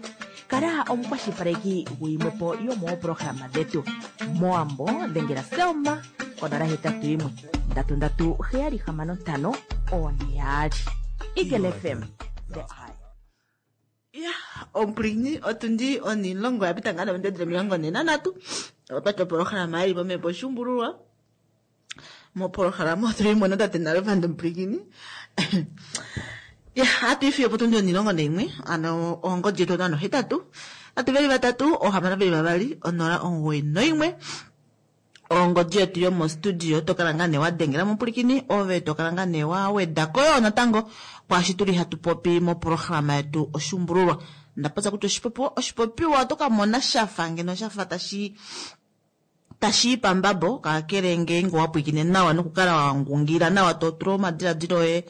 Kala omukwashilipaleki guyimwe po yomoopolohalama dhetu. Moambo dhengela Selma konola hetatu yimwe ndatu ndatu heyali hamano ntano one yaali. Eagle F M, the eye. Ya, omupulakeni otundi onilongo ya pita ngaa nominute omilongo ne nandatu. Otwati opolohalama yili momhepo oshuumbululwa. Mopolohalama otuli mo notate Naluvanda omupulakeni. Ya, hatu ifiye po tundi onilongo naimwe, ano ongodi yetu onano hetatu. Hatu veli vatatu, ohamano veli vavali, onola omugoyi noimwe. Ongodi yetu yomostudio tokala ngaa nee wa dengela mupulakeni, ove tokala ngaa nee wa wedako yo natango kwaashi tuli hatu popi mopolohalama yetu oshuumbululwa. Ndapopya kutya oshipopiwa, oshipopiwa oto ka mona shafa ngeno shafa tashi tashi i pambabo, kakele ngeenge wa pwiikine nawa nokukala wa ngungila nawa, to tula omadiladilo oye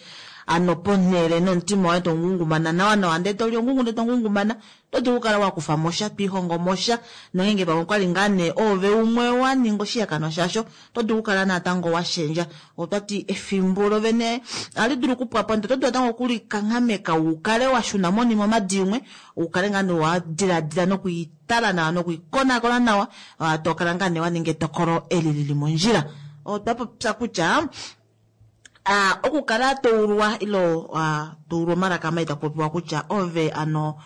ano ponhele nomutima woye to ngungumana nawa nawa, ndele to li ongungu ndele to ngungumana, oto dulu okukala wa kufa mo sha, to ihongo mo sha, nongeenge pamwe okwali ngaa nee ove umwe wa ninga oshihakanwa shasho, oto dulu okukala natango wa shendja. Otwati efimbo lovene ohali dulu okupwa po, ndele oto dulu natango okulikanghameka u kale wa shuna monima omadi imwe, u kale ngaa nee wa diladila nokuitala nawa nokuikonakona nawa, ah, to kala ngaa nee wa ninga etokolo eli lili mondjila. Otwa popya kutya, ah, okukala to ulwa ilo, ah, to ulwa omalaka mai taku popiwa kutya ove ano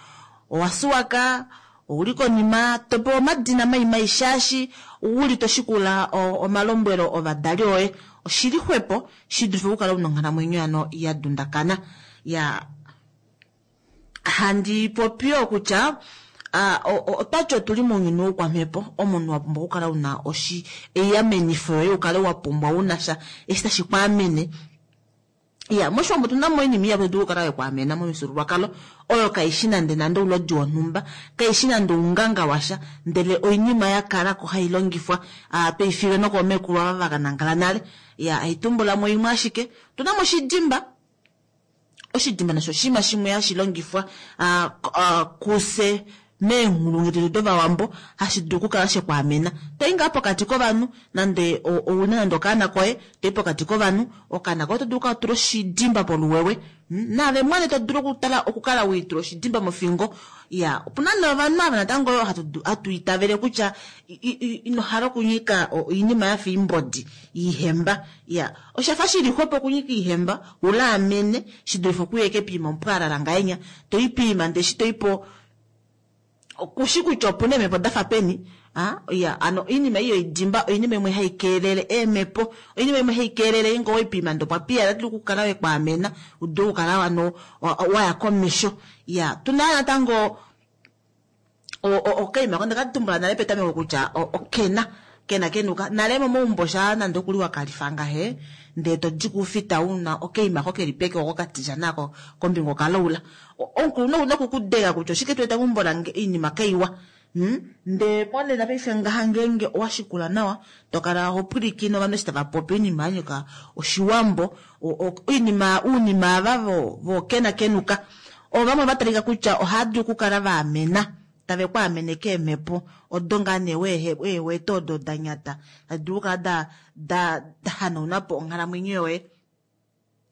owa suwaka, ouli konima, to pewa omadina mai mai shaashi uli to shikula o-, omalombwelo ovadali oye. Oshili xwepo shi dulife okukala una onghalamwenyo ano ya dundakana. Ya, handi popi yo kutya, ah, o-, o-, otwati otuli mounyuni woukwamhepo, omunhu wa pumbwa okukala una oshi-, eyamenifo yoye, ukale wa pumbwa una sha eshi tashi kwaamene. Ya, moshiwambo otuna mo oinima ihapu dulu okukala yekwaamena momifyuululwakalo, oyo kaishi nande nande oulodi wonhumba, kaishi nande ounganga washa, ndele oinima ya kala ko hai longifwa, ah, tweifilwe nokoomekulu ava va ka nangala nale. Ya, haitumbula mo imwe ashike. Otuna mo oshidimba. Oshidimba nasho oshinima shimwe hashi longifwa, ah, k-, ah, kuse meenghulungu detu dovawambo, hashi dulu okukala shekwaamena. Toi ngaa pokati kovanhu, nande o-, ouna nande okaana koye, toi pokati kovanhu, okaana koye oto dulu okukala tula oshidimba poluwewe. Hmm? Naave mwene to dulu okutala, okukala wiitula oshidimba mofingo. Ya, opuna nee ovanhu ava natango yo hatu du-, hatu itavele kutya i-, i-, i-, ino hala okunyika o-, oinima ya fa iimbodi, iihemba. Ya, oshafa shili xwepo okunyika iihemba, ulaamene, shi dulife okuya ekepima omupwalala ngahenya. To i pima ndele shi to i po, kushi kutya opuna eemhepo dafa peni. Ah, ya, ano oinima iyo idimba, oinima imwe hai keelele eemhepo, oinima imwe hai keelele ingo oipima ndo pwa piya, dulu okukala wekwaamena, u dulu okukala ano, wa, wa ya komesho. Ya, tuna natango o-, o-, okaima ko ndaka tumbula nale petameko kutya o-, okena, kena kenuka. Nale momaumbo sha nande okuli wa kalifa ngahe, ndele to di kufita una okaima ko keli peke oko katija nako kombinga okalaula. O-, omukulunhu ouna okukudega kutya oshike to eta meumbo lange oinima kaiwa. Hmm? Ndele monena paife ngaha ngeenge owa shikula nawa, to kala ho pwilikine ovanhu eshi tava popi oinima ya nyika oshiwambo, o-, o-, oinima, uunima ava vo-, vo kena kenuka. Ovamwe va talika kutya ohava dulu okukala va amena, tave ku amene keemhepo odo ngaa nee wehe-, weewete odo da nyata, tadi dulu okukala da, da, da hanauna po onghalamwenyo yoye.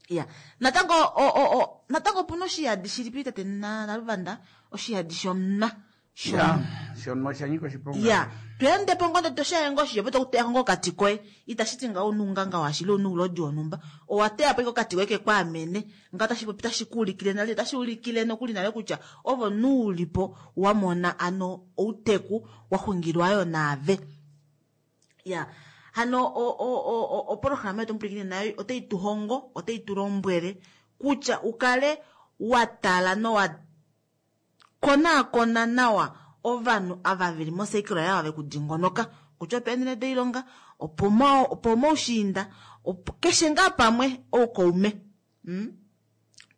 Ya, natango, o, o, o, natango opuna oshiyadi shilipi tate na-, Naluvanda? Oshiyadi shomuna. Shomuna. Ya, shomuna osha nyika oshiponga. Ya, tweende po ngondo to shaye ngo shiye, to kuteya ngo okati koye. Itashi ti ngaho oununganga washili, ounulodi wonhumba. Owa teya po okati koye ke kwaamene. Nga tashi popi, tashi ku ulikile nale, tashi ulikile nokuli nale kutya ovo nuulipo wa mona ano outeku wa xungilwa yo naave. Ya, hano o, o, o, o, opolohalama yetu mupwilikine nayo otai tu hongo, otai tu lombwele kutya ukale wa tala nowa konaakona nawa ovanhu ava veli mosekelo yavo ve kudingonoka, kutya opeenhele doilonga, opo mo-, opo moushiinda, opo keshe ngaa pamwe oukaume. Hmm?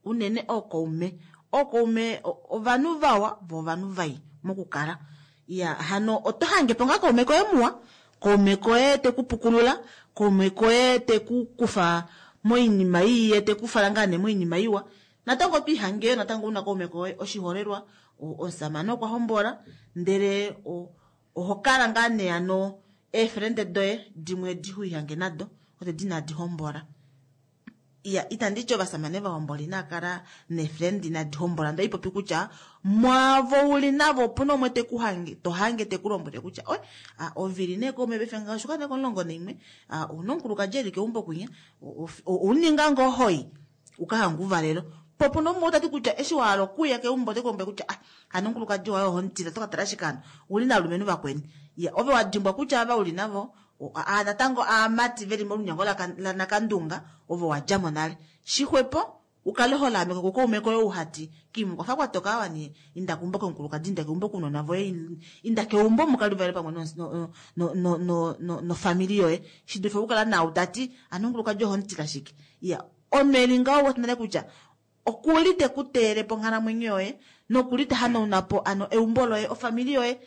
Unene oukaume. Oukaume, o-, ovanhu vawa vo ovanhu vai mokukala. Ya, hano oto hange po ngaa kaume koye muwa, Kaume koye te ku pukulula, kaume koye te ku kufa moinima ii ye te ku fala ngaa nee moinima iwa. Natango otwiihange natango una kaume koye oshiholelwa omusamane okwa hombola ndele oho kala ngaa nee ano eefrende doye dimwe dihuihange nado odedi inadi hombola. Iya, itandi ti ovasamane vahombola inaa kala neefriend inadi hombola, ndee ipopi kutya mwaavo uli navo opuna umwe te ku hange, to hange te ku lombwele kutya oi, a, ovili nee kaume paife ngaha oshuka nee komulongo naimwe, a, ouna omukulukadi eli keumbo kwinya, ouninga ngoo hoi uka hange uvalelo. Po opuna umwe tati kutya eshi wa hala okuya keumbo ote ku lombwele kutya ah, hano omukulukadi waye oho mutila, oto ka tala ashike hano uli nalumenhu vakweni. Iya, ove wa dimbwa kutya ava uli navo a natango aamati veli molunyango lanakandunga ovo wa djamo nale. Shixwepo ukale ho laameka kukaume koye ouhati kimu kwafa kwatoka awa nee inda keumbo komukulukadi, inda keumbo kounona voye, inda keumbo mukalivale pamwe no no no no no nofamili yoye, shidulife okukala nau tati ano omukulukadi oho mutila shike. Iya, onweli ngaho wete nale kutya okuli te ku teele po onghalamwenyo yoye nokuli te hanauna po ano eumbo loye, ofamili yoye,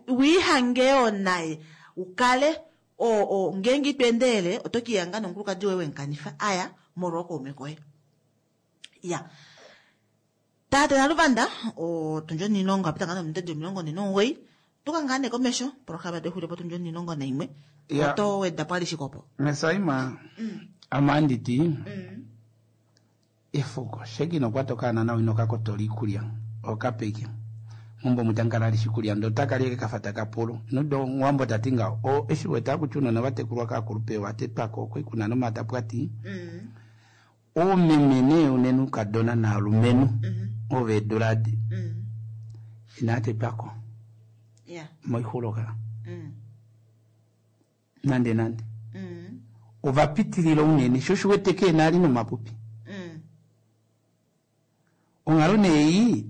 wiihange naye ukale o o ngeenge ito endelele oto kiihanga nomukulukadi woye wemukanifa aya molwa okaume koye. Ya, tate Naluvanda otundji onilongo apita ngaa nominute omilongo nhee nomugoyi tuka ngaa nee komesho programa texulile po tundji onilongo naimwe oto weda po alishe kopo. Mesaima amanditi efuko sheki nokwatoka nawa inokakotola iikulya okapeke mumbo mutankala ali shikulya ndo takali kafata kapulu nudo ngwambo tati nga o eshi weta kutya unona vatekulwa kaakulupe watetwako okwikuna nomatapwati mm. Oomeme nee unene ukadona naalumenhu mm -hmm. oveeduladi mm. inatetwako yeah. Moixuloka mm. Nande nande mm. Ovapitilila unene sho shiwete keena ali nomapupi mm. Onghalo nee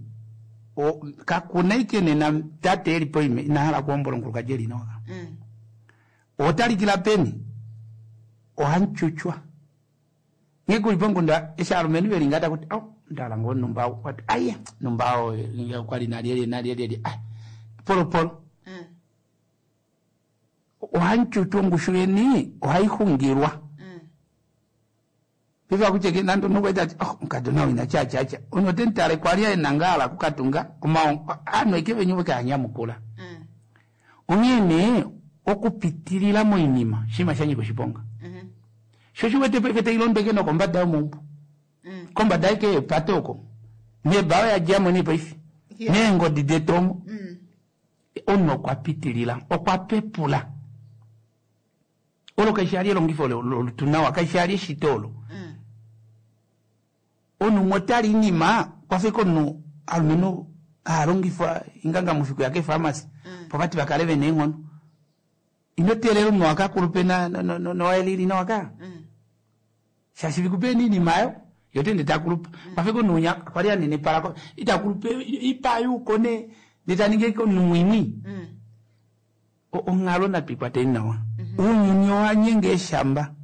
o kakuna ike nena tate eli poime inahala kuhombola omukulukadi eli noka mm. Otalikila peni ohanchuchwa ngekuli pongunda eshi alumenhu veli ngata kuti oh ndala ngo numba wati aye numba o kwali nali nali nali ah polo polo mm. Ohanchuchwa ngushu yeni ohaihungirwa mm. Piva kucheke nando nokweta oh mukadona wina cha cha cha ono tentale kwali enangala kukatunga oma ano ikeve nyuwe kanyamukula mm. Onyene okupitilila moinima shima shanyiko shiponga mm -hmm. Shosho wete pefete ilondeke no kombada yomumbu mm. Kombada yake patoko nebawa ya jamo ni paifi yeah. Nengo didetomo mm. Ono kwapitilila okwapepula olo kaishali elongifo lutunawa kaishali shitolo mm. Onu motali nima kwafika onu alumeno alongifwa inganga mufiku yake pharmacy mm. Popati bakaleve nengono inotelelo mwaka kulupe na no no no elili no aka mm. Shashivikupe nini mayo yote nditakulupa mm. Kwafika nunya kwali anene parako itakulupe ipayu kone nditaninge ko numwini mm. Ongalo na pikwate nawa mm -hmm. Unyuni wanyenge shamba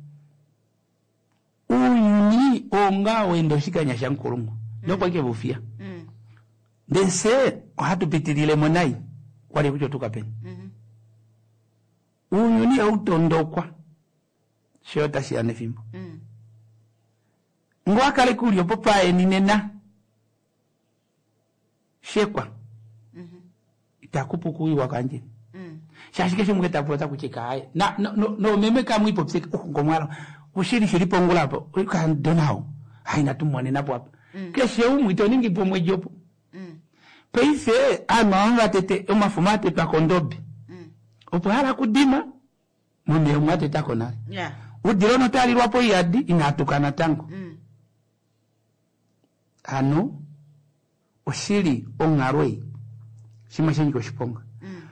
unyuni onga wendo shikanya shankulungu mm. Ndokwa ke bufia mm. Ndese ohatupitilile monai kwali kuchotuka peni mm -hmm. Unyuni autondokwa shota shiyane fimbo mm. Ngwakale kulyo popaye ninena shekwa mm -hmm. Itakupukuiwa kanje mm. Shashike shimwe tapota kucheka hayi na no no, no meme kamwe ipopseka oh ngomwala ushiri shiri pongula hapo ukandonao haina tumone napo hapa mm. Keshe umwe itoningi pomwe jopo mm. Peife ama tete omafumate pakondobe mm. Opo hala kudima mume umate tako nale yeah. Udiro notalirwapo yadi inatukana tango mm. Ano oshili ongarwe shima shenyi koshiponga mm.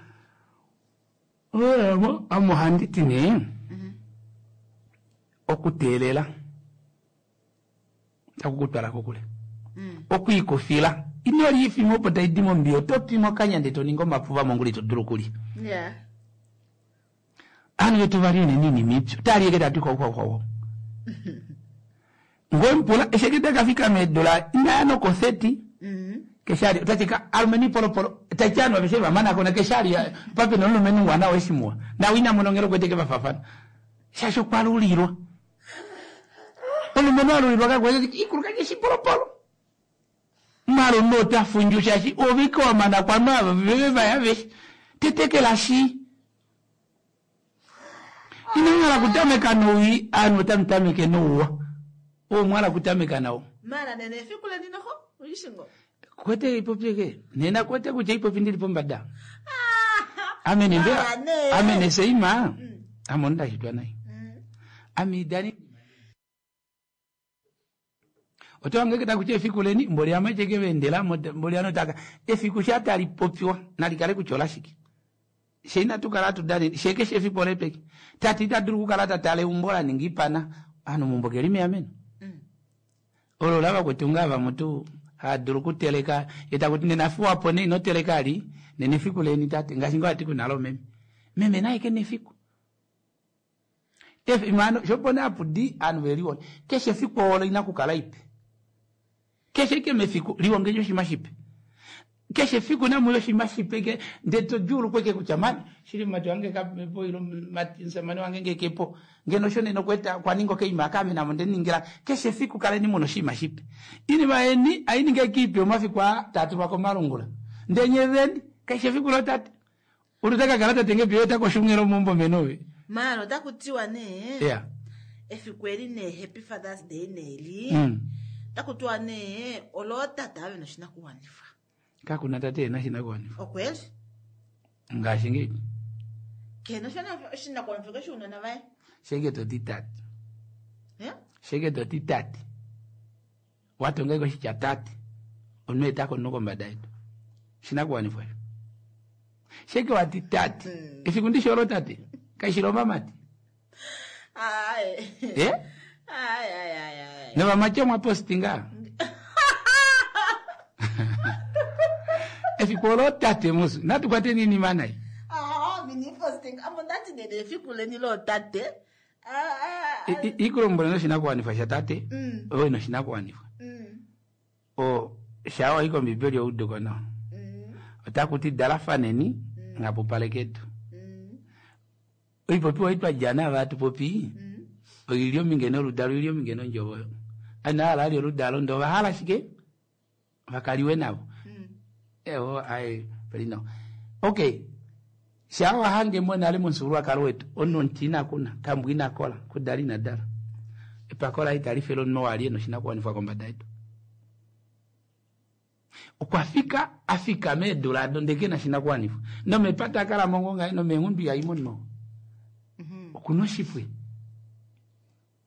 Omo amuhanditi ne mm -hmm. Okuteelela takukutwala kokule mm. Okwiikufila inoli ifimo opo taidimo mbiyo topimo kanya ndetoninga omapuva monguli todulu kulya yeah. Anu yetu vali nini mipyo talieke tati kwa kwa kwa Ngompula eshekete kafika medula inano ko thirty mm -hmm. Keshali otachika alumeni polopolo tachano vesheva mana kona keshali pape nolumeni wana weshimwa na wina munongero kweteke vafafana shasho kwalulirwa olumeni alulirwa kakwete ikuluka keshipolopolo maro nota funju shashi oviko mana kwa mava veve vaya tetekela shi inangala kutameka nowi anu tamtameke nouwa omwala kutameka nawo mara nene efiku leni noho uishingo kwete ipopyeke nena kwete kucha ipopi ndili pombada amene mbe amene seima mm. amonda chitwa nayi mm. amidani otowange kita kucha efiku leni mboli amacheke vendela mboli anotaka efiku shatali popiwa nalikale kuchola shiki sheina tukala tudani sheke shefipo lepeke tati taduru kukala tatale umbola ningipana anu mumbokeli ameno mm. olo lava kutunga va mutu haduru kuteleka etakuti nenafuwa pone inoteleka ali nenefiku leni tate ngashingo ati kunalo meme meme naye ke nefiku efi mano shopone apudi anu veliwone keshe fiku olo inakukala ipe keshe ke mefiku liwongejo shimashipe keshe fiku na muyo shimashipe ke ndeto julu kweke kuchamani shili matu wange kapo ilo matinsamani wange ngekepo ngeno shone nokweta kwaningo ke imakame na monde ningira keshe fiku kale ni muno shimashipe ini baeni aini ngekipe omafiku a tatu wako malungula ndenye veni keshe fiku lo tatu urutaka kalata tenge piyo tako shungero mumbo menowe mara otakutiwa ne yeah efiku eli ne happy father's day neli mm. takutiwa ne olotata ave noshinakuwanifwa kakuna tate ena shinakuwanifwa okweli ngaashi ngeyi kena oshinakuwanifwa keshuunona vaye sheke toti tate yeah? sheke toti tate watongeko shitya tate onuetako nokombada yetu shinakuwanifwa sho sheke wati tate mm. efiku ndisholo tate kaishilomba mati ayi eh? ayi ayi ayi ayi novamache mwapostinga efiku olo tate musu natukwate nini manai ah mini posting amo ndati nene efiku leni lo tate ah ah ikulombole noshinakuwanifwa sha tate mm. oyo noshinakuwanifwa mm. o shawa iko mbibeli ouduko nawa mm. otakuti dalafaneni mm. ngapupaleketu mm. oipopiwa itwa jana vatu popi mm. oilio mingeno oludalo ilio mingeno njovoyo anahala ali oludalo ndo vahala shike vakaliwe navo mm. ewo ai pelino okay shawa hange mona ali munsulwa wetu ono ntina kuna kambwina kola kudali na dala epakola italifelo no ali no shinakuwanifwa kombada yetu okwafika afika medulado ndeke na shinakuwanifwa nomepata kala mongo ngai nomengundu yaimo no mm okunoshifwe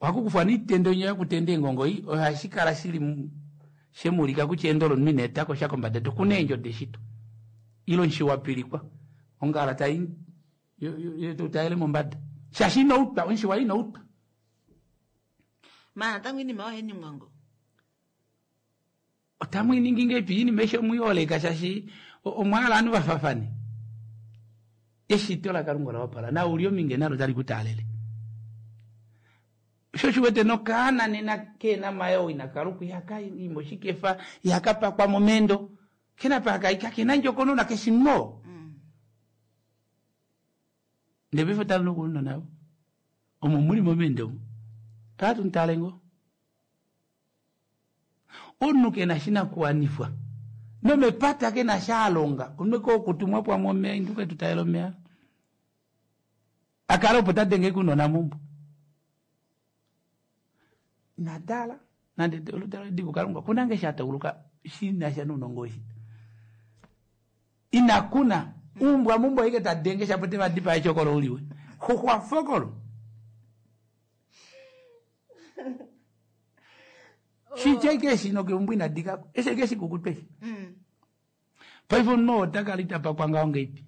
wakukufwa nitendo nyo yakutenda engongo iyi ohashikala shili mu- shemulika kuchendolo minetako shakombada yetu kunenjo deshito ilo nshiwapilikwa ongala tai taile mombada shashinoutwa onshiwa inoutwa mana tangu inima oheni mwango otamwiningi ngepi ini meshe muyoleka shashi omwala anu vafafane eshito la kalunga lawapala na ulio minge nalo tali kutalele sho shiwete nokana nena kena mayo inakaluku yaka imo shikefa yakapakwa momendo kena pakaika kena njokonona keshimo mm. ndebifo tali nokuno nabo omo muli momendo omo tatu ntalengo onu kena shinakuwanifwa nomepata kena shalonga onweko okutumwa pwa momea induke tutaelo mea akala opo tadenge kunona mumbo nadala nande oludalo diku kalunga kunange shatauluka shinasha nunongoshi inakuna umbwa mumbo ike tadenge shapote vadipa echokolo uliwe huhwa fokolo shicheke shino ke umbwa inadikako esheke shikukupeshi mm. paifo no takalita pakwanga onge ipi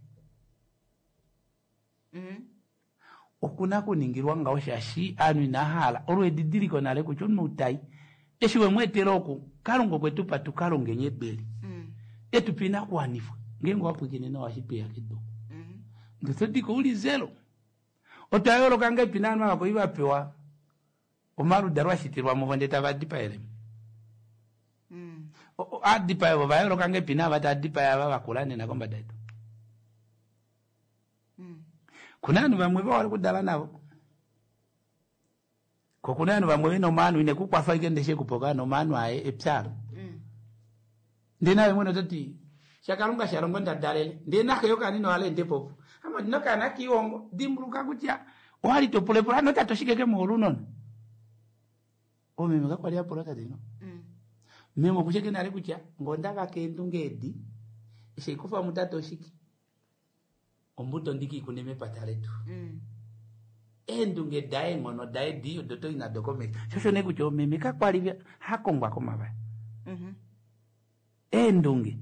mm. okuna kuningilwa ngawo shashi anu inahala olwedidiliko nale kutya omunhu eshi wemweetela oku kalunga okwetupa tukalongenye ebeli mm. etupa inakuwanifwa ngenge wapwikine nawashipeya kedoku mm. ndotodiko uli zero otwayoloka ngepi nanu avako ivapewa omaluda lwashitilwa muvo nde tavadipaelemo mm. Aadipaye vo vayooloka ngepi naava taa dipaya ava vakula nena kombada yetu. Kuna ovanhu vamwe vehole okudala navo. Ko kuna ovanhu vamwe vena omaano ine kukwafa ashike ndele shekupa okaana omaano aye epyalo. Ndele naye mwene ototi shakalunga shalongo ndadalele ndele naxe yokaana ino hala ende popo. Ame ondina okaana kiihongo dimbuluka kutya owali topulepula hano tate oshike kemuhole unona. Omeme kakwali apula tate no. Meme okusheke nale kutya ngonda vaka eendunge edi eshi aikufa mutate oshike. Ombuto ndiki ikune mepata letu. Eendunge daye eenghono daye di odo toi nado komesho. Shosho nee kutya omeme kakwali hakongwa komavaya. Eendunge.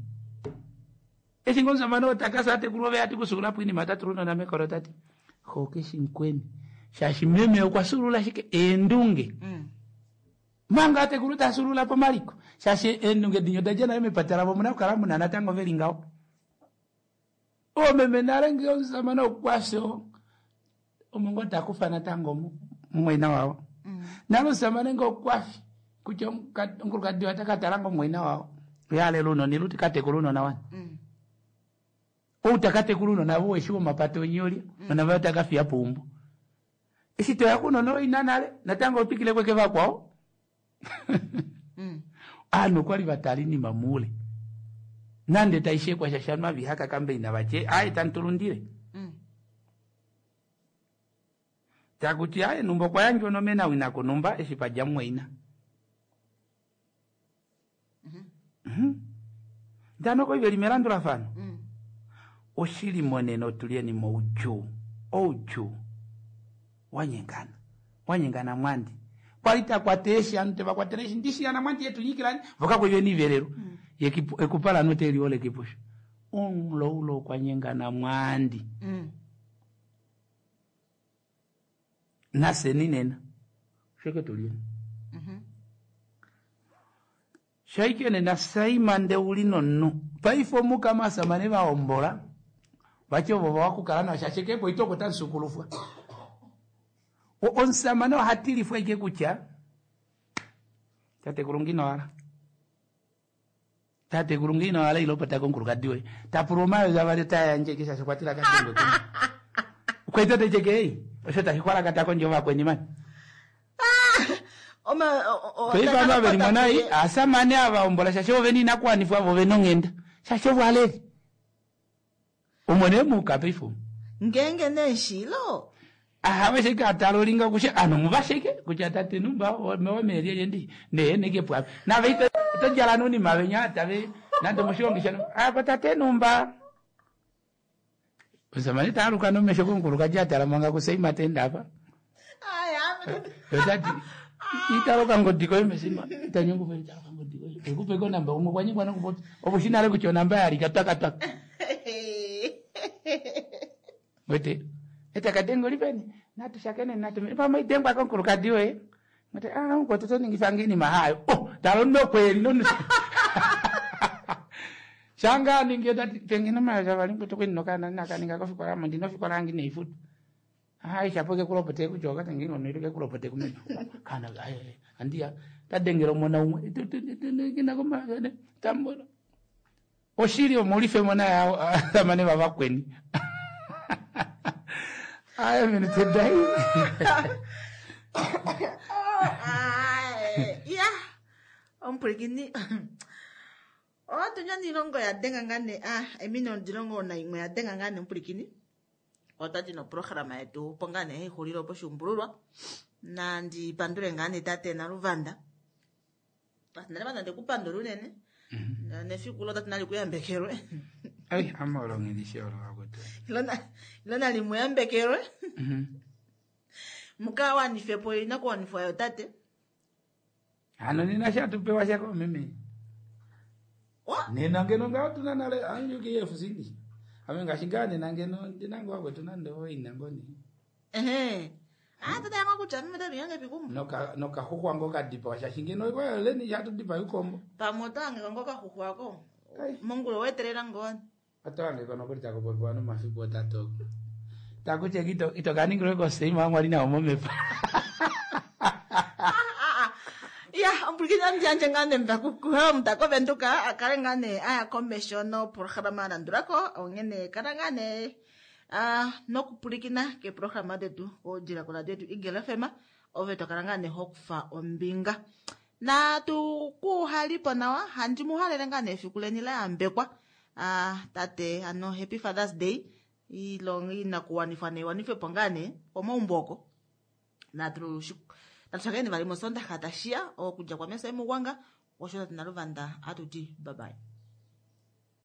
Eshi ngoo omusamane oo takasa atekulu ove ati kusuula po inima tatula unona mekolo tati xoke shimukweni shaashi meme okwa sulula ashike eendunge. Manga atekulu tasulula pomaliko shaashi eendunge dinye oda dja nale mepata lavo omuna okukala muna natango veli ngaho. Oomeme nale ngee omusamane okwafya omo ngoo takufa natango mumwaina wavo. Nale omusamane ngee okwafi kutya omukulukadi waye otakatala ngoo mumwaina wavo yaalela ounona ile tikatekula ounona wani. Ou takatekula ounona vo weshi womapata onyolya nona vaye otakafiya peumbo. Eshi toya kuunona oina nale natango otwikile kweke vakwao. Ovanhu okwali vatala oinima moule. Nande taishekwa shashanwa vihaka kambe ina vatye aye tamutulundile. Takuti aye numba okwa yandjwa onomena wina kunumba eshi padja mumwaina. Ndano koi veli melandulafano. Oshili monena otulyeni moudjuu. Oudjuu. Wanyengana. Wanyengana mwandi. Kwali takwata eeshi anu tevakwatele eeshi ndishi yana mwandi yetu nyikilani voka kweli veni ivelelo. Ekupala note liole kipusho. Omuloulo okwa nyengana mwandi. Naseni nena. Sheke tulyeni. Shaike nena saima ndeuli nonnu. Paife omukama asamane vaombola. Vache ovo vakukala nawo shaashi kepo itoko tansukulufwa. Omusamane ohatilifwa ike kutya tatekulu ngino wala. Tatekulu ngino wala ilopota komukulukadi woye. Tapulwa omayovi avali otayandje ike shaashi okwatila kadengwe kumwe. Okwaita techeke ei. Osho tashi xwalakata kondje ovakweni mani. Paife ava veli monai asamane ava ombola shaashi ovo vena inakuwanifwa vo vena onghenda. Shaashi ovo aleli. Omone muka paife. Ngenge neshilo. Aha sheke atala olinga kushe ano muvasheke kutya tate numba mewameelyelye ndi nee neke pwape. Nave ito todjala nunima venya tave nande moshilongo shano apa tate numba. Omusamane taaluka nomesho komukulukadi atala manga kuseima tenda apa. Otati italoka ngodi koye mesima itanyungu pe italoka ngodi koye. Ekupe ko namba umwe kwanyingwa nokupopya. Opo shinale kutya onamba yalika twaka twaka. Wete etakadengo lipeni natushakene natume pamwe idengwa komukulukadi woye. Ngati ah mukwetu toningifa nginima hayo. Oh talo kweli no. Shanga ningi tati pengine maja vali mkwetu kwini nokana nakaninga kofikola mo ndino fikola angi neifutu. Hai shapoke kulopote kujoka tengi ngono iluke kulopote kumene. Kana ai andia tadengera omona umwe kina koma tambona. Oshili omulife mona ya amane vavakweni. Aya minute dai. Ya. Omupulikini. Otunya nilongo ya denga ngane ah emino ndilongo na imwe ya denga ngane omupulikini. Otati no programa yetu pongane hei poshumbululwa. Nandi pandule ngane tate Naluvanda. Tate Naluvanda ndikupandula unene. Nefiku lo tate nali kuyambekelwe. Ai ama olongelishe olo wakutu. Ilona ilona limuyambekelwe. Muka wanifepo inakuwanifwa yo tate. Ano nina shatupewa shako mimi. Nena ngeno ngao tuna nale anjuki efusindi. Ame ngaashi nena ngeno ndinango wakwetu nande oina ngoni. Ehe. Ah tata yangu kutya mimi tatu yange pikumu. Noka nokahuhwa ngo kadipa shaashi ngeno kwa leni shatudipa yukombo. Pamoto ange ngo kahuhwa ko. Mungu weterera ngoni. Atoange kono kuli takupopiwa nomafiku otatu. Takuche kito itokaningirwe koseima mwali na omomepa. Ah ah. Ya ompwilikini andi yandje ngaa nee mbakukuha kovenduka a kale ngaa nee aya komesho noprograma alandulako onghene kala ngaa nee ah, nokupwilikina keeprograma detu kodjila koradio yetu Eagle F M ove tokala ngaa nee hokufa ombinga natu kuhalipo nawa handi muhalele ngaa nee efiku leni la yambekwa ah, tate ano happy Father's Day ilonga inakuwanifwa neiwanifwepo ngaa nee komaumbo oko natu natu shakeni vali mosondaxa tashiya okudja kwameso emugwanga osho tate naluvanda atuti bye bye.